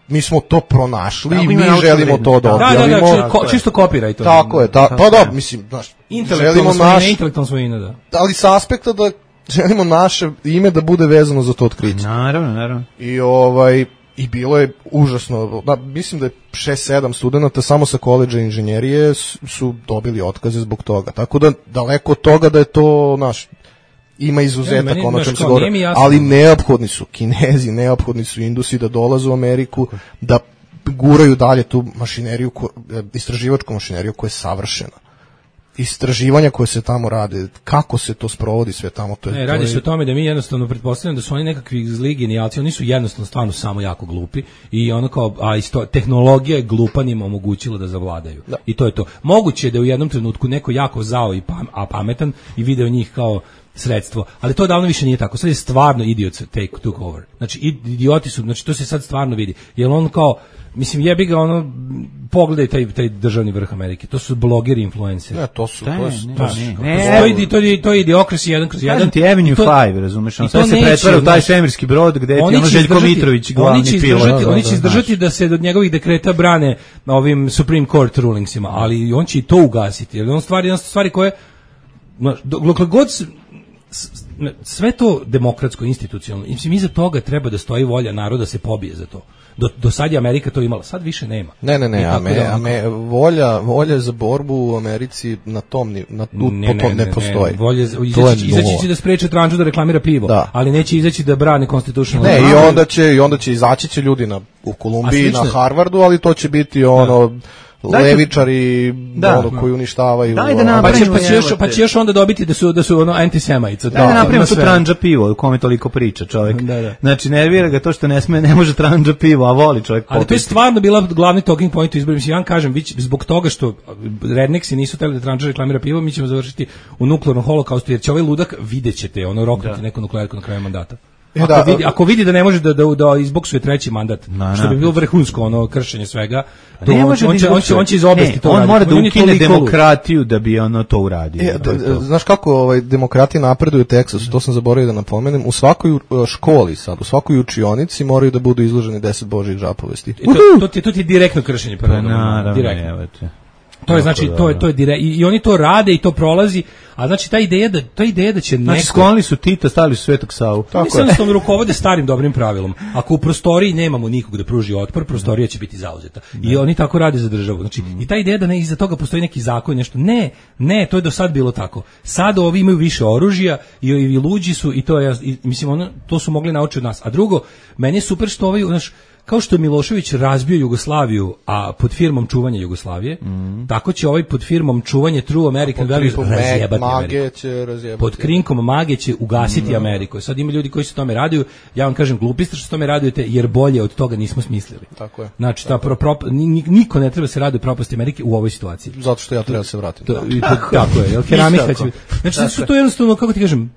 mi smo to pronašli i mi želimo to da objavimo. Čisto kopiraj to. Tako je, pa da, mislim, intelektualna svojina, da. Ali sa aspekta da želimo naše ime da bude vezano za to otkriće. Naravno. I bilo je užasno, mislim da je 6-7 studenata samo sa koledža inženjerije su dobili otkaze zbog toga. Tako da daleko od toga da je to ima izuzetak ono čem se govori, ali neophodni su Kinezi, neophodni su Indusi da dolaze u Ameriku, da guraju dalje tu mašineriju, istraživačku mašineriju koja je savršena. Istraživanja koje se tamo rade, kako se to sprovodi sve tamo, radi se o tome da mi jednostavno pretpostavljamo da su oni nekakvi zli genijalci, oni su jednostavno stvarno samo jako glupi i tehnologija je glupanima omogućila da zavladaju. Da. I to je to. Moguće je da u jednom trenutku neko jako zao a pametan i video njih kao sredstvo, ali to davno više nije tako. Sad je stvarno idiots took over. Znači idioti su, znači to se sad stvarno vidi. Jer on kao, mislim, jebi ga pogledaj taj državni vrh Amerike. To su blogeri, influenceri. Ne, to su. To je idiokrasi 1/1. Kažem ti Avenue 5, razumeš? Sve se pretvara u taj svemirski brod gde ti Željko Mitrović glavni pilot. Oni će izdržati da se od njegovih dekreta brane ovim Supreme Court rulingsima, ali on će i to ugasiti. Jer on stvari koje dokle god sve to demokratsko, institucionalno, mislim, iza toga treba da stoji volja naroda da se pobije za to. Do sad je Amerika to imala, sad više nema. Ne, volja za borbu u Americi na tom ne postoji. Izaći će da spreče Tranđu da reklamira pivo, ali neće izaći da brane konstitucionalno. I onda će izaći ljudi u Kolumbiji, na Harvardu, ali to će biti levičari koji uništavaju. Pa će još onda dobiti da su ono antisemajica. Da napravimo tu tranđa pivo u kome toliko priča čovjek. Znači nervira ga to što ne može tranđa pivo, a voli čovjek popiti. Ali to je stvarno bila glavni talking point u izboru. Mislim, ja vam kažem, zbog toga što redneksi nisu hteli da tranđa reklamira pivo, mi ćemo završiti u nuklearnom holokaustu, jer će ovaj ludak, vidjet ćete, ono roknuti neku nuklearku na kraju mandata. Ako vidi da ne može da izboksuje treći mandat, što bi bilo vrhunsko ono kršenje svega, on će iz oblasti to raditi. On mora da ukine demokratiju da bi ono to uradio. Znaš kako demokratija napreduje u Teksasu, to sam zaboravio da napomenem, u svakoj školi sad, u svakoj učionici moraju da budu izloženi 10 božjih žapovesti. To ti je direktno kršenje prava. Direktno. To je znači to je direkt, i oni to rade i to prolazi, a znači ta ideja da će neko, znači sklonili su Tita, stavili su Svetog Savu. Tako je. Samo rukovode starim dobrim pravilom. Ako u prostoriji nemamo nikog da pruži otpor, prostorija će biti zauzeta. I oni tako rade za državu. Znači i ta ideja da ne iza toga postoji neki zakon, nešto. Ne, to je do sad bilo tako. Sad ovi imaju više oružja i luđi su i to je, mislim to su mogli naučiti od nas. A drugo, meni je super što ovaj, znaš, kao što je Milošević razbio Jugoslaviju, a pod firmom čuvanja Jugoslavije, tako će ovaj pod firmom čuvanje True American Values razjebati Ameriku. Pod krinkom mage će ugasiti Ameriku. Sad ima ljudi koji se tome raduju, ja vam kažem glupi ste što se tome radujete, jer bolje od toga nismo smislili. Tako je. Znači, niko ne treba se raduje propasti Amerike u ovoj situaciji. Zato što ja treba da se vratim. Tako je, jer keramika će... Znači, su to jednostavno, kako ti kažem,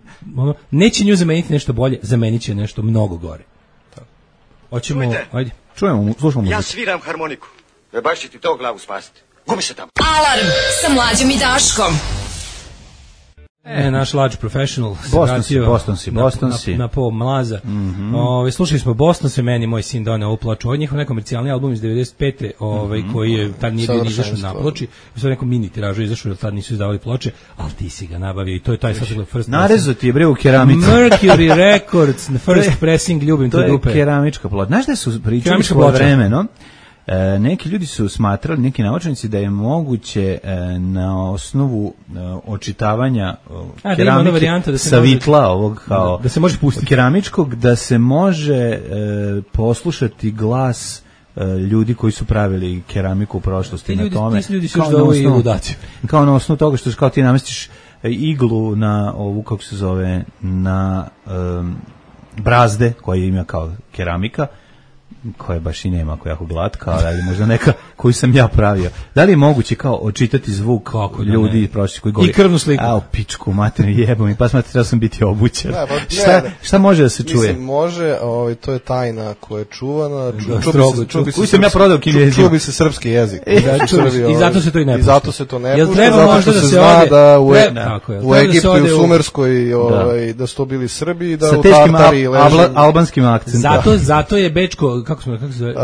neće nju zameniti nešto bolje, zamenit će nešto mnogo gore. Hoćemo, ajde. Čujemo, slušamo muziku. Ja sviram harmoniku. Baš će ti to glavu spasiti. Gubi se tamo. Alarm sa Mlađom i Daškom. Naš large professional. Boston si. Na pol mlaza. Slušali smo Boston se, meni moj sin doneo u ploču. Od njihov nekomercijalni album iz 95. Koji je tad nije bio izašao na ploči. Sad neko mini tiražu izašao, jer tad nisu izdavali ploče, ali ti si ga nabavio i to je taj sad first. Narezo ti je bre u keramici. Mercury Records, first pressing, ljubim te grupe. To je keramička ploča. Znaš da su pričali svoje vremeno? Neki ljudi su smatrali, neki naučnici, da je moguće na osnovu očitavanja keramike sa vitla ovog kao da se može pustiti keramičkog, da se može poslušati glas ljudi koji su pravili keramiku u prošlosti na tome. Ti ljudi su još ovo i ludaciju. Kao na osnovu toga što kao ti namestiš iglu na ovu, kako se zove, na brazde koje ima kao keramika, koja baš i nema, koja je jako glatka, ali možda neka koju sam ja pravio. Da li je moguće kao očitati zvuk ljudi prošli koji govori? I krvnu sliku. A, pičku, materinu jebom, i pa smatram da sam biti obućen. Šta može da se čuje? Mislim, može, to je tajna koja je čuvana. Koju sam ja prodao kineziju. Čubi se srpski jezik. I zato se to i ne pušta. I zato se to ne pušta, zato što se zna da u Egiptu i u Sumerskoj da su to bili Srbi i da u Tartari leži. Albanskim akcentom. Zato je Bečko, kako se zove?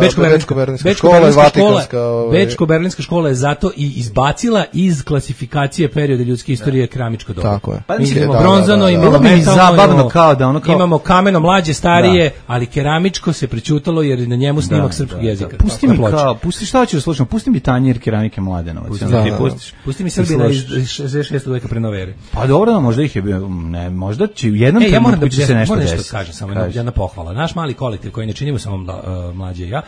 Bečko-berlinska škola je zato i izbacila iz klasifikacije perioda ljudske istorije keramičko doba. Tako je. Imamo bronzano, imamo zabavno kao da ono kao imamo kameno mlađe, starije, ali keramičko se prećutalo jer na njemu snimak srpskog jezika. Pusti šta hoćeš da slušam, pusti mi tanjir keramike Mladenovac. Pusti mi Srbina iz 66. veka pre nove ere. Pa dobro, možda ih je bio, ne, možda će u jednom trenutku će se nešto desiti. Kažem samo jedna pohvala. Naš mali kolektiv koji ne činimo samo Mlađe i ja,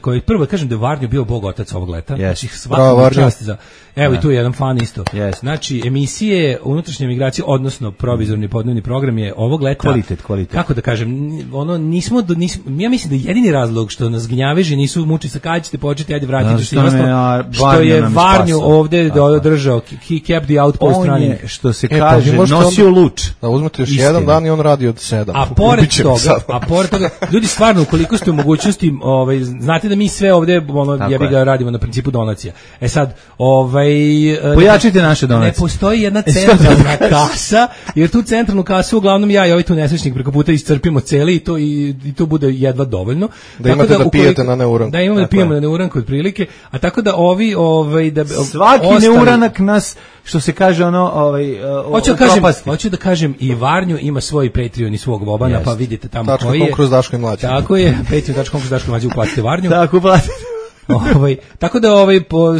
koji prvo kažem da je Varnjo bio bog otac ovog leta. Znači svaka čast za. Evo i tu je jedan fan isto. Znači emisije unutrašnje migracije, odnosno provizorni podnevni program je ovog leta kvalitet. Kako da kažem, ono nismo ja mislim da jedini razlog što nas gnjaveži nisu muči sa kad ćete početi, ajde vratite se što je Varnjo ovde održao, he kept the outpost running, što se kaže, nosio luč. Da uzmete još jedan dan i on radi od 7. A pored toga, ljudi stvarno ukoliko ste u mogućnosti, znate da mi sve ovde jebi ga radimo na principu donacija. E sad, pojačite naše donacije. Ne postoji jedna centralna kasa, jer tu centralnu kasu uglavnom ja i ovaj tu nesrećnik preko puta iscrpimo celi i to bude jedva dovoljno. Da imate da pijete na neuranku. Da imamo da pijemo na neuranku otprilike, a tako da ovi svaki neuranak nas, što se kaže hoću da kažem i Varnju ima svoj Patreon i svog Bobana, pa vidite tamo koji je. Kroz Daško i Mlađe. Tako je, patreon.com kroz Daško i Mlađe, uplatite Varnju. Tako uplatite. Tako da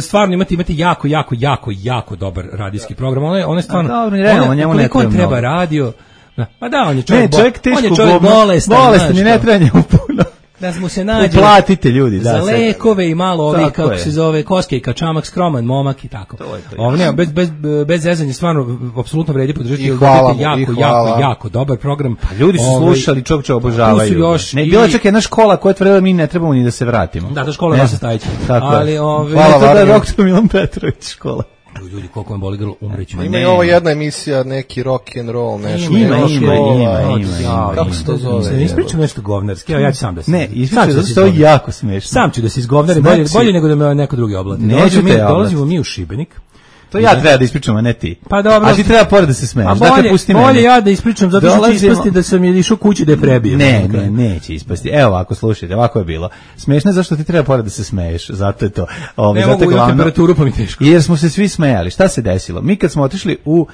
stvarno imate jako dobar radijski program. On je stvarno koliko on treba radio. Pa da, on je čovjek bolestan, i ne treba njemu puno. Da smo se nađe. Uplatite ljudi, za lekove i malo ovih, kako se zove, koskejka, čamak, skroman, momak i tako. Ovo nema, bez zezanja, stvarno, apsolutno vredi podržati. Jako dobar program. Pa ljudi su slušali, čovječe obožavaju. Bila čak jedna škola koja tvrdila mi ne trebamo ni da se vratimo. Da, to škola je Vasa Stajić. Hvala Varnju. Doktor Milan Petrović škola. Ljudi, koliko vam boli grlo, umreću. Ima i ovo jedna emisija, neki rock and roll, nešto. Ima. Kako se to zove? Ne ispričam nešto govnarski, ja ću sam da se... Ne, ispričam, zato što je jako smešno. Sam ću da se izgovnarim, bolje nego da me neko drugi oblati. Dolazimo mi u Šibenik. To ja treba da ispričam, a ne ti. Pa dobro. A ti treba pored da se smeješ. Dakle, pusti mene. Bolje ja da ispričam, zato što će ispasti da sam je išao kući da je prebijem. Ne, neće ispasti. Evo, ako slušajte, ovako je bilo. Smešno je zašto ti treba pored da se smeješ. Zato je to. Ne mogu imati temperaturu, pa mi teško. Jer smo se svi smejali. Šta se desilo? Mi kad smo otišli u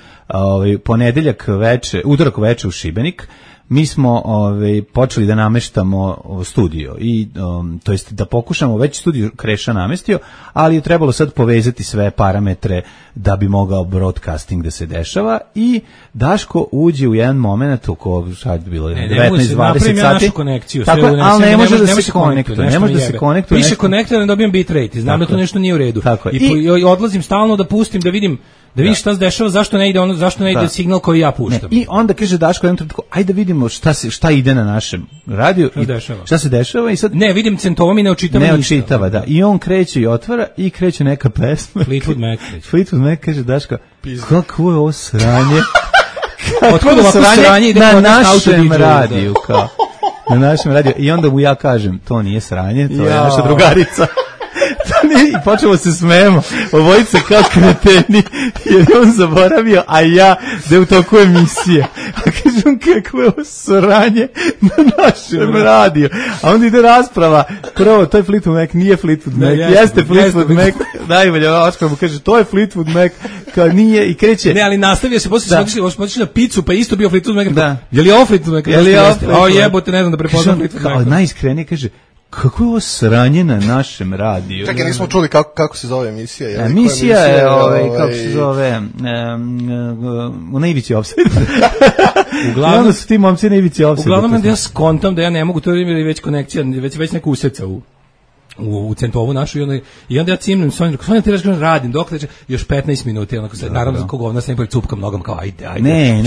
ponedeljak veče, utorak veče u Šibenik, mi smo počeli da nameštamo studio i to jest da pokušamo, već studio Kreša namestio, ali je trebalo sad povezati sve parametre da bi mogao broadcasting da se dešava i Daško uđe u jedan moment oko sad bilo 19-20 sati. Tako, ali ne može da se konektuje. Ne može da se konektuje. Piše konektor, ne dobijem bitrate, znam da to nešto nije u redu. I odlazim stalno da pustim, da vidim vidiš šta se dešava, zašto ne ide signal koji ja puštam. I onda kaže Daško jednom trenutku, ajde da vidimo šta ide na našem radiju i šta se dešava i sad ne vidim centovom i ne očitava, da. I on kreće i otvara i kreće neka pesma. Fleetwood Mac kaže Daško, kako je ovo sranje? Otkud ovako sranje ide na našem radiju kao. Na našem radiju i onda mu ja kažem, to nije sranje, to je naša drugarica. I počemo se smejemo, obojice kao kreteni, jer on zaboravio, a ja da je u toku emisije. A kažem, kako je ovo sranje na našem radiju. A onda ide rasprava, prvo, to je Fleetwood Mac, nije Fleetwood Mac, jeste Fleetwood Mac, najbolje, Oskar mu kaže, to je Fleetwood Mac, kao nije, i kreće. Ne, ali nastavio se, poslije smo otišli na picu, pa isto bio Fleetwood Mac. Da. Je li ovo Fleetwood Mac? Je li ovo Fleetwood Mac? O jebote, ne znam da prepoznam Fleetwood Mac. Kao najiskrenije kaže, kako je ovo sranje na našem radiju? Čekaj, nismo čuli kako se zove emisija. Emisija je, kako se zove, u Naivici Offside. Uglavnom su ti momci Naivici Offside. Uglavnom ja skontam da ja ne mogu, to je već konekcija, već neka useca u centovu našu i onda ja cimnem Sonju, ti radim, dok još 15 minuta, naravno za koga nas ne cupkam nogom kao ajde,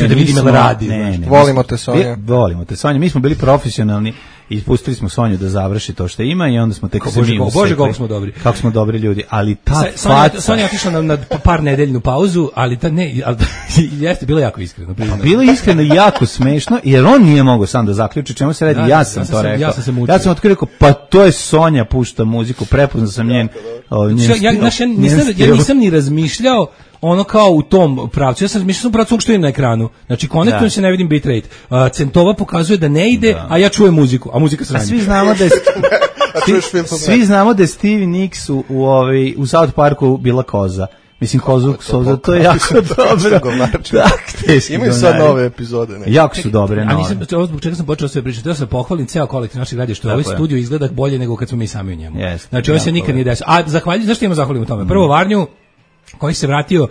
da vidim da radi. Volimo te Sonja. Volimo te Sonja, mi smo bili profesionalni i pustili smo Sonju da završi to što ima i onda smo tek se mi Bože, kako smo dobri. Kako smo dobri ljudi, ali ta Sonja je otišla na par nedeljnu pauzu, ali jeste bilo jako iskreno. Bilo je iskreno i jako smešno, jer on nije mogao sam da zaključi čemu se radi, ja sam to rekao. Ja sam otkrio, pa to je Sonja pušta muziku, prepoznao sam njen ja nisam ni razmišljao ono kao u tom pravcu. Ja sam mislio pravcu što je na ekranu. Znači konektujem se, ne vidim bitrate. Centova pokazuje da ne ide, a ja čujem muziku, a muzika sranje. Svi znamo da je Stevie Nicks u South Parku bila koza. Mislim, kozu, to je jako dobro. Imaju sad nove epizode. Jako su dobre. A nisam, zbog čega sam počeo sve pričati, ja sam pohvalim ceo kolektiv naših radija, što ovaj studio izgleda bolje nego kad smo mi sami u njemu. Znači, ovo se nikad nije desilo. A zahvaljujem, zašto ima zahvalim u tome? Prvo Varnju, koji se vratio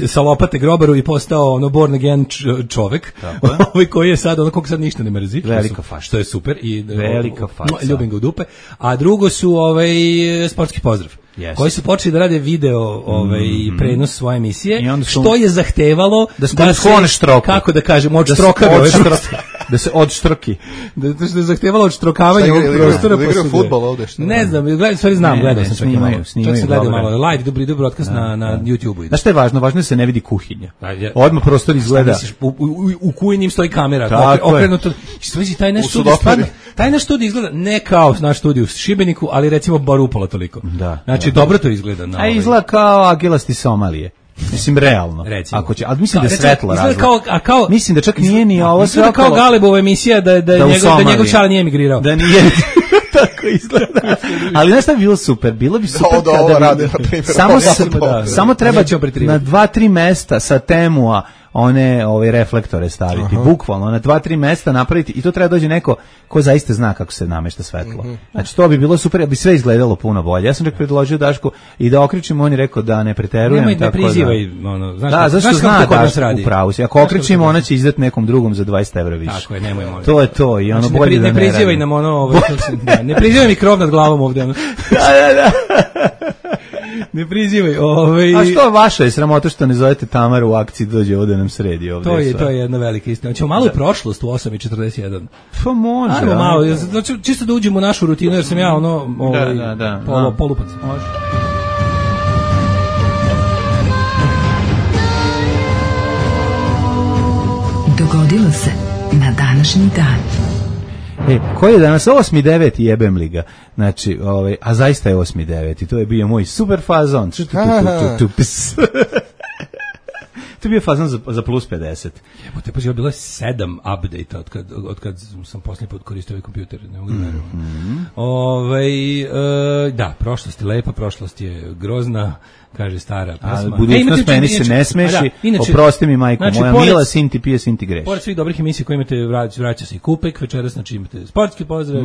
sa lopate grobaru i postao born again čovek, koji je sad kog sad ništa ne mrzi, velika faša, što je super i velika faša, ljubim ga u dupe. A drugo su sportski pozdrav, koji su počeli da rade video prenos svoje emisije, što je zahtevalo da se štroku, kako da kažem, da se odštroki, da je zahtevalo odštrokavanje ovog prostora. Da igra fudbal ovde, što ne znam, gledao sam čak i malo. Čak sam gledao malo live, dobri broadcast na YouTube-u. Znaš što je važno? Važno je da se ne vidi kuhinja. Odmah prostor izgleda. U kuhinji stoji kamera, okrenuto. Taj naš studij izgleda ne kao naš studij u Šibeniku, ali recimo bar upola toliko. Znači, dobro to izgleda. A izgleda kao agilasti Somalije. Mislim, realno. Ako će, ali mislim da je svetlo razlog. Mislim da čak nije ni ovo sve kao Galebova emisija da njegov čala nije emigrirao. Da nije... Tako izgleda. Ali znaš šta bi bilo super? Bilo bi super kada bi... Samo treba na 2-3 mesta sa Temua one reflektore staviti, bukvalno na 2-3 mesta napraviti i to treba dođe neko ko zaista zna kako se namešta svetlo. Znači to bi bilo super, ja bi sve izgledalo puno bolje. Ja sam čak predložio Dašku i da okrećimo, on je rekao da ne preterujem. Nemoj, tako ne prizivaj, ono, znaš zašto zna Dašku u pravu si. Ako okrećimo, ona će izdati nekom drugom za 20 € više. Tako je, nemoj molim. To je to i ono znači, bolje da ne prizivaj nam ono, ne prizivaj mi krov nad glavom ovde. Da. Ne prizivaj. A što vaša je sramota što ne zovete Tamaru u akciji dođe ovde nam sredi ovde. To je jedna velika istina. Hoćemo malo u prošlost u 8:41. Pa može. Ajmo malo, čisto da uđemo u našu rutinu jer sam ja polupac. Može. Dogodilo se na današnji dan. Koji je danas 8.9. jebem li ga. Znači, a zaista je 8.9. To je bio moj super fazon. To je bio fazon za plus 50. Jebote, pa je bilo 7 update od kad sam posljednji put koristio ovaj kompjuter. Ne mogu da verujem. Da, prošlost je lepa, prošlost je grozna, kaže stara pesma. Budućnost meni se ne smeši, oprosti mi majko, moja mila, sin ti pije, sin ti greš. Pored svih dobrih emisija koje imate, vraća se i Kupek večeras, znači imate sportski pozdrav,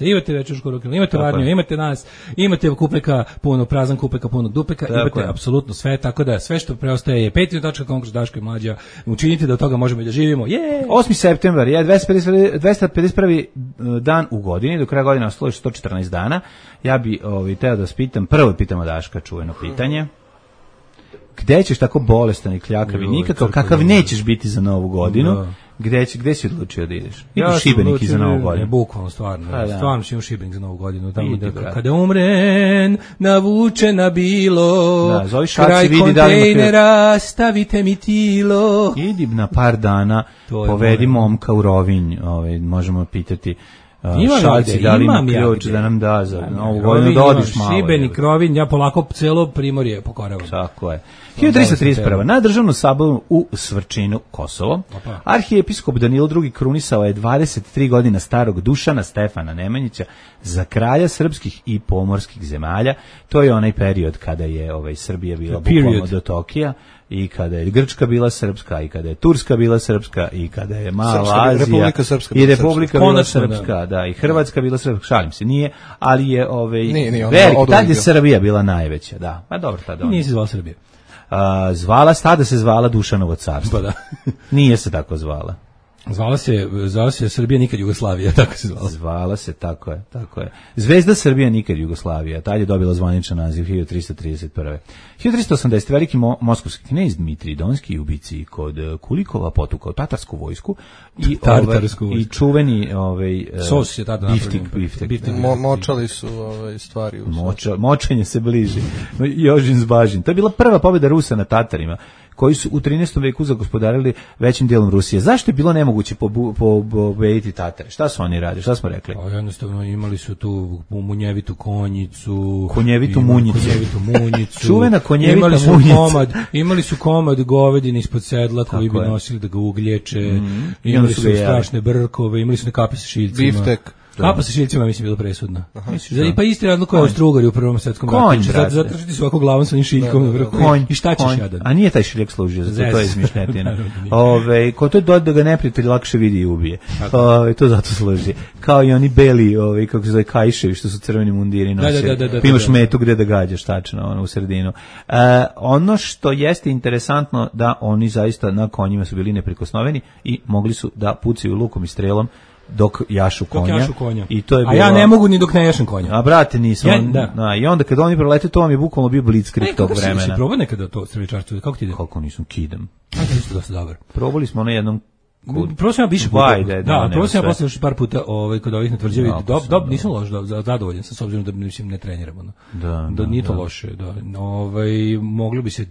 imate večersku ruku, imate Varniju, imate nas, imate Kupeka, prazan Kupeka, punog Dupeka, imate apsolutno sve, tako da sve što preostaje je patreon.com kroz Daško i Mlađa, učinite da od toga možemo i da živimo. 8. septembar je 251. dan u godini, do kraja godine ostalo 114 dana. Ja bi teo da vas pitam, prvo pitamo Daška čuveno pitanje. Gde ćeš tako bolestan i kljakav i nikakav, kakav nećeš biti za Novu godinu? Gde si odlučio da ideš? Idu u Šibenik za Novu godinu. Bukvalno, stvarno ću u Šibenik za Novu godinu. Tamo kada umren, navučena bilo, kraj kontejnera, stavite mi tilo. Idi na par dana, povedi momka u Rovinj, možemo pitati Šalci, da li ima ključ da nam da za Novu godinu, da odiš malo. Šibenik, Rovinj, ja polako celo Primorje pokoravam. Tako je. 1331. Na državnom saboru u Svrčinu, Kosovo, arhijepiskop Danilo II. Krunisao je 23 godina starog Dušana Stefana Nemanjića za kralja srpskih i pomorskih zemalja. To je onaj period kada je Srbija bila bukvalno do Tokija, i kada je Grčka bila srpska, i kada je Turska bila srpska, i kada je Mala Azija, i Republika bila srpska, da, i Hrvatska bila srpska, šalim se, nije, ali je tad je Srbija bila najveća, da, pa dobro, tada. Nije se zvala Srbija. Tada se zvala Dušanovo carstvo. Pa da. Nije se tako zvala. Zvala se Srbija nikad Jugoslavija, tako se zvala. Zvala se, tako je. Zvezda Srbija nikad Jugoslavija, tad je dobila zvaničan naziv 1331. 1380. veliki moskovski knez Dmitrij Donski, ubici kod Kulikova, potukao tatarsku vojsku i čuveni sos je tada biftek. Močali su stvari. Močenje se bliži. Jožin Zbažin. To je bila prva pobjeda Rusa na Tatarima, koji su u 13. veku zagospodarili većim dijelom Rusije. Zašto je bilo nemoguće pobediti Tatare? Šta su oni radili? Šta smo rekli? Jednostavno imali su tu munjevitu konjicu. Konjevitu munjicu. Čuvena konjevita munjica. Imali su komad govedine ispod sedla koji bi nosili da ga uglječe. Imali su strašne brkove, imali su nekape sa šiljcima. Biftek. Kapa sa šiljcima mislim bilo presudna. Pa isti radno kao Austrougar u Prvom svetskom ratu. Zato što ti su ovako glavom sa onim šiljkom na vrhu. I šta ćeš jadan? A nije taj šiljak služio za to je izmišljetina. Ko to je da ga neprijatelj lakše vidi i ubije. To zato služi. Kao i oni beli, kako se zove, kajševi što su crveni mundiri nose. Pa imaš metu gde da gađaš tačno u sredinu. Ono što jeste interesantno da oni zaista na konjima su bili neprikosnoveni i mogli su da pucaju lukom i strelom dok jašu konja. I to je bilo... A ja ne mogu ni dok ne jašem konja. A brate, nisam. I onda kad oni prolete, to vam je bukvalno bio blitzkrieg tog vremena. Kako si probao nekada to streličarstvo? Kako ti ide? Kako nisam, kidam. To je dosta dobar. Probali smo na jednom... Probao sam ja više puta. Probao sam ja posle još par puta kod ovih na tvrđavi. Nisam loš, zadovoljan sam s obzirom da ne treniramo. Da nije to loše.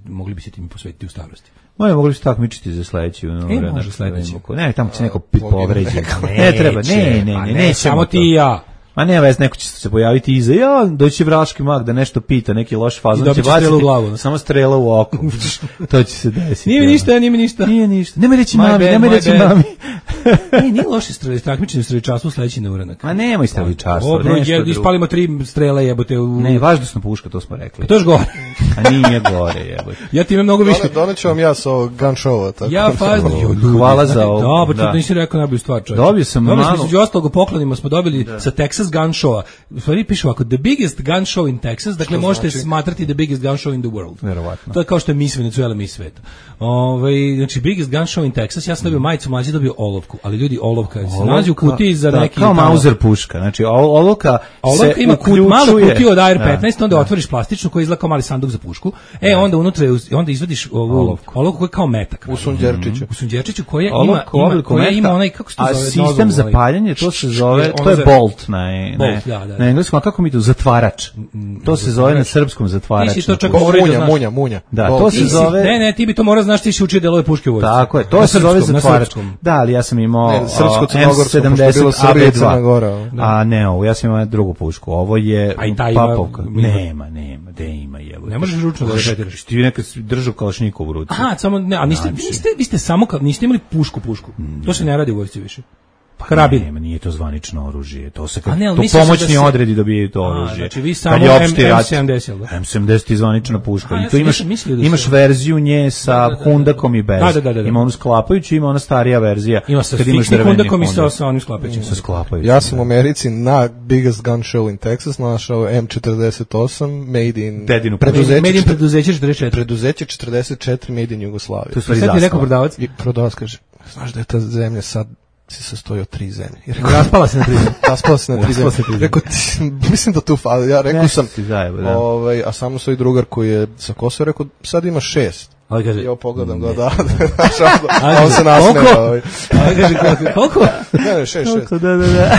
Mogli bi se tim posvetiti u starosti. Mogli bi se takmičiti za sledeći. Može sledeći. Ne, tamo će neko povređi. Ne treba, ne. Samo ti i ja. Ma nema veze, neko će se pojaviti iza, doći vraški mag da nešto pita, neki loš fazon će baciti u glavu. Samo strela u oko. To će se desiti. Nije mi ništa. Nemoj reći mami. Nije loše takmičenje u streličarstvu sledeći na uranak. Ma nemoj streličarstvo. Ispalimo 3 strela jebote. Ne, važnostna puška, to smo rekli. To je gore. A nije gore, jebote. Ja ti imam mnogo više. Doneću vam ja sa ovog gun showa. Tako. Ja fazno. Hvala za ovo. Dobro, to nisi rekao najbolju stvar, čovjek. Dobio sam malo. Među ostalog poklonima smo dobili sa Texas Gun Showa. U stvari piše ovako, the biggest gun show in Texas, dakle možete smatrati the biggest gun show in the world. Verovatno. To je kao što je Miss Venezuela, Miss sveta. Znači biggest gun show in Texas, ja sam dobio majicu, mlađi dobio olovku, ali ljudi olovka se nalazi u kutiji za neki... Kao Mauser puška, znači olovka se ima malu kutiju od AR-15, onda otvoriš plastičnu koja izgleda kao mali sanduk za pušku, onda unutra onda izvadiš olovku koja je kao metak. U sunđerčiću. U sunđerčiću koja ima onaj, kako se to zove? A sistem za paljenje, to se zove, to je bolt na engleskom, a kako mi to? Zatvarač. To se zove na srpskom zatvarač. Nisi to čak munja. Da, to se zove... Ne, ti bi to morao znaš, ti si učio delove puške u vojsci. Tako je, to se zove zatvarač. Da, ali ja sam imao M70 AB2. A ne, ja sam imao drugu pušku. Ovo je papovka. Nema, gde ima, jevo. Ne možeš ručno da repetiraš. Ti nekad držao kalašnjikovu u ruci. Aha, samo, ne, a vi ste samo, niste imali pušku. To se ne radi u vojsci više. Karabin. Nema, nije to zvanično oružje. To se to pomoćni odredi dobijaju to oružje. Znači vi samo M70. M70 je zvanična puška. I tu imaš verziju nje sa hundakom i bez. Ima onu sklapajuću, ima ona starija verzija. Ima sa fiksnim hundakom i sa onim sklapajućim. Sa sklapajućim. Ja sam u Americi na biggest gun show in Texas našao M48 made in preduzeće 44. Preduzeće 44 made in Jugoslavije. Tu sad je rekao prodavac. I prodavac kaže, znaš da je ta zemlja sad se sastoji od 3 zemlje. Raspala se na 3 zemlje. Raspala se na 3 zemlje. Rekao, mislim da tu fali. Ja rekao sam, a samo svoj drugar koji je sa Kosova rekao, sad ima 6. Ali kaže, ja pogledam ga, da. A on se nasmeo. Koliko? Ne, 6. Da.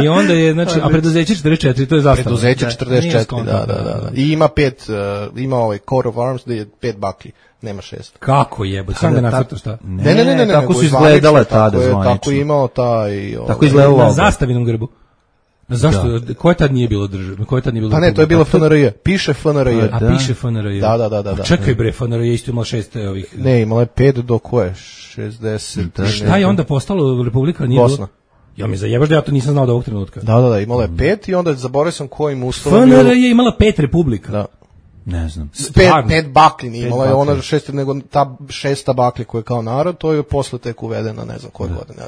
I onda je, znači, a preduzeće 44, to je zastava. Preduzeće 44, da. I ima 5, ima ovaj coat of arms da je 5 baklji. Nema 6. Kako jebo? Sam da nacrtaš šta? Ne. Tako su izgledale tada zvanično. Tako je imao taj... Tako izgledalo na zastavinom grbu. Zašto? Koje tad nije bilo državno? Pa ne, to je bilo FNRJ. Piše FNRJ. A piše FNRJ. Da. Čekaj bre, FNRJ isto imala 6 ovih... Ne, imala je 5 do koje? 60. Šta je onda postalo Republika? Bosna. Ja mi zajebaš da ja to nisam znao do ovog trenutka. Da, imala je 5 i onda zaboravio sam kojim uslovom... FNRJ je imala 5 republika. Da. Ne znam. 5 bakli nije imala, je ona 6, nego ta 6 baklji koja je kao narod, to je posle tek uvedena, ne znam koje godine.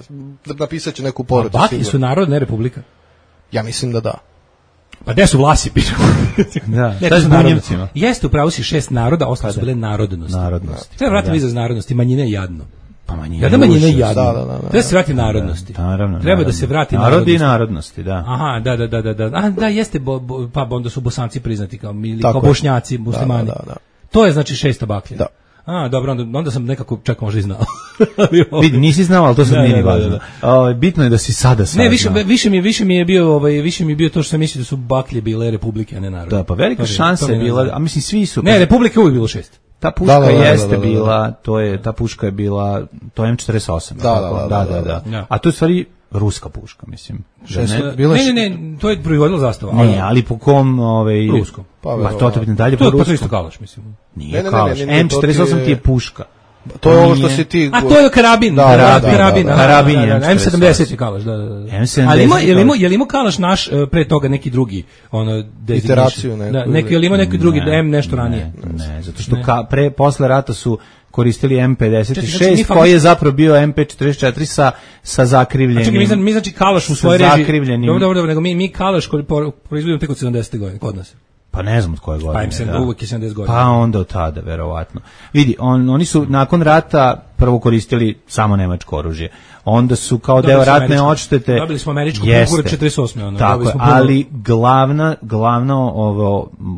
Napisat će neku poruku. A bakli su narod, ne republika? Ja mislim da da. Pa gde su vlasi, pišu? Da, šta je s bunjevcima? Jeste, upravo si 6 naroda, ostalo su bile narodnosti. Treba vratiti vi za narodnosti, manjine je jadno. Pa manjine je jadno. Treba se vrati narodnosti. Treba da se vrati narodi i narodnosti, da. Aha, da, jeste, pa onda su Bosanci priznati kao Bošnjaci, muslimani. Da. To je znači 6 baklja. Da. A, dobro, onda sam nekako čak možda i znao. Vidi, nisi znao, ali to sad nije ni važno. Bitno je da si sada saznao. Ne, više mi je bio to što sam mislio da su baklje bile republike, a ne narod. Da, pa velika šansa je bila, a mislim svi su... Ne, republike uvijek bilo 6. Ta puška jeste bila, ta puška je bila, to je M48. Da. A to je stvari ruska puška, mislim. Ne, to je proizvodila zastava. Ne, ali po kom, ruskom. Pa to te dalje po ruskom. To je isto kalaš, mislim. Nije kalaš, M48 ti je puška. To je ovo što si ti... A to je karabin. Karabin je M70 je kalaš, da. Ali je li imao kalaš naš pre toga neki drugi, iteraciju neku? Je li imao neki drugi, M nešto ranije? Ne, zato što posle rata su koristili M56, koji je zapravo bio MP44 sa zakrivljenim... Čekaj, mi znači kalaš u svojoj režiji... Dobro, nego mi kalaš proizvodimo tek od 70. godine, kod nas. Pa ne znam od koje godine. Pa uvijek je 70 godina. Pa onda od tada, verovatno. Vidi, oni su nakon rata prvo koristili samo nemačko oružje. Onda su kao deo ratne odštete... Dobili smo američku pušku 48. Tako je, ali glavna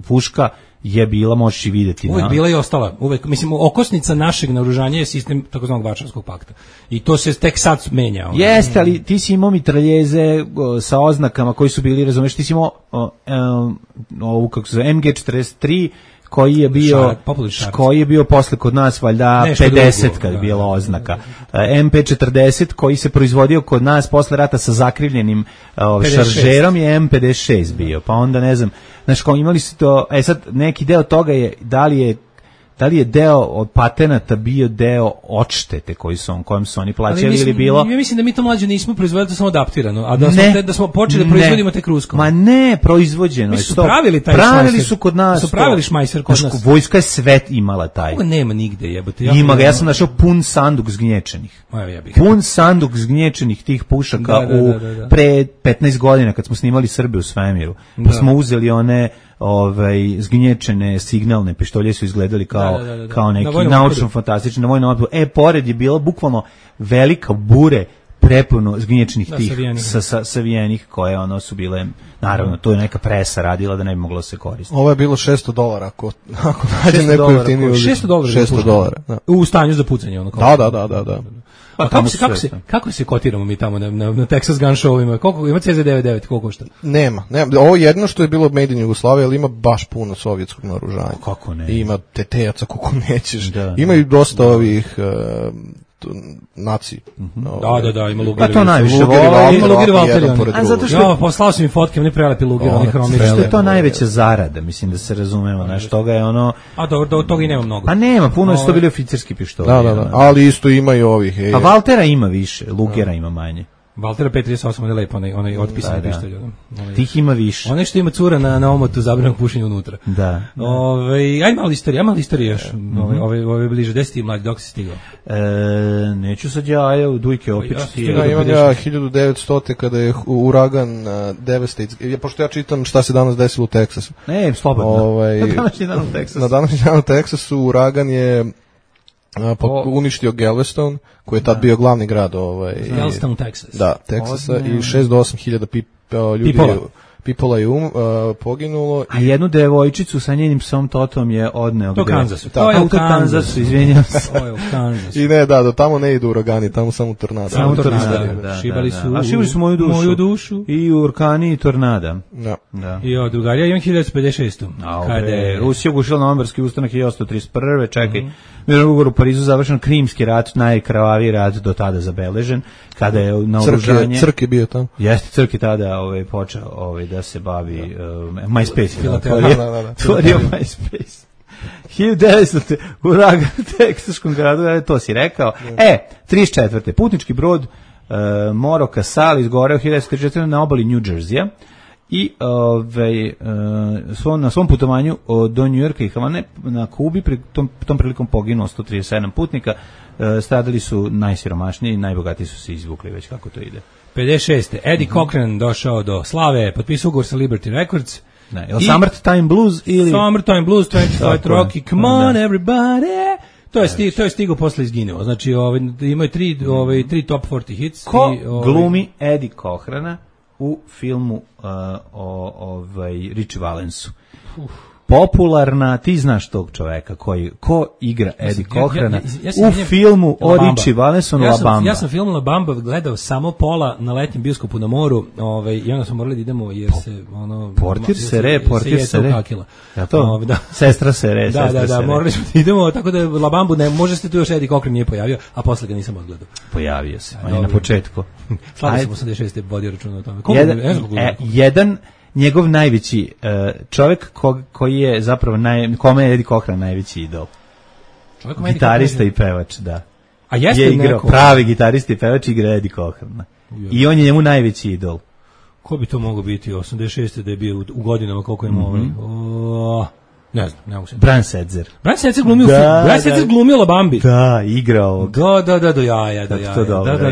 puška je bila, možeš i vidjeti. Uvijek bila i ostala. Uvijek, mislim, okosnica našeg naoružanja je sistem takozvanog Varšavskog pakta. I to se tek sad menja. Jeste, ali ti si imao mitraljeze sa oznakama koji su bili, razumeš, ti si imao ovu, kako se zove, MG43, koji je bio posle kod nas valjda 50 kad je bila oznaka. MP40 koji se proizvodio kod nas posle rata sa zakrivljenim šaržerom je M56 bio. Pa onda ne znam, znaš, kao imali su to, sad neki deo toga je da li je deo od patenata bio deo odštete kojem su oni plaćali ili bilo... Ja mislim da mi to mlađe nismo proizvodili, to samo adaptirano, a da smo počeli da proizvodimo tek ruskom. Ma ne, proizvođeno. Mi su pravili taj pravili su kod nas. Su pravili šmajser kod nas. Vojska je sve imala taj. Ovo nema nigde, jebote. Ima ga, ja sam našao pun sanduk zgnječenih. Pun sanduk zgnječenih tih pušaka pre 15 godina kad smo snimali Srbe u svemiru. Pa smo uzeli one zgnječene signalne pištolje, su izgledali kao neki naučno fantastični na vojnom otporu. Pored je bila bukvalno velika bure prepuno zgnječnih tih savijenih koje su bile, naravno to je neka presa radila da ne bi moglo se koristiti. Ovo je bilo $600 ako nađe neko jeftinije. $600 u stanju za pucanje ono. Da. Pa kako se kotiramo mi tamo na Texas Gun Showima? Koliko ima CZ99, koliko košta? Nema. Ovo je jedno što je bilo made in Jugoslavia, ali ima baš puno sovjetskog naoružanja. Kako ne? Ima TT-aca koliko nećeš. Ima i dosta ovih naci. Da, ima Luger. Pa to najviše vole. Ima Luger Valtteri. A zato što poslao sam im fotke, oni prelepi Luger, oni hromirani. Što je to najveća zarada, mislim da se razumemo, znaš, toga je ono... A do toga i nema mnogo. A nema, puno su to bili oficirski pištolji. Da, ali isto ima i ovih. A Valtera ima više, Lugera ima manje. Valtera P38 je lepo, onaj otpisani pištolj. Tih ima više. Onaj što ima cura na omotu zabranog pušenja unutra. Da. Aj malo istorije još. Ove bliže, gde si ti mlađi, dok si stigao? Neću sad ja u Dujke opet. Imam ja 1900. kada je uragan Devastates. Pošto ja čitam šta se danas desilo u Teksasu. Ne, slobodno. Na današnji dan u Teksasu uragan je uništio Galveston, koji je tad bio glavni grad Galveston, Texas. Da, Teksasa, i 6 do 8 hiljada ljudi Pipola je poginulo. A jednu devojčicu sa njenim psom Totom je odneo. To Kanzasu. To je u Kanzasu, izvinjam se. To je u Kanzasu. I ne, do tamo ne idu uragani, tamo samo tornada. Samo tornada. Šibali su moju dušu. I urkani i tornada. Da. I od drugarija imam 1956. Kada je Rusija ugušila novembarski ustanak 1831. Čekaj, mirovni ugovor u Parizu završen, Krimski rat, najkrvaviji rat do tada zabeležen, kada je naoružanje... Crk je bio tamo. Jeste, Crk je tada počeo da se bavi MySpace. Tvorio MySpace. 1900. uragan u teksaškom gradu, to si rekao. 34. putnički brod Moro Casal izgoreo 1934. na obali New Jersey-a i na svom putovanju do New Yorka i Havane na Kubi tom prilikom poginulo 137 putnika. Stradali su najsiromašniji i najbogatiji su se izvukli, već kako to ide. 56. Eddie Cochran došao do slave, potpisao ugovor sa Liberty Records. Summertime Blues ili... Summertime Blues, 25 Rocky, Come on everybody. To je stigao posle izginuo. Znači, imaju tri top 40 hits. Ko glumi Eddie Cochrana u filmu o Richie Valensu? Popularna, ti znaš tog čoveka ko igra Eddie Cochrana u filmu o Richie Valensu La Bamba. Ja sam film La Bamba gledao samo pola na letnjem bioskopu na moru, i onda smo morali da idemo jer se Portir se re. Ja to? Sestra se re. Da, morali smo da idemo, tako da La Bambu možda se tu još Eddie Cochran nije pojavio, a posle ga nisam odgledao. Pojavio se, on je na početku. Slavio sam 86. vodio računa o tome. Jedan njegov najveći čovjek koji je zapravo kome je Eddie Cochran najveći idol. Gitarista i pevač, da. A jeste je igrao pravi gitarista i pevač, igra Eddie Cochran. I on je njemu najveći idol. Ko bi to mogao biti 86. da je bio u godinama koliko ima ne znam, ne mogu se. Brian Setzer. Brian Setzer glumio Brian Setzer glumio La Bambi. Da, igrao.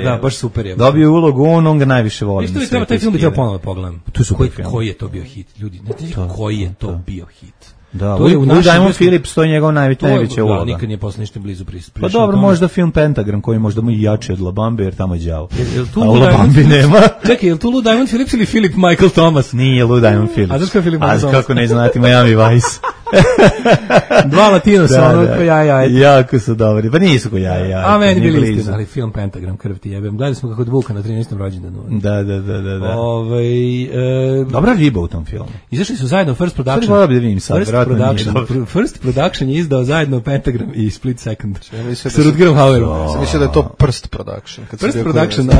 Da, baš super je. Dobio ulogu, on ga najviše voli. Isto taj film bi trebao ponovo pogledam. Tu su koji je to bio hit, ljudi. Ne znate koji je to bio hit. Da, Louis Diamond Phillips, to je njegov najveća uloga. Nikad nije posle ništa blizu prišao. Pa dobro, možda film Pentagram, koji možda mu i jači od La Bambe, jer tamo je đavo. A u La Bambi nema. Čekaj, je li tu Lou Diamond Phillips ili Philip Michael Thomas? Nije Lou Diamond Phillips. A znaš kako je Philip Michael Thomas? Kako ne znati, Miami Vice. Dva Latinosa, ono ko jaja. Jako su dobri, pa nisu ko jaja. A meni bili istina, ali film Pentagram, krv ti jebem. Gledali smo kako Vuka na 13. rođendanu. Da. Dobra riba u tom filmu. Izašli su zajedno First Production je izdao zajedno Pentagram i Split Second. Sa Rutgerom Hauerom. Sam mislio da je to Prst Production. First Production, da.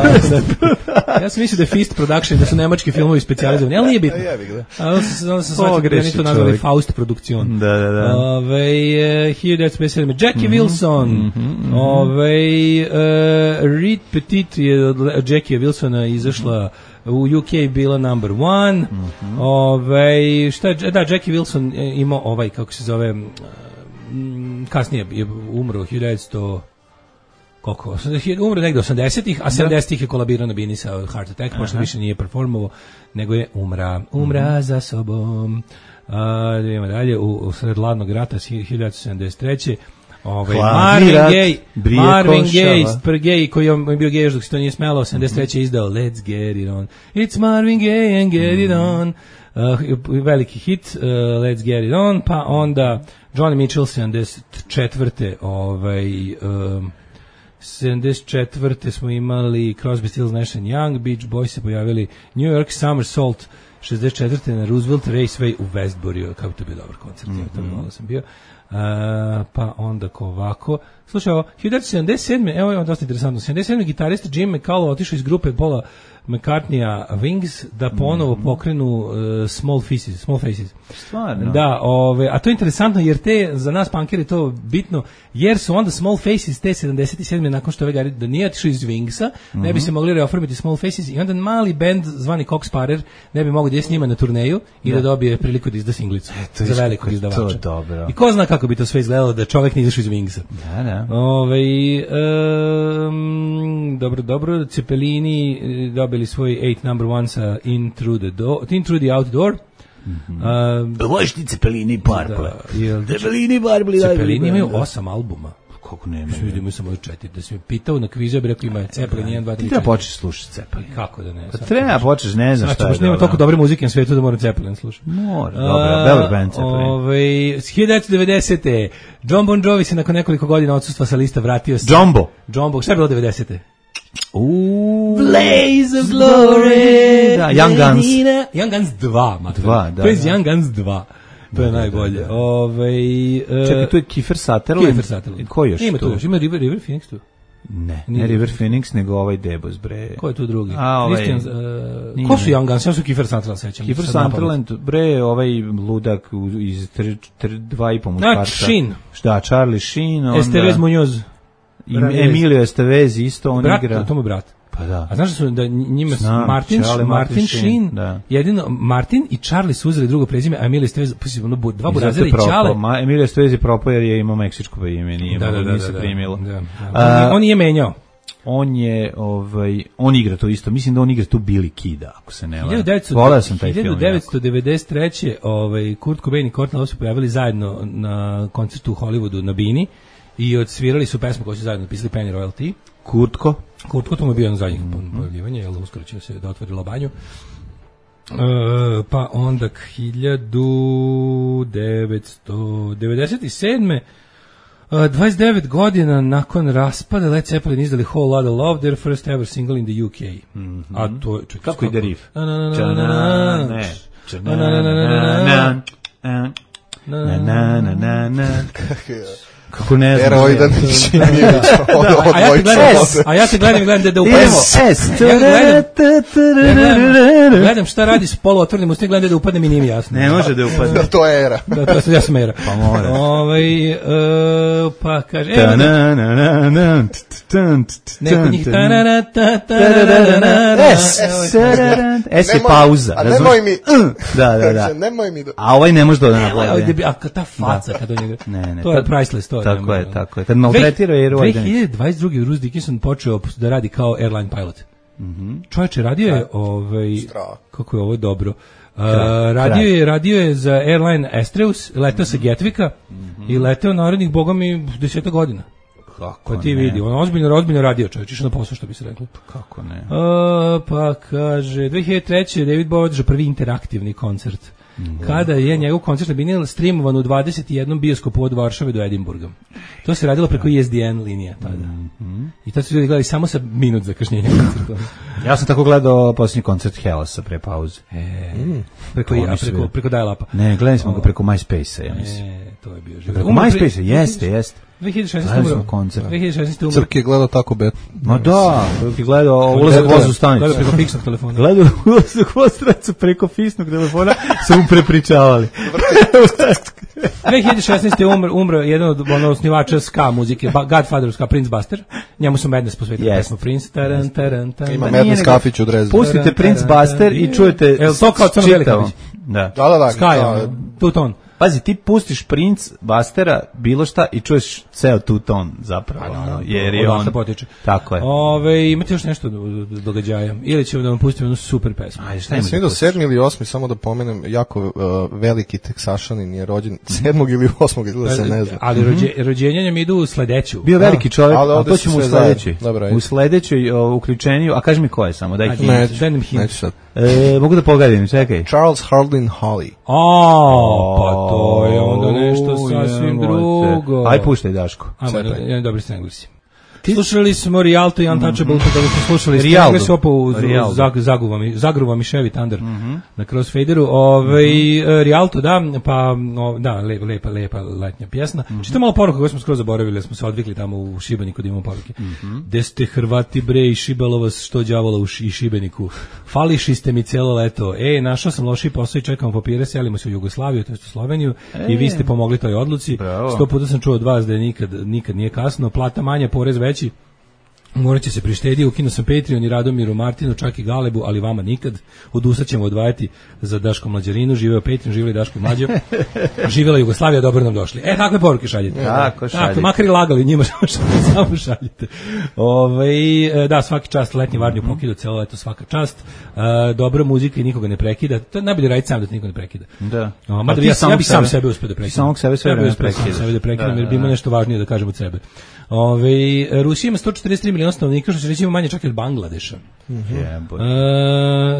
Ja sam mislio da je Fist Production, da su nemački filmovi specijalizovani, ali nije bitno. Onda sam shvatio da je to nazvali Faust Produkcion. Da. 1957. Jackie Wilson. Reed Petit je od Jackie Wilsona izašla u UK bila number 1. Jackie Wilson imao kako se zove, kasnije je umro 1900, koliko? Umro negde 80-ih, a 70-ih je kolabirao na bini sa heart attack, pošto više nije performovao, nego je umra za sobom. Idemo dalje, u sred hladnog rata 1973. Marvin Gaye, koji je bio gej dok se to nije smelo, 73. je izdao Let's Get It On. It's Marvin Gaye and Get It On. Veliki hit, Let's Get It On. Pa onda Johnny Mitchell 74. 74. smo imali Crosby, Stills, Nash & Young, Beach Boys se pojavili, New York Somersault 64. na Roosevelt Raceway u Westbury, kako to je bio dobar koncert, to malo sam bio. Pa onda ovako. Slušaj, 1977. Evo je dosta interesantno. 77. gitarista Jim McCullough otišao iz grupe Paula McCartneya Wings da ponovo pokrenu Small Faces. Stvarno? Da, a to je interesantno jer za nas punkeri to bitno, jer su onda Small Faces te 77. nakon što da nije otišao iz Wingsa, ne bi se mogli reoformiti Small Faces i onda mali band zvani Cox Sparer ne bi mogli da je s njima na turneju i da dobije priliku da izda singlicu za velikog izdavača. I ko zna kako bi to sve izgledalo da čovek nije izašao iz Wingsa. Da. Dobro, Cepelini dobili svoj 8 number 1 sa In Through the Outdoor. Voliš ti Cepelini Purple? Cepelini imaju 8 albuma. Kako nema? Mislim da imaju samo 4. Da si me pitao na kvizu, ja bih rekao ima Cepelin 1, 2, 3. Ti treba početi slušati Cepelin. Kako da ne? Pa treba početi, ne znam šta je. Znači, nema toliko dobre muzike na svijetu da moram Cepelin slušati. Mora, dobro, dobar band Cepelin. 1990. John Bon Jovi se nakon nekoliko godina odsustva sa lista vratio se. Jumbo, šta je bilo 90. Blaze of Glory. Da, Young Guns 2. To je Young Guns 2. To je najbolje. Čekaj, tu je Kiefer Sutherland. Ko još tu? Ima tu još, ima River Phoenix tu. Ne River Phoenix, nego ovaj Debos, bre. Ko je tu drugi? Ko su Young Guns? Ja su Kiefer Sutherland sećam. Kiefer Sutherland, bre, ovaj ludak iz 2,5 muškarca. Sheen. Da, Charlie Sheen. Estevez Munoz. Emilio Estevez isto, on igra. To mu brat. Pa da. A znaš da njima Martin Sheen, jedino Martin i Charlie su uzeli drugo prezime, a Emilio Estevez, dva burazera i Čale. Emilio Estevez je propao jer je imao meksičko ime, nije se primilo. On je menjao. On igra to isto. Mislim da on igra tu Billy Kida, ako se ne varam. Voleo sam taj film. 1993. Kurt Cobain i Courtney Love su pojavili zajedno na koncertu u Hollywoodu na bini i odsvirali su pesmu koju su zajedno napisali Penny Royalty. Kurtko, to mu je bio na zadnjih pojavljivanja, jer uskoro će se da otvori lobanju. Pa onda 1997. 29 godina nakon raspada Led Zeppelin izdali Whole Lotta Love, their first ever single in the UK. A to kako ide riff? Kako ne znam. Eroidan Šimjević. A ja te gledam da upademo. Gledam šta radi s poluotvornim ustima, gledam da upadnem i nije mi jasno. Ne može da upadne. To je era. Da, to ja sam era. Pa mora. Pa kaže... Neko njih... Es je pauza. A nemoj mi... Da. Nemoj mi... A ovaj ne može da naplati. A ta faca kada njega... Ne. To je priceless, to je. Tako je. Kad maltretira je Roy Dennis. 2022. Bruce Dickinson počeo da radi kao airline pilot. Čovječe, radio je kako je ovo dobro. Radio je za airline Astreus, letao sa Getvika i letao narednih bogom i 10 godina. Kako pa ti vidi, on ozbiljno radio, čovječ, išao na posao, što bi se reklo. Kako ne? Pa kaže, 2003. David Bowie održao prvi interaktivni koncert kada je njegov koncert bio streamovan u 21 bioskopu od Varšave do Edinburga. To se radilo preko ISDN linija tada. I tad su ljudi gledali samo sa minut zakašnjenja koncerta. Ja sam tako gledao posljednji koncert Hellasa pre pauze. Preko dial-upa. Ne, gledali smo ga preko MySpace-a, ja mislim. To je bio život. Preko MySpace-a, jeste. 2016 umro. Crk je gledao tako bet. Ma da, je gledao ulazak voz u stanicu. Gledao preko fiksnog telefona. Gledao ulazak voz stanicu preko fiksnog telefona, su mu prepričavali. 2016 umro jedan od osnivača ska muzike, Godfather ska, Prince Buster. Njemu su Madness posvetili pesmu Prince. Ima Madness kafić u Drezu. Pustite Prince Buster i čujete to kao Crno Velikavić. Da. Ska, tu-ton. Pazi, ti pustiš Prince Bustera, bilo šta, i čuješ ceo tu ton zapravo, jer je on... Potiče. Tako je. Imate još nešto događaja? Ili ćemo da vam pustimo jednu super pesmu? Ajde, šta ima? Sam vidio 7. ili 8. samo da pomenem, jako veliki Teksašanin je rođen 7. ili 8. ili da se ne zna. Ali rođenja mi idu u sledeću. Bio veliki čovjek, a to ćemo u sledećoj. U sledećoj uključenju, a kaži mi ko je samo, daj hint. Neću sad. Mogu da pogadim, čekaj. Charles Hardin Holly. Pa to je onda nešto sasvim drugo. Aj puštaj, Daško. Dobri ste Englesi. Slušali smo Rialto i Untouchable, kada smo slušali Englesi opo zagruva mi Chevy Thunder na Crossfaderu. Rialto, da, pa da, lepa letnja pjesma. Čito malo poruka koju smo skoro zaboravili, smo se odvikli tamo u Šibeniku da imamo poruke. De ste Hrvati bre i šibalo vas što đavola u Šibeniku. Fališi ste mi celo leto. Našao sam loši posao i čekamo papire, selimo se u Jugoslaviju, to je u Sloveniju i vi ste pomogli toj odluci. 100 puta sam čuo od vas da je nikad nije kasno, plata manja, porez veći, morat će se prištediti, ukinuo sam Patreon i Radomiru Martinu, čak i Galebu, ali vama nikad. Odustat ćemo odvajati za Daško Mlađarinu, živeo Patreon, živeli Daško i Mlađo, živela Jugoslavija, dobro nam došli. Kakve poruke šaljete? Tako, makar i lagali njima, samo šaljete. Da, svaki čast, letnji Varnju pokidu, celo leto svaka čast, dobra muzika i nikoga ne prekida, to je najbolje raditi sam da te niko ne prekida. Da. Mada ja bi sam sebe uspio da prekidam. Samog sebe sve vreme prekidam, jer bi ima nešto važnije da kažem od sebe. Rusija ima 143 miliona stanovnika, što se reći ima manje čak i od Bangladeša.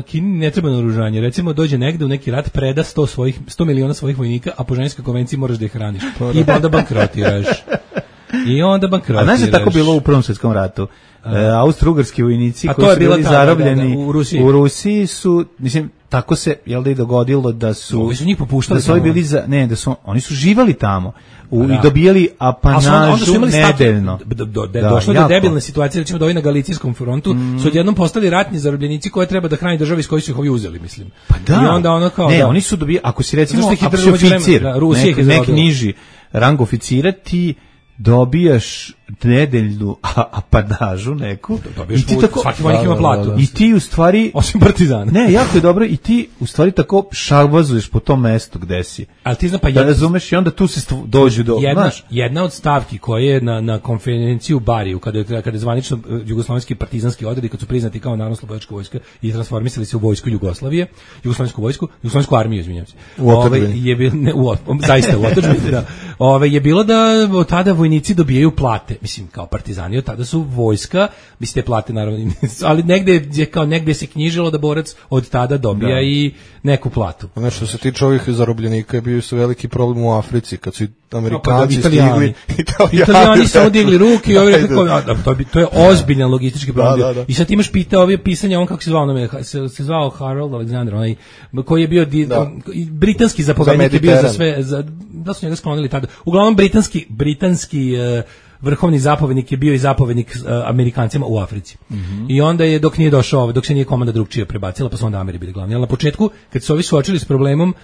Kini ne treba naoružanje. Recimo dođe negde u neki rat, preda 100 miliona svojih vojnika, a po ženskoj konvenciji moraš da ih hraniš. I onda bankrotiraš. A znaš je tako bilo u Prvom svjetskom ratu? Austro-ugarski vojnici koji su bili zarobljeni u Rusiji su, mislim, tako se i dogodilo da su... Ovi su njih popuštali. Da su bili oni su živali tamo i dobijali apanažu nedeljno. Došlo do debilne situacije, recimo da ovi na Galicijskom frontu su odjednom postali ratni zarobljenici koje treba da hrani državi iz kojih su ih ovi uzeli, mislim. Pa da. I onda ono kao... Ne, oni su dobijali, ako si recimo oficir, neki niži rang oficira, ti dobijaš nedeljnu apanažu neku i ti tako svaki vojnik ima platu i ti u stvari osim partizana jako je dobro i ti u stvari tako šavazuješ po tom mestu gde si, ali ti znaš pa razumeš i onda tu se dođu do jedna od stavki koje je na konferenciji u Bariju kada je zvanično jugoslovenski partizanski odredi kad su priznati kao narodnooslobodilačka vojska i transformisali se u vojsku Jugoslavije, jugoslovensku armiju, izvinjavam se, je bilo zaista u otadžbini je bilo da od tada vojnici dobijaju plate, mislim kao partizani od tada su vojska, mislim te plate naravno, ali negde se knjižilo da borac od tada dobija i neku platu. Znači što se tiče ovih zarobljenika bio su veliki problem u Africi kad su Amerikanci stigli, Italijani su odigli ruke i ovi rekli to je ozbiljan logistički problem. I sad imaš pisanje on kako se zvao, se zvao Harold Alexander, onaj koji je bio britanski zapovednik je bio za sve, da su njega sklonili tada. Uglavnom britanski vrhovni zapovednik je bio i zapovednik Amerikancima u Africi. I onda je dok nije došao, dok se nije komanda drugčije prebacila, pa su onda Ameri bili glavni. Ali na početku, kad su ovi suočili s problemom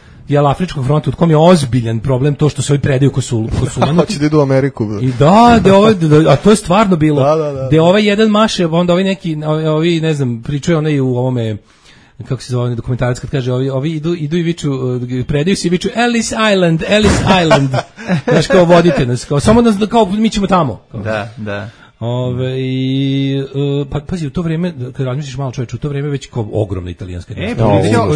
Afričkog fronta, od kom je ozbiljan problem to što se ovi predaju Kosulu. Hoće da idu u Ameriku. I a to je stvarno bilo. Da ovaj jedan maše, onda ovi neki, ovi ne znam, pričaju onaj u ovome, kako se zove dokumentarac kad kaže ovi idu i viču, predaju se i viču Ellis Island. Znaš, kao vodite nas, samo nas, kao mi ćemo tamo. Da. Pa pazi, u to vrijeme, kad razmisliš malo čoveče, u to vrijeme već kao ogromna italijanska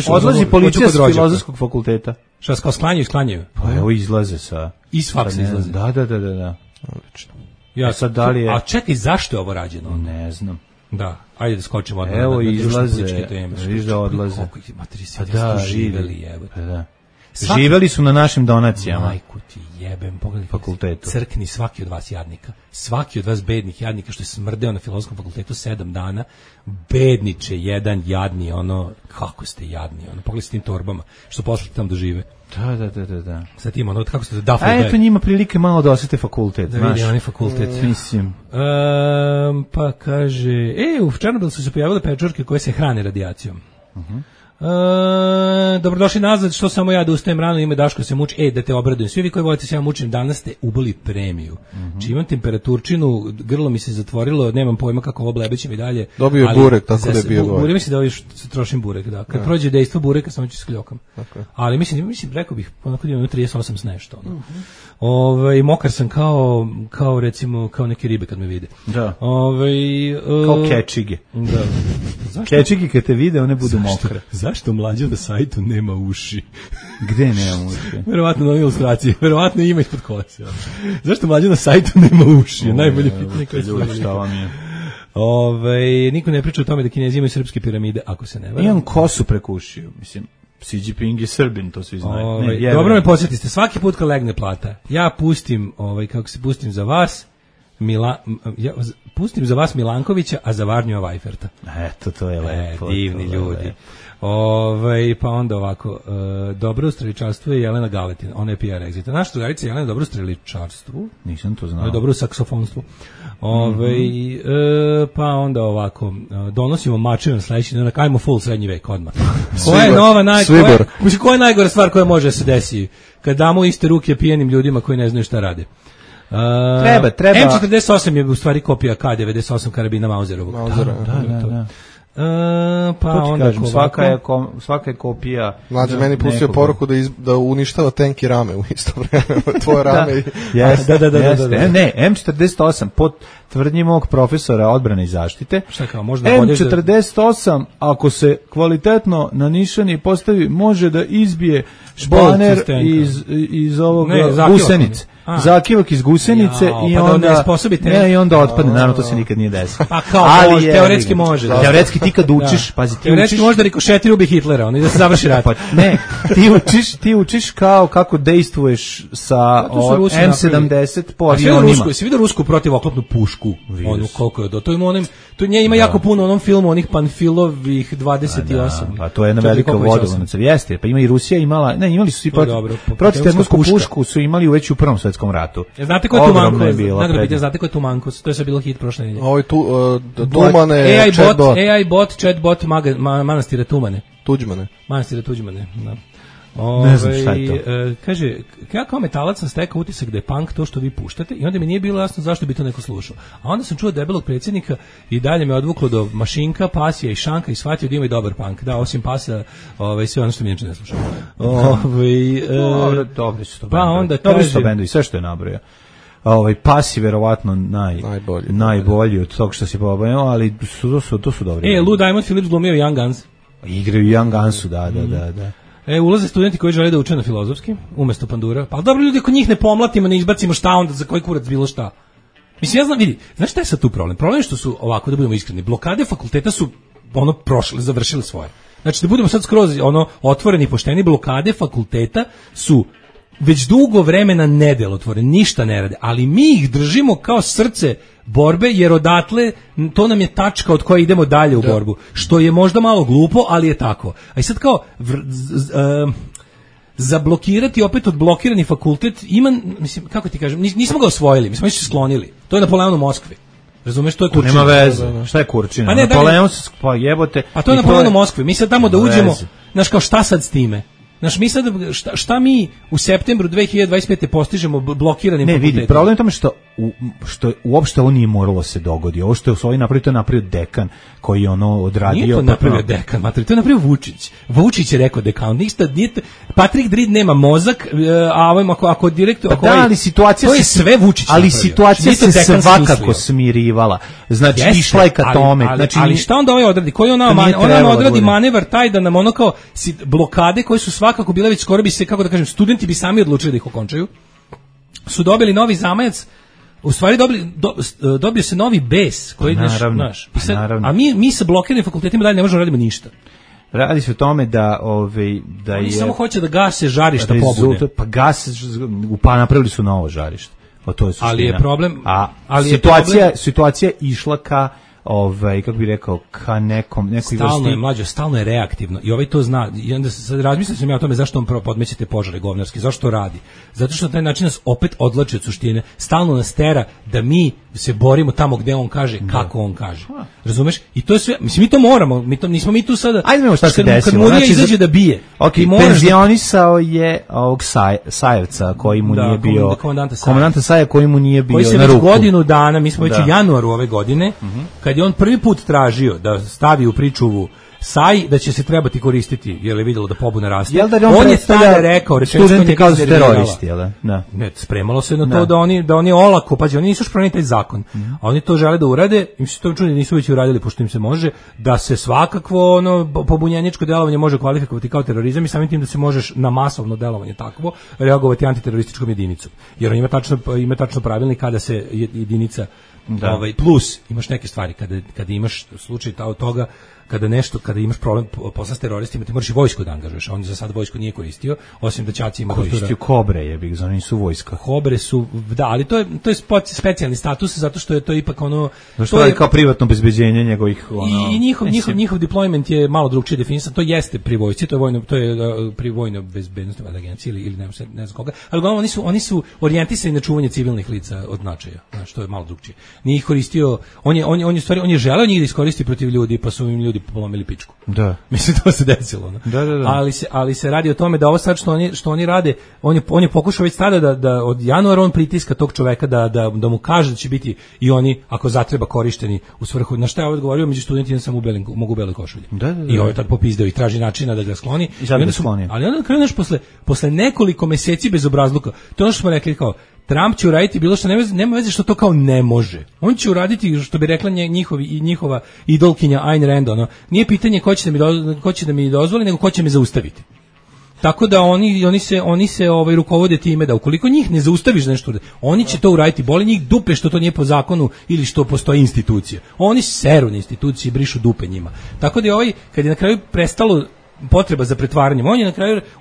odlazi policija s Filozofskog fakulteta. Šta, kao sklanjaju? Pa evo izlaze sa... Iz faksa izlaze. Da. Odlično. A čekaj, zašto je ovo rađeno? Ne znam. Da, ajde da skočimo odmah. Evo izlaze, viš da odlaze. Koliko ih materi se živeli, Da. Živeli su na našim donacijama. Majku ti jebem, pogledaj fakultetu. Crkni svaki od vas jadnika. Svaki od vas bednih jadnika što je smrdeo na Filozofskom fakultetu 7 dana. Bedniče, jedan jadni, ono, kako ste jadni, ono, pogledaj s tim torbama, što poslate tamo da žive. Da. Sa tim, ono, kako ste da dafle. A eto njima prilike malo da osete fakultet, znaš. Da vidi, oni fakultet. Mislim. Pa kaže, u Černobilu su se pojavile pečurke koje se hrane radijacijom. Dobrodošli nazad, što samo ja da ustajem rano, ime Daško se muči, da te obradujem. Svi vi koji volite se ja mučim, danas ste ubili premiju. Či imam temperaturčinu, grlo mi se zatvorilo, nemam pojma kako ovo blebećem i dalje. Dobio je burek, tako da je bio gore. Burek, mislim da ovo trošim burek, da. Kad prođe dejstvo bureka, samo ću skljokam. Okay. Ali mislim, rekao bih, onako da imam 38 s nešto. Mokar sam kao recimo, kao neke ribe kad me vide. Da. Kao kečige. Da. Kečige kad te vide, one budu mokre. Zašto mlađa na sajtu nema uši? Gde nema uši? Verovatno na ilustraciji, verovatno ima ispod kolesa. Zašto mlađa na sajtu nema uši? Najbolje pitanje koje se šta vam je? Niko ne priča o tome da Kinezi imaju srpske piramide, ako se ne varam. Imam kosu preko ušiju, mislim. Xi Jinping je Srbin, to svi znaju. Dobro me podsjetiste, svaki put kad legne plata, ja pustim, pustim za vas, pustim za vas Milankovića, a za Varnjova Vajferta. Eto, to je lepo. Divni ljudi. Pa onda ovako, dobro u streličarstvu je Jelena Galetin, ona je PR exita. Naša drugarica Jelena je dobro u streličarstvu. Nisam to znao. Ona je dobro u saksofonstvu. Pa onda ovako, donosimo mačeve na sledeći, ajmo full srednji vek odmah. Koja je najgora stvar koja može da se desi kad damo iste ruke pijenim ljudima koji ne znaju šta rade? Treba. M48 je u stvari kopija K98 karabina Mauserovog. Da. Pa onda kažem, svaka je kopija. Mlađe meni pustio poruku da uništava tenk i rame u isto vreme. Tvoje rame i... Da. Ne, M48 pod tvrdnji mog profesora odbrane i zaštite. Šta kao, možda M48 ako se kvalitetno na nišani postavi može da izbije španer iz ovog gusenice. Zakivak iz gusenice i onda otpadne, naravno to se nikad nije desilo. Pa kao teoretski može. Teoretski ti kad učiš, pazi, teoretski možda rikošetira ubi Hitlera, on i da se završi rat. Ne, ti učiš kao kako dejstvuješ sa M70 po avionima. Si vidio rusku protivoklopnu pušku? Onu koliko je do to ima onim, to nje ima jako puno u onom filmu onih Panfilovih 28. Pa to je jedna velika vodovodnica. Jeste, pa ima i Rusija imala, imali su svi protivtermosku pušku su imali već u Prvom svetskom ratu. Znate ko je Tumankos? Znate ko je Tumankos? To je sve bilo hit prošle nedelje. Ovo je Tumane, AI bot, chatbot manastira Tumane. Manastira Tuđmane, da. Ne znam šta je to. Kaže, ja kao metalac sam stekao utisak da je punk to što vi puštate i onda mi nije bilo jasno zašto bi to neko slušao. A onda sam čuo debelog predsjednika i dalje me odvuklo do Mašinka, Pasija i Šanka i shvatio da ima i dobar punk. Da, osim Pasa, sve ono što mi inače ne slušao. Dobri su to bendovi, sve što je nabrojao. Pasi verovatno najbolji od tog što si pobavio, ali to su dobri. Lou Diamond Phillips glumio Young Guns. Igraju Young Gunsu, da. Ulaze studenti koji žele da uče na filozofski, umesto Pandura. Pa dobro, ljudi, ako njih ne pomlatimo, ne izbacimo šta onda, za koji kurac bilo šta. Mislim, ja znam, vidi, znaš šta je sad tu problem? Problem je što su, ovako da budemo iskreni, blokade fakulteta su prošle, završile svoje. Znači, da budemo sad skroz otvoreni i pošteni, blokade fakulteta su već dugo vremena nedelotvorene, ništa ne rade, ali mi ih držimo kao srce borbe, jer odatle to nam je tačka od koje idemo dalje u borbu, što je možda malo glupo, ali je tako. A i sad kao zablokirati opet odblokirani fakultet ima, mislim, kako ti kažem, nismo ga osvojili, mi smo se sklonili. To je Napoleon u Moskvi. Razumeš, to je Kurčina. Nema veze. Šta je Kurčina? Napoleon se jebote. A to je Napoleon u Moskvi. Mi sad tamo da uđemo, znaš, kao šta sad s time? Znaš, mi sad, šta mi u septembru 2025. postižemo blokiranim fakultetom? Ne, vidi, problem je tome što uopšte ovo nije moralo se dogodi. Ovo što je osvoji napravio, to je napravio dekan koji je odradio. Nije to napravio dekan, to je napravio Vučić. Vučić je rekao dekan. Patrick Drid nema mozak, a ovim ako direktor... ali situacija to je sve Vučić napravio. Ali situacija se svakako smirivala. Znači, išla je ka tome. Ali šta onda ovaj odradi? Koji ona odradi manevar taj da nam ono kao blokade koje su svakako bile već skoro bi se, kako da kažem, studenti bi sami odlučili da ih okončaju, su dobili novi zamajac, u stvari dobio se novi bes koji naravno. A mi sa blokiranim fakultetima dalje ne možemo radimo ništa. Radi se o tome da oni je samo hoće da gase žarišta pobude. Pa pa napravili su novo žarište. Pa to je suština. Ali je problem, situacija išla ka kako bi rekao, ka nekoj vrsti. Stalno je reaktivno i to zna. I onda sad razmislio sam ja o tome zašto on podmeće te požare govnarski, zašto to radi. Zato što na taj način nas opet odvlači od suštine. Stalno nas tera da mi se borimo tamo gde on kaže, kako on kaže. Razumeš? I to je sve, mislim, mi to moramo, nismo mi tu sada. Ajde vidimo šta se desilo. Kad Murija izađe da bije. Penzionisao je ovog Sajevca koji mu nije bio, komandanta Saja koji mu nije bio na ruku. Koji se već godinu dana, mi smo već u januaru ove godine, kad je on prvi put tražio da stavi u pričuvu Saj, da će se trebati koristiti, jer je vidjelo da pobuna raste. On je tada rekao, studenti kao teroristi, jel da? Ne, spremalo se na to da oni olako, pađe, oni nisu još promenili taj zakon, a oni to žele da urade, im se to čudi, nisu već uradili, pošto im se može, da se svakakvo pobunjeničko delovanje može kvalifikovati kao terorizam i samim tim da se možeš na masovno delovanje takvo reagovati antiterorističkom jedinicom. Jer on ima tačno pravilnik kada se jedinica plus imaš neke stvari kada imaš slučaj toga kada imaš problem posla s teroristima, ti moraš i vojsku da angažuješ, a on za sad vojsku nije koristio, osim da ćaci ima koristio Kobre, oni su vojska. Kobre su, da, ali to je specijalni status, zato što je to ipak ono... To je kao privatno obezbeđenje njegovih... I njihov deployment je malo drugčije definisan, to jeste pri vojsci, to je pri vojnoj bezbednosti agencije ili ne znam koga, ali uglavnom oni su orijentisani na čuvanje civilnih lica od značaja, znači to je malo drugčije. Nije ih koristio, on je želeo njih da iskoristi protiv ljudi, pa su im ljudi polomili pičku. Da. Mislim, to se desilo. Da. Ali se radi o tome da ovo sad što oni rade, on je pokušao već tada da od januara on pritiska tog čoveka da mu kaže da će biti i oni, ako zatreba, korišteni u svrhu. Na šta je odgovorio, među studentima sam mogu u beloj košulji. I ovo je tad popizdeo i traži načina da ga skloni. Ali onda kraju posle nekoliko meseci bez obrazluka, to je ono što smo rekli kao, Trump će uraditi bilo što, nema veze što to kao ne može. On će uraditi, što bi rekla njihova idolkinja Ayn Rand, nije pitanje ko će da mi dozvoli, nego ko će me zaustaviti. Tako da oni se rukovode time da ukoliko njih ne zaustaviš nešto, oni će to uraditi, boli njih dupe što to nije po zakonu ili što postoji institucija. Oni seru na institucije i brišu dupe njima. Tako da kad je na kraju prestalo potreba za pretvaranjem,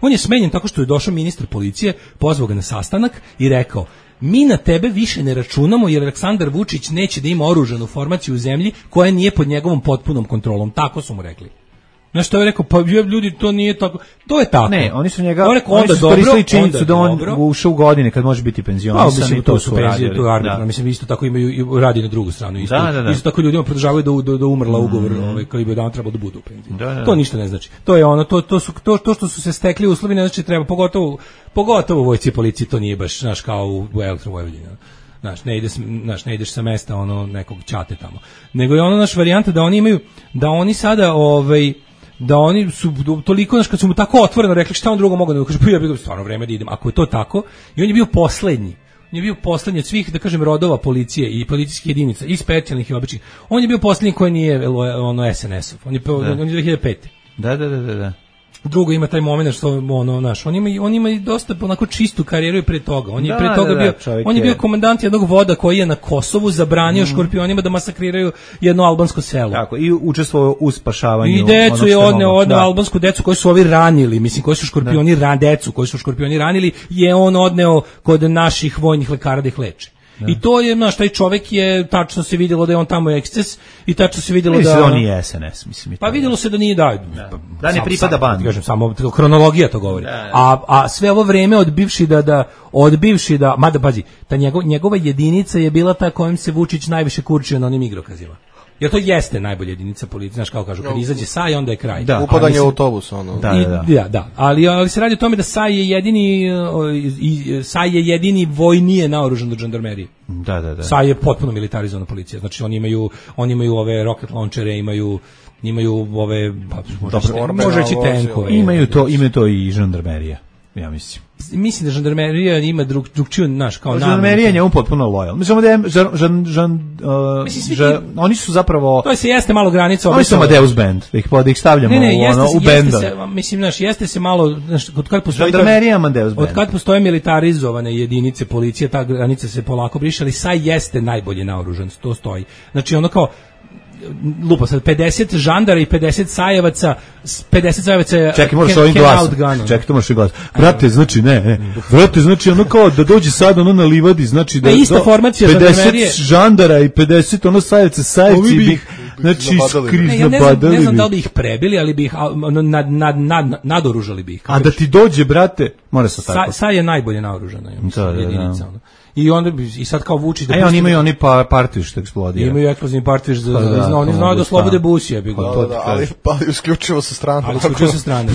on je smenjen tako što je došao ministar policije, pozvao ga na sastanak i rekao: mi na tebe više ne računamo jer Aleksandar Vučić neće da ima oružanu formaciju u zemlji koja nije pod njegovom potpunom kontrolom. Tako su mu rekli. Znaš što je rekao, pa ljudi, to nije tako. To je tako. Ne, oni su koristili činjenicu da on ušao u godine kad može biti penzionisan i to su radili. To je arbitrarno. Mislim, isto tako imaju radi na drugu stranu. Isto tako ljudima podržavaju da umrla ugovor koji bi dan trebalo da budu u penziji. To ništa ne znači. To je to što su se stekli uslovi, ne znači treba, pogotovo u vojsci i policiji, to nije baš, znaš, kao u Elektrovojvodini. Znaš, ne ideš sa mesta nekog ćate tamo. Nego je naš varijanta da oni sada da oni su toliko, znaš, kad su mu tako otvoreno rekli šta on drugo mogu da kaže, pa ja bih stvarno vreme da idem, ako je to tako, i on je bio poslednji. On je bio poslednji od svih, da kažem, rodova policije i policijskih jedinica, i specijalnih i običnih. On je bio poslednji koji nije SNS-ov. On je 2005. Da. Drugo ima taj moment što on ima i dosta onako čistu karijeru i pre toga. On je pre toga bio komandant jednog voda koji je na Kosovu zabranio škorpionima da masakriraju jedno albansko selo. Tako, i učestvovao u spašavanju. I decu je odneo albansku decu koji su ovi ranili, mislim koji su škorpioni decu koji su škorpioni ranili, je on odneo kod naših vojnih lekara da ih leče. I to je, znaš, taj čovjek je, tačno se vidjelo da je on tamo eksces i tačno se vidjelo da... on nije SNS, mislim. Pa vidjelo se da nije, da ne pripada bandi. Kažem, samo kronologija to govori. A sve ovo vreme odbivši da, mada pazi, ta njegova jedinica je bila ta kojom se Vučić najviše kurčio na onim igrokazima. Jer to jeste najbolja jedinica policije, znaš, kao kažu, kad izađe Saj, onda je kraj. Da, upadanje u autobus, Da. Ali se radi o tome da Saj je jedini vojnije naoružan od žandarmerije. Da. Saj je potpuno militarizovana policija. Znači, oni imaju ove rocket launčere, imaju ove, može reći tenkove. Imaju to i žandarmerija, ja mislim. Mislim da žandarmerija ima drugčiju, naš, kao namenu. Žandarmerija je njemu potpuno lojal. Mislim da oni su zapravo... To jeste malo granica. Oni su Amadeus band, da ih stavljamo u benda. Mislim, znaš, jeste se malo... Žandarmerija Amadeus band. Od kad postoje militarizovane jedinice policije, ta granica se polako briše, ali Saj jeste najbolje naoružan, to stoji. Znači, ono kao... lupa sad 50 žandara i 50 sajevaca, 50 sajevaca. Čekaj, možeš ovim glasom. Čekaj, to možeš i glas. Brate, znači brate, znači ono kao da dođe sad ono na livadi, znači da ista formacija 50 žandara i 50 ono sajevaca, sajevci bih znači skrizno badali. Ne znam da li bi ih prebili, ali bi ih nadoružali bi ih. A da ti dođe, brate, mora se tako. Saj je najbolje naoružana, jedinica. I onda i sad kao Vučić da oni imaju oni partiju što eksplodira. Imaju eksplozivni partiju oni znaju da slobode busije, bi ali isključivo sa strane. Ali isključivo sa strane.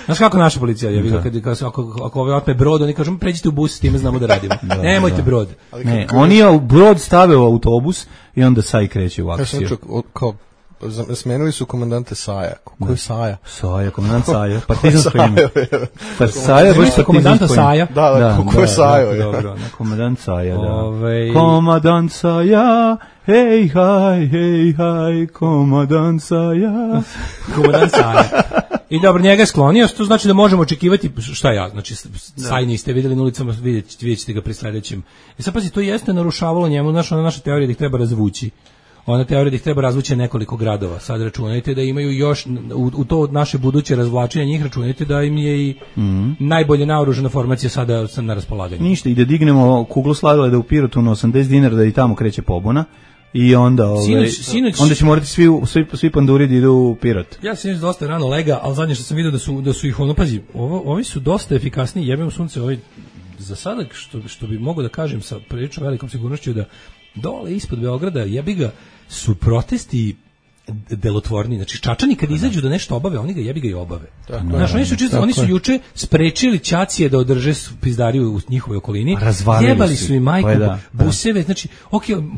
Znaš kako naša policija je bila kad ako ove otme brod, oni kažu pređite u bus, s time znamo da radimo. Nemojte brod. Ne, oni brod stave u autobus i onda Saj kreće u akciju. Smenili su komandante Saja. Ko je Saja? Saja, komandant Saja. Partizansko ime. Pa Saja je baš komandanta Saja. Da, ko je Saja? Dobro, komandant Saja, da. Komandant Saja, hej, haj, komandant Saja. Komandant Saja. I dobro, njega je sklonio, to znači da možemo očekivati, šta ja, znači Saj niste vidjeli na ulicama, vidjet ćete ga pri sledećem. I sad pazi, to jeste narušavalo njemu, naša teorija da ih treba razvući. Ona teorija da ih treba razvući nekoliko gradova. Sad računajte da imaju još, u to naše buduće razvlačenje njih, računajte da im je i najbolje naoružana formacija sada na raspolaganju. Ništa, i da dignemo kuglu sladoleda u Pirotu na 80 dinara da i tamo kreće pobuna. I onda onda će morati svi panduri da idu u Pirot. Ja sam dosta rano lega, ali zadnje što sam vidio da su ih pazi, ovi su dosta efikasniji, jebem sunce, za sada što bi mogu da kažem sa prilično velikom sigurnošću da dole ispod Beograda jebiga su protesti delotvorni, znači Čačani kad izađu da nešto obave, oni ga jebiga i obave. Znači oni su juče sprečili Ćacije da održe pizdariju u njihovoj okolini. Jebali su i majku buseve, znači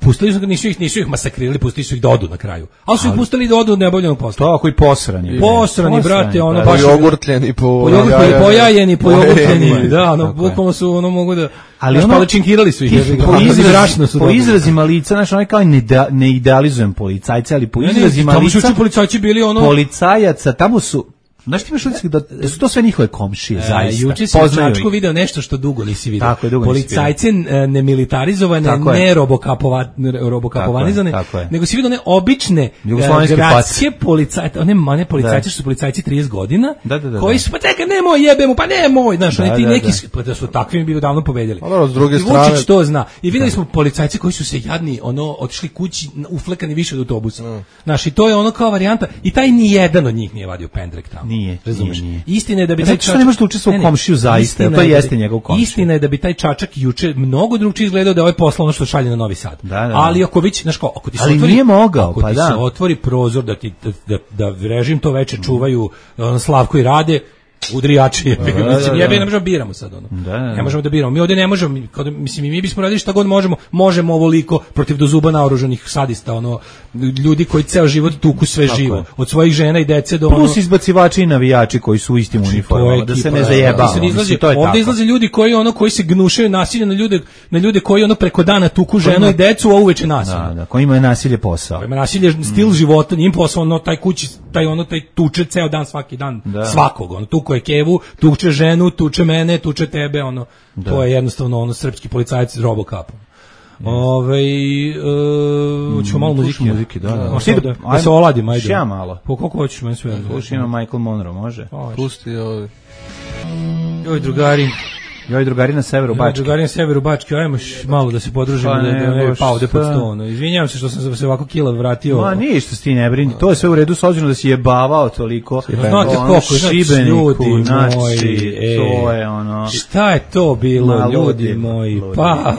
pustili su nisu ih masakrirali, pustili su ih da odu na kraju. Ali su ih pustili da odu od neobavljenog posla. Tako i posrani. Posrani, brate, ono baš jogurtljeni, pojajeni, pojogurtljeni. Da, bukvalno su mogu da. Ali paličinkirali su ih. Po izrazima lica, znači oni kao ne idealizujem policajce, ali po izrazima lica. Tamo su policajci bili policajaca, tamo su. Znaš ti imaš utisak da su to sve njihove komšije, zaista. Juče si u Čačku video nešto što dugo nisi video. Policajce nemilitarizovane, ne robokapovanizane, nego si video ne obične gradske policajce, one policajce što su policajci 30 godina, koji su, pa čekaj, nemoj, pa nemoj, znaš, oni ti neki, pa da su takvim bi davno pobedjeli. S druge strane. Vučić to zna. I videli smo policajce koji su se jadni, otišli kući, uflekani više od autobusa. Znaš, i to je ono kao varijanta, i taj ni jedan od njih nije vadio pendrek tamo. Nije. Istina je da bi taj Čačak ne može učestvovati u komšiju zaista, to jeste njegov komšija. Istina je da bi taj Čačak juče mnogo drugčije izgledao da je posla ono što šalje na Novi Sad. Ali ako već, znaš kao, ako ti se otvori prozor da režim to veče čuvaju Slavko i Rade, udri jači, ne možemo biramo sad ne možemo da biramo, mi ovdje ne možemo, mi bismo radili šta god možemo ovoliko protiv do zuba naoružanih sadista, ljudi koji ceo život tuku sve živo, od svojih žena i dece do plus izbacivači i navijači koji su u istim uniformama, da se ne zajebava. Ovdje izlaze ljudi koji se gnušaju nasilje na ljude koji preko dana tuku ženu i decu, a uveče nasilje. Koji imaju nasilje posao. Ima nasilje stil života, njim posao, taj kući, taj tuče ceo dan, svaki dan, svakog, tuku je kevu, tuče ženu, tuče mene, tuče tebe, to je jednostavno srpski policajac s robokapom. Ćemo malo muzike, da se oladim, ajde. Ja malo. Po koliko hoćeš, meni sve. Slušaj, ima Michael Monroe, može? Pusti ovi. Joj, drugari. Joj, drugari na severu Bačke. Ajmo malo da se podružimo, da ne pao ovde pod sto. Izvinjavam se što sam se ovako kila vratio. Ma ništa si ti ne brini, to je sve u redu, s obzirom da si jebavao toliko. Znate koliko, Šibeniku, to je Šta je to bilo, ljudi moji? Pa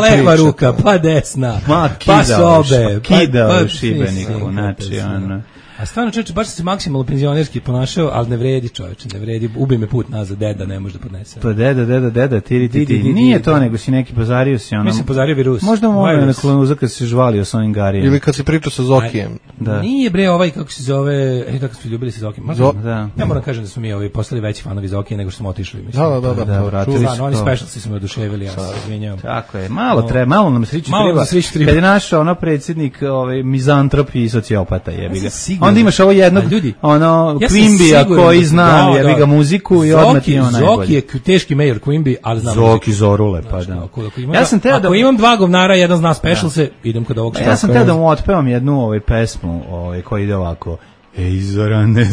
leva ruka, pa desna, pa sobe. Kidao u Šibeniku, znači A stvarno čovječe, baš se maksimalno penzionerski ponašao, ali ne vredi čovječe, ne vredi, ubi me put nazad, deda ne može da podnese. Pa deda, ti. Nije to, nego si neki pozario si Mi se pozario virus. Možda na kolonuza kad si žvalio s ovim Garijem. Ili kad si pričao sa Zokijem. Nije bre kako se zove, kako smo ljubili sa Zokijem. Ja moram kažem da smo mi postali veći fanovi Zokije nego što smo otišli. Da, vratili su. Oni specialci su me oduševili, ja se izvinjavam. Tako je, malo nam sreće treba. Kad je našao predsjednik mizantrop i sociopata, jebi ga. onda imaš ovo jednog, ono, Quimbija koji zna, jebi ga muziku i odmah ti je on najbolji. Zoki je teški major Quimby, ali znam Zoki Zorule, pa da. Ja sam teo da imam dva govnara, jedan zna special se, idem kod ovog. Ja sam teo da mu otpevam jednu pesmu koja ide ovako. Ej, Zorane.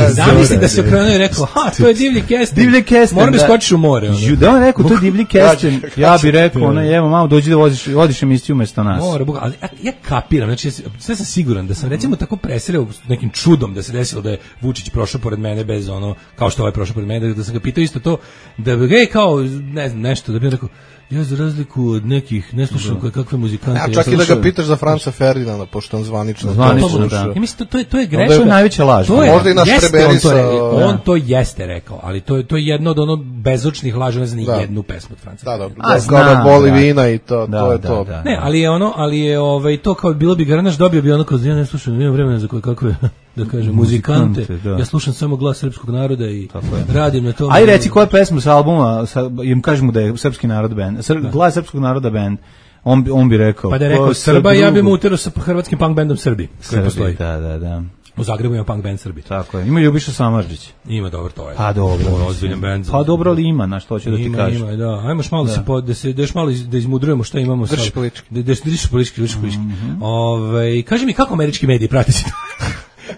Zamisli da se okrenuo i rekao, to je Divlji Kesten. Moram da skočiš u more. Da on rekao, to je Divlji Kesten. Ja bih rekao, evo malo, dođi da vodiš emisiju umesto nas. Ali ja kapiram, znači, sve sam siguran da sam recimo tako presreo nekim čudom da se desilo da je Vučić prošao pored mene bez ono, kao što ovaj prošao pored mene, da sam ga pitao isto to, da bi kao, ne znam, nešto, da bi rekao, ja za razliku od nekih ne slušam kakve muzikante. Ja čak i da ga pitaš za Franca Ferdinanda, pošto on zvanično. Ja mislim to je grešno. To je najveća laž. Možda i naš Treberisa. On to jeste rekao, ali to je jedno od ono bezočnih laži, ne znam ni jednu pesmu od Franca. Da, kao boli vina i to je to. Ne, ali je to kao bilo bi Garnaš dobio bi ono kao ja ne slušam, nemam vremena za kakve da kažem muzikante. Ja slušam samo glas srpskog naroda i radim na tome. Aj reci koja pesma sa albuma, im kažemo da je srpski narod bend. Glas srpskog naroda bend. On bi rekao. Pa da je rekao Srba, ja bi mu uterao sa hrvatskim punk bendom Srbi. Koji Da. U Zagrebu ima punk band Srbi. Tako je. Ima Ljubiša Samardžić. Ima, dobro, to je. Pa dobro. Ozbiljan bend. Pa dobro li ima, na što hoću da ti kažem. Ima, da. Ajmo malo da još malo da izmudrujemo šta imamo sad. Držiš politički. Kaži mi kako američki mediji prate se.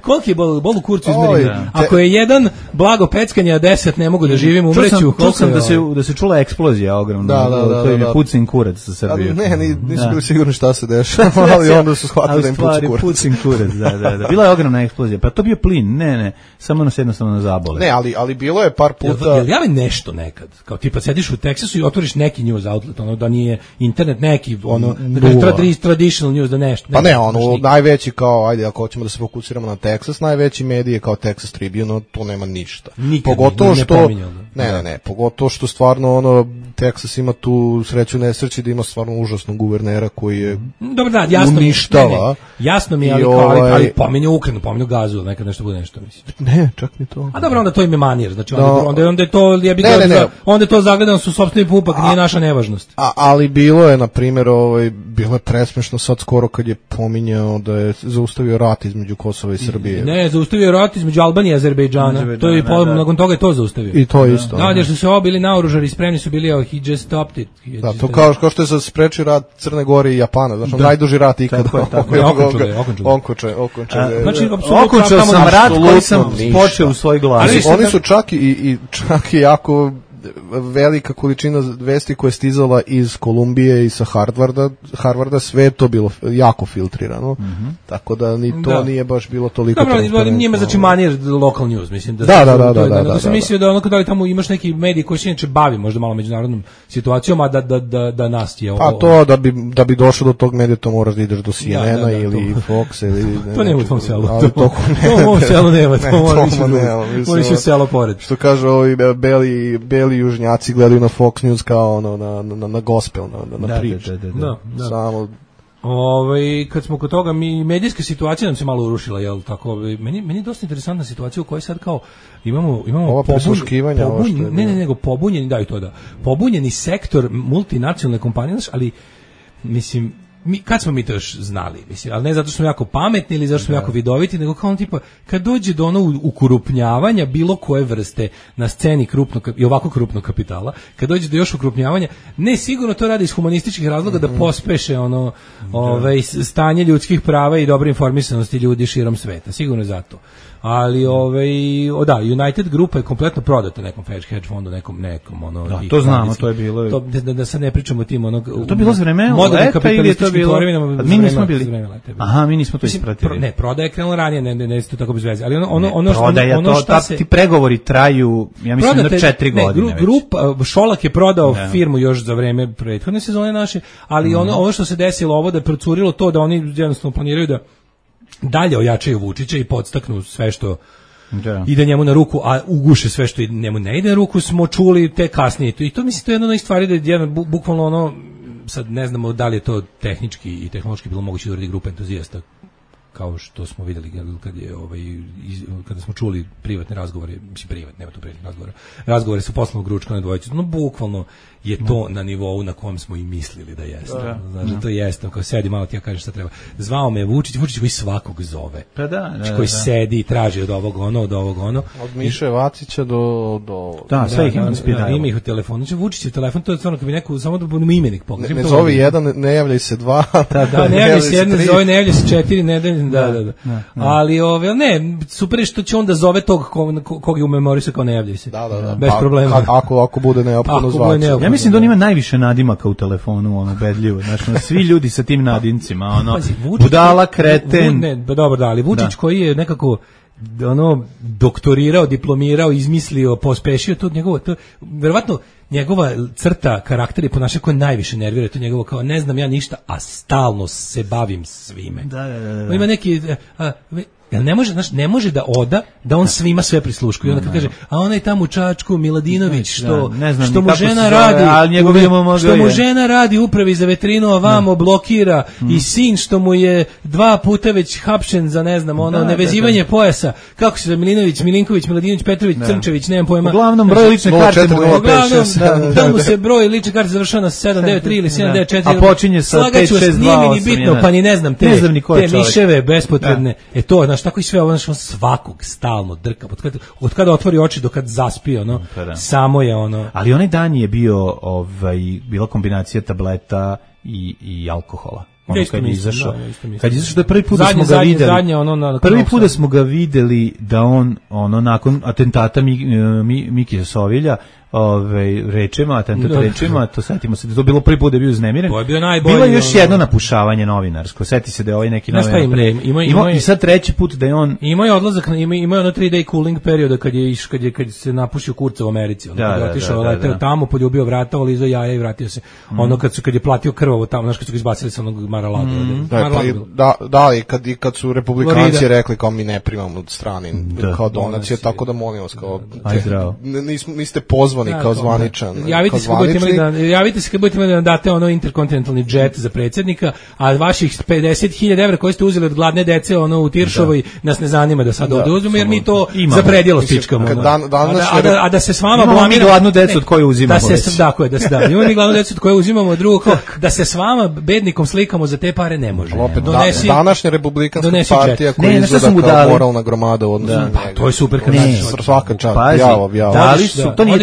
Koliki je bol u kurcu izmeriti? Ako je jedan blago peckanje, a 10 ne mogu da živim, umreću. Čuo sam da se čula eksplozija ogromna. Da. To je pucin kurac za Srbiju. Ne, nisu bili sigurni šta se dešava, ali onda su shvatili da im pucin kurac. Da. Bila je ogromna eksplozija. Pa to bio plin, ne, samo nas jednostavno zabole. Ne, ali bilo je par puta. Jel javi nešto nekad? Kao tipa sediš u Teksasu i otvoriš neki news outlet, ono da nije internet neki, ono traditional news, da nešto. Pa ne, ono najveći kao, ajde, ako hoćemo da se fokusiramo na Teksas, najveći medij je kao Texas Tribune, to nema ništa. Pogotovo što pogotovo što stvarno ono Teksas ima tu sreću nesreći da ima stvarno užasnog guvernera koji je uništava. Jasno mi je, ali pominju Ukrajinu, pominju Gazu, nekad nešto bude nešto, mislim. Ne, čak ni to. A dobro, onda to im je manir, znači onda je to, onda je to zagledano su sopstveni pupak, nije naša nevažnost. Ali bilo je, na primjer, bilo je presmešno sad skoro kad je pominjao da je zaustavio rat između Kosova i Srbije. Ne, zaustavio rat između Albanije i Azerbejdžana. To je nakon toga je to zaustavio. I to isto. Da, jer su se bili naoružani, spremni su bili, he just stopped it. Da, to kao što je sad sprečio rat Crne Gore i Japana, znači najduži rat ikada. Okončao sam rat koji sam počeo u svoj glas. Oni su čak i jako velika količina vesti koja je stizala iz Kolumbije i sa Harvarda, sve je to bilo jako filtrirano, tako da ni to nije baš bilo toliko transparentno. Dobro, njima znači manir local news, mislim da sam mislio da onako da li tamo imaš neki medij koji se inače bavi možda malo međunarodnom situacijom, a da nas je pa to da bi došao do tog medija to moraš da ideš do CNN-a ili Fox ili to nema u tom selu. To u ovom selu nema, to moraš u selo pored. Što kažu ovi beli južnjaci gledaju na Fox News kao na gospel, na prič. Da. Samo kad smo kod toga, medijska situacija nam se malo urušila, jel tako? Meni je dosta interesantna situacija u kojoj sad kao imamo pobunjeni sektor multinacionalne kompanije, ali mislim kad smo mi to još znali, mislim, ali ne zato što smo jako pametni ili zato što smo jako vidoviti, nego kao tipa, kad dođe do ono ukrupnjavanja bilo koje vrste na sceni i ovako krupnog kapitala, kad dođe do još ukrupnjavanja, ne, sigurno to radi iz humanističkih razloga da pospeše stanje ljudskih prava i dobre informisanosti ljudi širom sveta, sigurno zato. Ali United grupa je kompletno prodata nekom hedge fondu, nekom to znamo, to je bilo. Da sad ne pričamo o tim to bilo za vreme leta ili je to bilo? Mi nismo bili. Aha, mi nismo to ispratili. Ne, prodaja je krenula ranije, ne to tako bez veze. Ali ti pregovori traju, ja mislim, na 4 godine. Grupa Šolak je prodao firmu još za vreme prethodne sezone naše, ali ono što se desilo, ovo da je procurilo to da oni jednostavno planiraju da dalje ojačaju Vučića i podstaknu sve što ide njemu na ruku, a uguše sve što njemu ne ide na ruku, smo čuli te kasnije. I to mislim, to je jedna od stvari da je bukvalno sad ne znamo da li je to tehnički i tehnološki bilo moguće da uradi grupa entuzijasta kao što smo videli kada smo čuli privatne razgovore, mislim privatne, nema tu privatnih razgovora. Razgovore su poslovnog ručka na dvojicu. No bukvalno je to na nivou na kojem smo i mislili da jeste. Znači to jeste, kao sedi malo ti ja kažem šta treba. Zvao me Vučić koji svakog zove. Pa da, koji sedi i traži od ovog ono. Od Miše Vacića do da, sve ih inspirira. Ima ih u telefonu. Znači Vučić je telefon, to je stvarno kad bi neko samo da bude imenik pogledaj. Ne zovi jedan, ne javljaj se dva. Da, ne javljaj se jedan, zove ne javljaj se četiri, da. Ali ne, super je što će onda zove tog kog je u memoriju kao ne javljaj se. Da. Bez problema. Ako bude neophodno zvati. Ja mislim da on ima najviše nadimaka u telefonu, ono bedljivo. Znači, svi ljudi sa tim nadimcima, ono budala, kreten. Dobro, da, ali Vučić koji je nekako doktorirao, diplomirao, izmislio, pospešio to njegovo, verovatno njegova crta karaktera je ponašanje koje najviše nervira, to njegovo kao ne znam ja ništa, a stalno se bavim svime. Da. Ima neki ne može da oda da on svima sve prisluškuje. I onda kad kaže, a onaj tamo u Čačku Miladinović što mu žena radi, što mu žena radi upravi za veterinu, a vamo blokira i sin što mu je 2 puta već hapšen za ne znam nevezivanje pojasa. Kako se Milinković, Miladinović, Petrović, Crnčević, nemam pojma. Uglavnom broj lične karte mu je da mu se broj lične karte završava na 793 ili 794. A počinje sa 562. Nije mi ni bitno, pa ni ne znam te miševe bespotrebne. To, znaš, tako i sve ovo, znaš, on svakog stalno drka, od kada otvori oči do kad zaspi, samo je ono. Ali onaj dan je bio, bila kombinacija tableta i alkohola. Kad je izašao, da je prvi put da smo ga videli, prvi put da smo ga videli da on, nakon atentata Miki Sovilja, rečima, to setimo se da to bilo prvi put da je bio uznemiren. To je bio najbolji. Bilo je još jedno napušavanje novinarsko. Seti se da je ovaj neki novinar i sad treći put da je on imao je odlazak, imao je ono 3 day cooling perioda kad se napušio Kurca u Americi. Kad je otišao, leteo tamo, poljubio vrata, olizao jaja i vratio se. Ono kad je platio krvavo tamo, znaš, kad su ga izbacili sa onog Mar-a-Lago. Da, i kad su republikanci rekli kao mi ne primamo od strane kao donacije, tako da molim vas kao niste pozvani kao zvaničan. Javite se kad budete imali da date ono interkontinentalni džet za predsjednika, a vaših 50.000 evra koje ste uzeli od gladne dece u Tiršovoj nas ne zanima da sad oduzmemo, jer mi to za predjelo stičkamo. A da se s vama blamiramo gladnu decu od koje uzimamo. Imamo mi gladnu decu od koje uzimamo, drugo da se s vama bednikom slikamo za te pare ne može. Današnja republikanska partija koja izgleda kao moralna gromada u odnosu na njega. To je super. Svaka čast.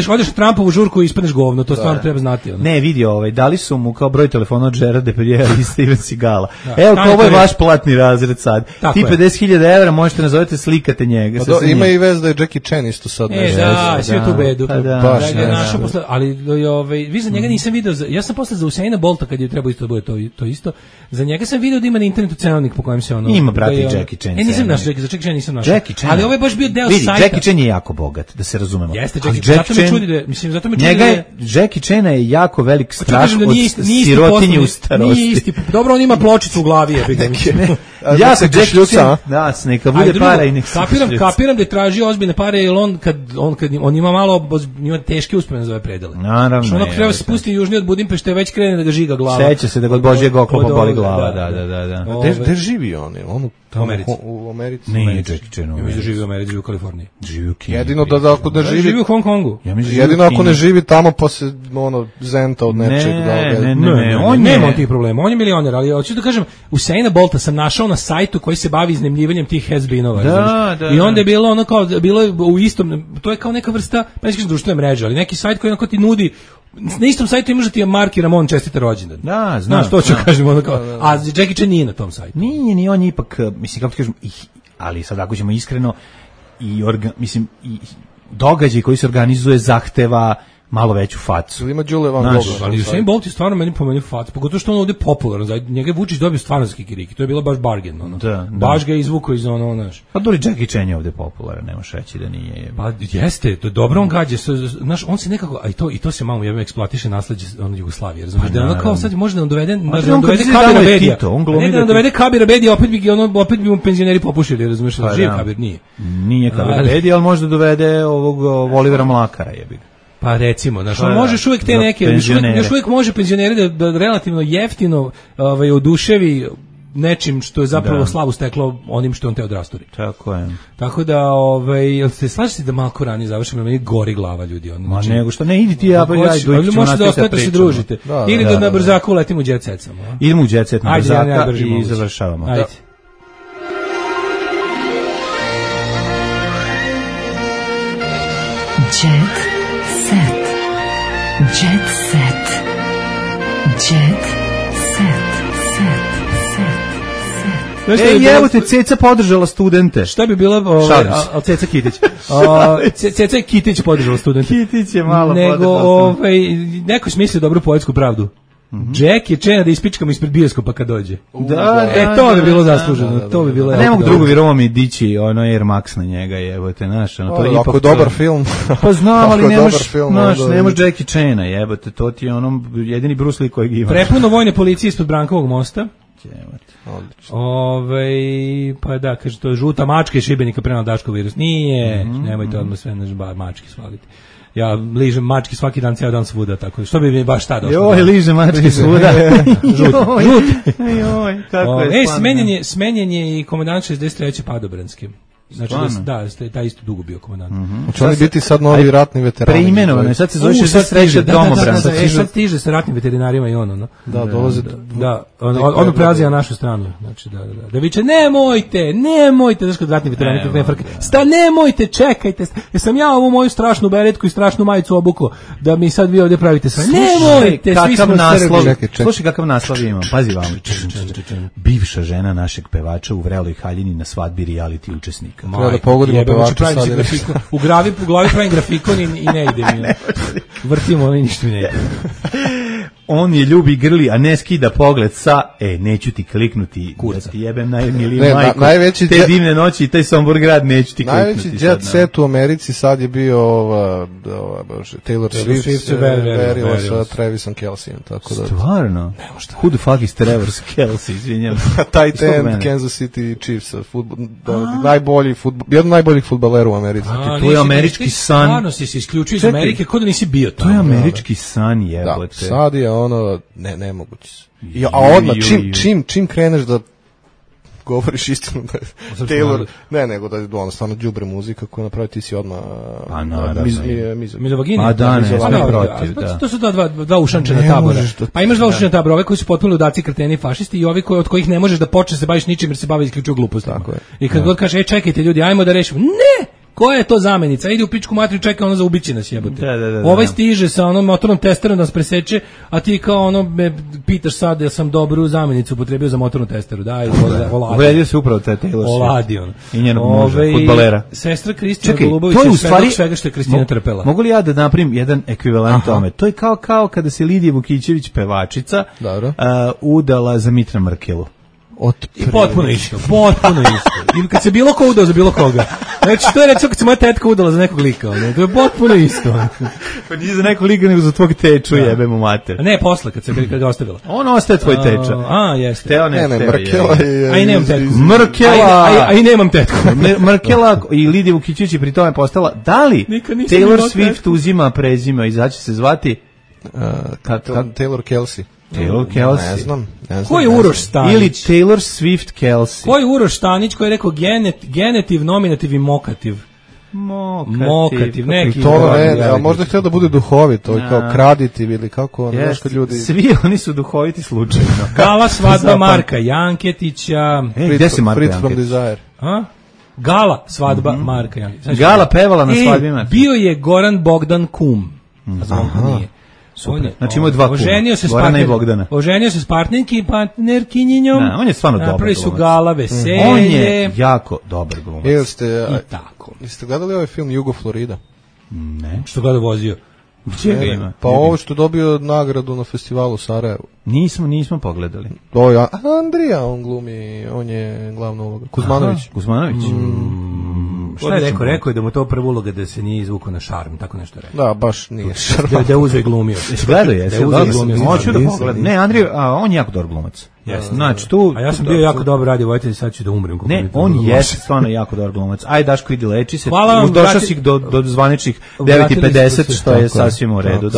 Odeš Trumpovu žurku i ispadneš govno, to stvarno treba znati. Ne, vidio, dali su mu kao broj telefona od Gerard Depardieu i Steven Seagala. Evo, ovo je vaš platni razred sad. Ti 50.000 evra možete nazovete, slikate njega. Ima i vez da je Jackie Chan isto sad. Svi u tu bedu. Ali vi za njega nisam video, ja sam posle za Usaina Bolta kad je trebao isto da bude to isto, za njega sam video da ima na internetu cenovnik po kojem se ono... Ima, brati, Jackie Chan. Nisam našao, za Jackie Chan nisam našao. Ali ovo je baš bio deo sajta. Vidi, Jackie Chan je jako bogat, da se razumemo. Jeste, zato me čudi da... Jackie Chana je jako velik straš od sirotinje u starosti. Dobro, on ima pločicu u glavi. Ja se Jackie Chan, neka bude para i nek se... Kapiram da je tražio ozbiljne pare, jer on ima malo, ima teške uspomene za ove predele. Naravno. Ono treba se spustiti južnije od Budimpešte, već krene da ga žiga glava. Seća se da ga od Božijeg oklopa boli glava, da. Gde živi on? U Americi. Nije Jackie Chan. Ja mislim da živi u Americi, živi u Kaliforniji. Jedino da ako ne živi... Živi u Hong Kongu. Jedino ako ne živi tamo pa se zenta od nečeg. Ne, on nema tih problema. On je milioner, ali hoću da kažem, Usaina Bolta sam našao na sajtu koji se bavi iznemljivanjem tih has-beenova. I onda je bilo ono kao, bilo je u istom, to je kao neka vrsta, pa ne kažem društvene mreže, ali neki sajt koji onako ti nudi, na istom sajtu imaš da ti je Marki Ramon čestita rođendan. Da, znam. Znaš, to ću kažem, ono kao, a Jackie Chan nije na tom sajtu. Nije, on je ipak, mislim, kako ti kažem, ali sad ako ćemo iskreno, i događaj koji se organizuje zahteva malo veću facu. Ima Đule Van Gogh. Ali Usain Bolt je stvarno meni pomenio facu, pogotovo što on ovdje popularan, za njega Vučić dobio stvarno za kikiriki, to je bilo baš bargain, ono. Baš ga izvukao iz ono, znaš. Pa dobro, Jackie Chan je ovdje popularan, nemaš reći da nije. Pa jeste, to je dobro, on gađe, znaš, on se nekako, a i to se malo eksploatiše nasleđe Jugoslavije, razumiješ, da ono kao sad može da nam dovede Kabira Bedija, ne da nam dovede Kabira Bedija, opet bi mu penzioneri popušili, razumiješ, živ Kabir nije. Nije Kabir Bedija, ali može da dovede ovog Olivera Mlakara, jebi ga. Pa recimo, znaš, on možeš uvijek te neke, još uvijek može penzioneri da relativno jeftino oduševi nečim što je zapravo slavu steklo onim što on te odrasturi. Tako je. Tako da, jel se slažete da malko ranije završimo, meni gori glava ljudi. Ma nego što, ne, idi ti, ja možete da ostavite se družite. Ili da na brzaku letimo u Jet Set samo. Idemo u Jet Set na brzaka i završavamo. Ajde. Jet Set. Jet Set. Jet Set. Evo te Ceca podržala studente. Šta bi bila, ali Ceca Kitić. Ceca Kitić podržala studente. Kitić je malo podržala studente. Neko smisli dobru poetsku pravdu. Jack je čena da ispičkamo ispred bioskopa kad dođe. To bi bilo zasluženo. To bi bilo. Ne mogu drugo vjerovati dići ono Air Max na njega, jebote, naš, ono to je ipak. Ako je dobar film. Pa znam, ali ne može Jackie Chana, jebote, to ti je ono jedini Bruce Lee kojeg ima. Prepuno vojne policije ispod Brankovog mosta. Odlično. Pa da, kaže, to je žuta mačka iz Šibenika prenala Daško virus. Nije, nemojte odmah sve na mački svaliti. Ja ližem mački svaki dan, cijel dan svuda, tako. Što bi mi baš tada došlo? Joj, ližem mački svuda. Žut. Joj, kako je spano. Smenjen je i komandant 63. Padobranskim. Znači taj isto dugo bio komandant. Hoće li biti sad novi ratni veterani? Preimenovano, sad se zove 63. domobran. Sad stiže sa ratnim veterinarima i ono. Da, dolaze. Da, ono prelazi na našu stranu. Znači, da viče, nemojte, znaš kod ratni veterani, nemojte, čekajte. Jesam ja ovu moju strašnu beretku i strašnu majicu obukao, da mi sad vi ovdje pravite sve. Nemojte, svi smo Srbi. Slušaj kakav naslov imam, pazi vam. Bivša žena našeg pevača u vreloj haljini na svadbi reality učesnika. Treba da pogodimo pevača sad. U glavi pravim grafikon i ne ide mi. Vrtimo i ništa mi ne ide. On je ljubi grli, a ne skida pogled sa, neću ti kliknuti, da ti jebem najmiliju majku, te divne noći i taj Sombor grad, neću ti kliknuti. Najveći jet set u Americi sad je bio Taylor Swift verila sa Travisom Kelcejem. Stvarno? Who the fuck is Travis Kelce, izvinjam. Tight end Kansas City Chiefs, jedan najboljih fudbalera u Americi. To je američki san. Stvarno si se isključio iz Amerike, kod da nisi bio tamo. To je američki san, jebote. Sad je ono nemoguće. A odmah čim kreneš da govoriš istinu da je Taylor, nego da je ono stvarno đubre muzika koju napravi, ti si odmah mizogini. A da, ne, protiv, da. To su dva ušančena tabora. Pa imaš dva ušančena tabora, ove koji su potpuno ludaci, kreteni, fašisti i ovi od kojih ne možeš da počneš se baviš ničim jer se bave isključivo glupostima. I kad god kaže, čekajte ljudi, ajmo da rešimo. Ne! Koja je to zamenica? Ide u pičku materiju, čeka ono za ubići nas, jebote. Ovaj stiže sa onom motornom testerom da nas preseče, a ti kao ono me pitaš sad da sam dobru zamenicu upotrebio za motornu testeru. Daj, oladi. Uvredio se upravo te Taylor Swift. Oladi on. I njenog muža, fudbalera. Sestra Kristina Golubović je svega što je Kristina trpela. Mogu li ja da napravim jedan ekvivalent tome? To je kao kada se Lidija Vukićević, pevačica, udala za Mitra Mrkelu. I potpuno isto. Ili kad se bilo ko udao za bilo koga. Znači, to je recimo kad se moja tetka udala za nekog lika. To je potpuno isto. Pa nije za nekog lika, nego za tvog teču, jebemo mater. Ne, posle, kad ga ostavila. On ostaje tvoj teča. Jeste. Mrkela je... A i nemam tetku. Mrkela... A i nemam tetku. Mrkela i Lidija Vukićević je pri tome postala... Da li Taylor Swift uzima prezime i zaće se zvati... Taylor Kelce. Taylor Kelce. Ne znam. Ko je Uroš Stanić? Ili Taylor Swift Kelce. Ko je Uroš Stanić koji je rekao genetiv, nominativ i mokativ? Mokativ, neki. To ne, a možda je htio da bude duhovito, kao kraditiv ili kako, znaš kad ljudi... Svi oni su duhoviti slučajno. Gala svadba Marka Janketića. Gde se Marka Fritz from Desire. Gala svadba Marka Janketića. Gala pevala na svadbi Marka. Bio je Goran Bogdan kum. A znam ko nije. Znači imao dva kuma, Gorana i Bogdana. Oženio se s partnerkinjinjom. On je stvarno dobar glumac. Napravi su Gala veselje. On je jako dobar glumac. I tako. Jeste gledali ovaj film Jugo Florida? Ne. Što ga vozio? Čega ima? Pa ovo što dobio nagradu na festivalu u Sarajevu. Nismo pogledali. To je Andrija, on glumi, on je glavna uloga. Kuzmanović. Šta je rekao? Rekao je da mu to prva uloga da se nije izvukao na šarm, tako nešto je rekao. Da, baš nije šarm. Da je uzeo i glumio. Gledao je, hoću da pogledam. Ne, Andrija, on je jako dobar glumac. Znači, a ja sam bio jako dobar radio vojitelj, sad ću da umrem. Ne, on je stvarno jako dobar glumac. Ajde, Daško, idi leči se. Došao si do zvaničnih 9:50, što je sasvim u redu.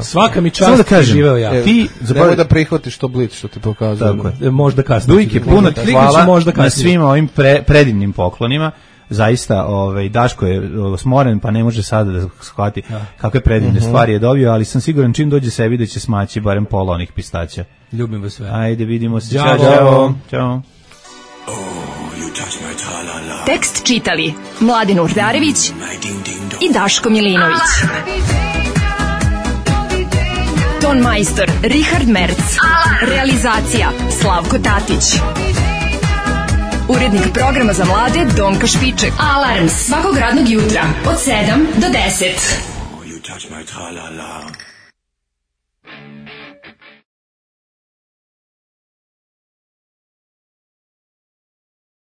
Svaka mi čast da živeo ja. Nemoj da prihvatiš to Blic što ti pokazuje. Možda kasnije. Dujke, puno ti hvala na svim ovim predivnim poklonima. Zaista, Daško je smoren, pa ne može sada da shvati kakve predivne stvari je dobio, ali sam siguran čim dođe sebi da će smaći barem pola onih pistaća. Ljubim vas sve. Ajde, vidimo se. Ćao. Tekst čitali Mladin Urdarević i Daško Milinović. Ton majstor Richard Merc. Realizacija Slavko Tatić. Urednik programa za mlade Donka Špiček. Alarms svakog radnog jutra od 7 do 10.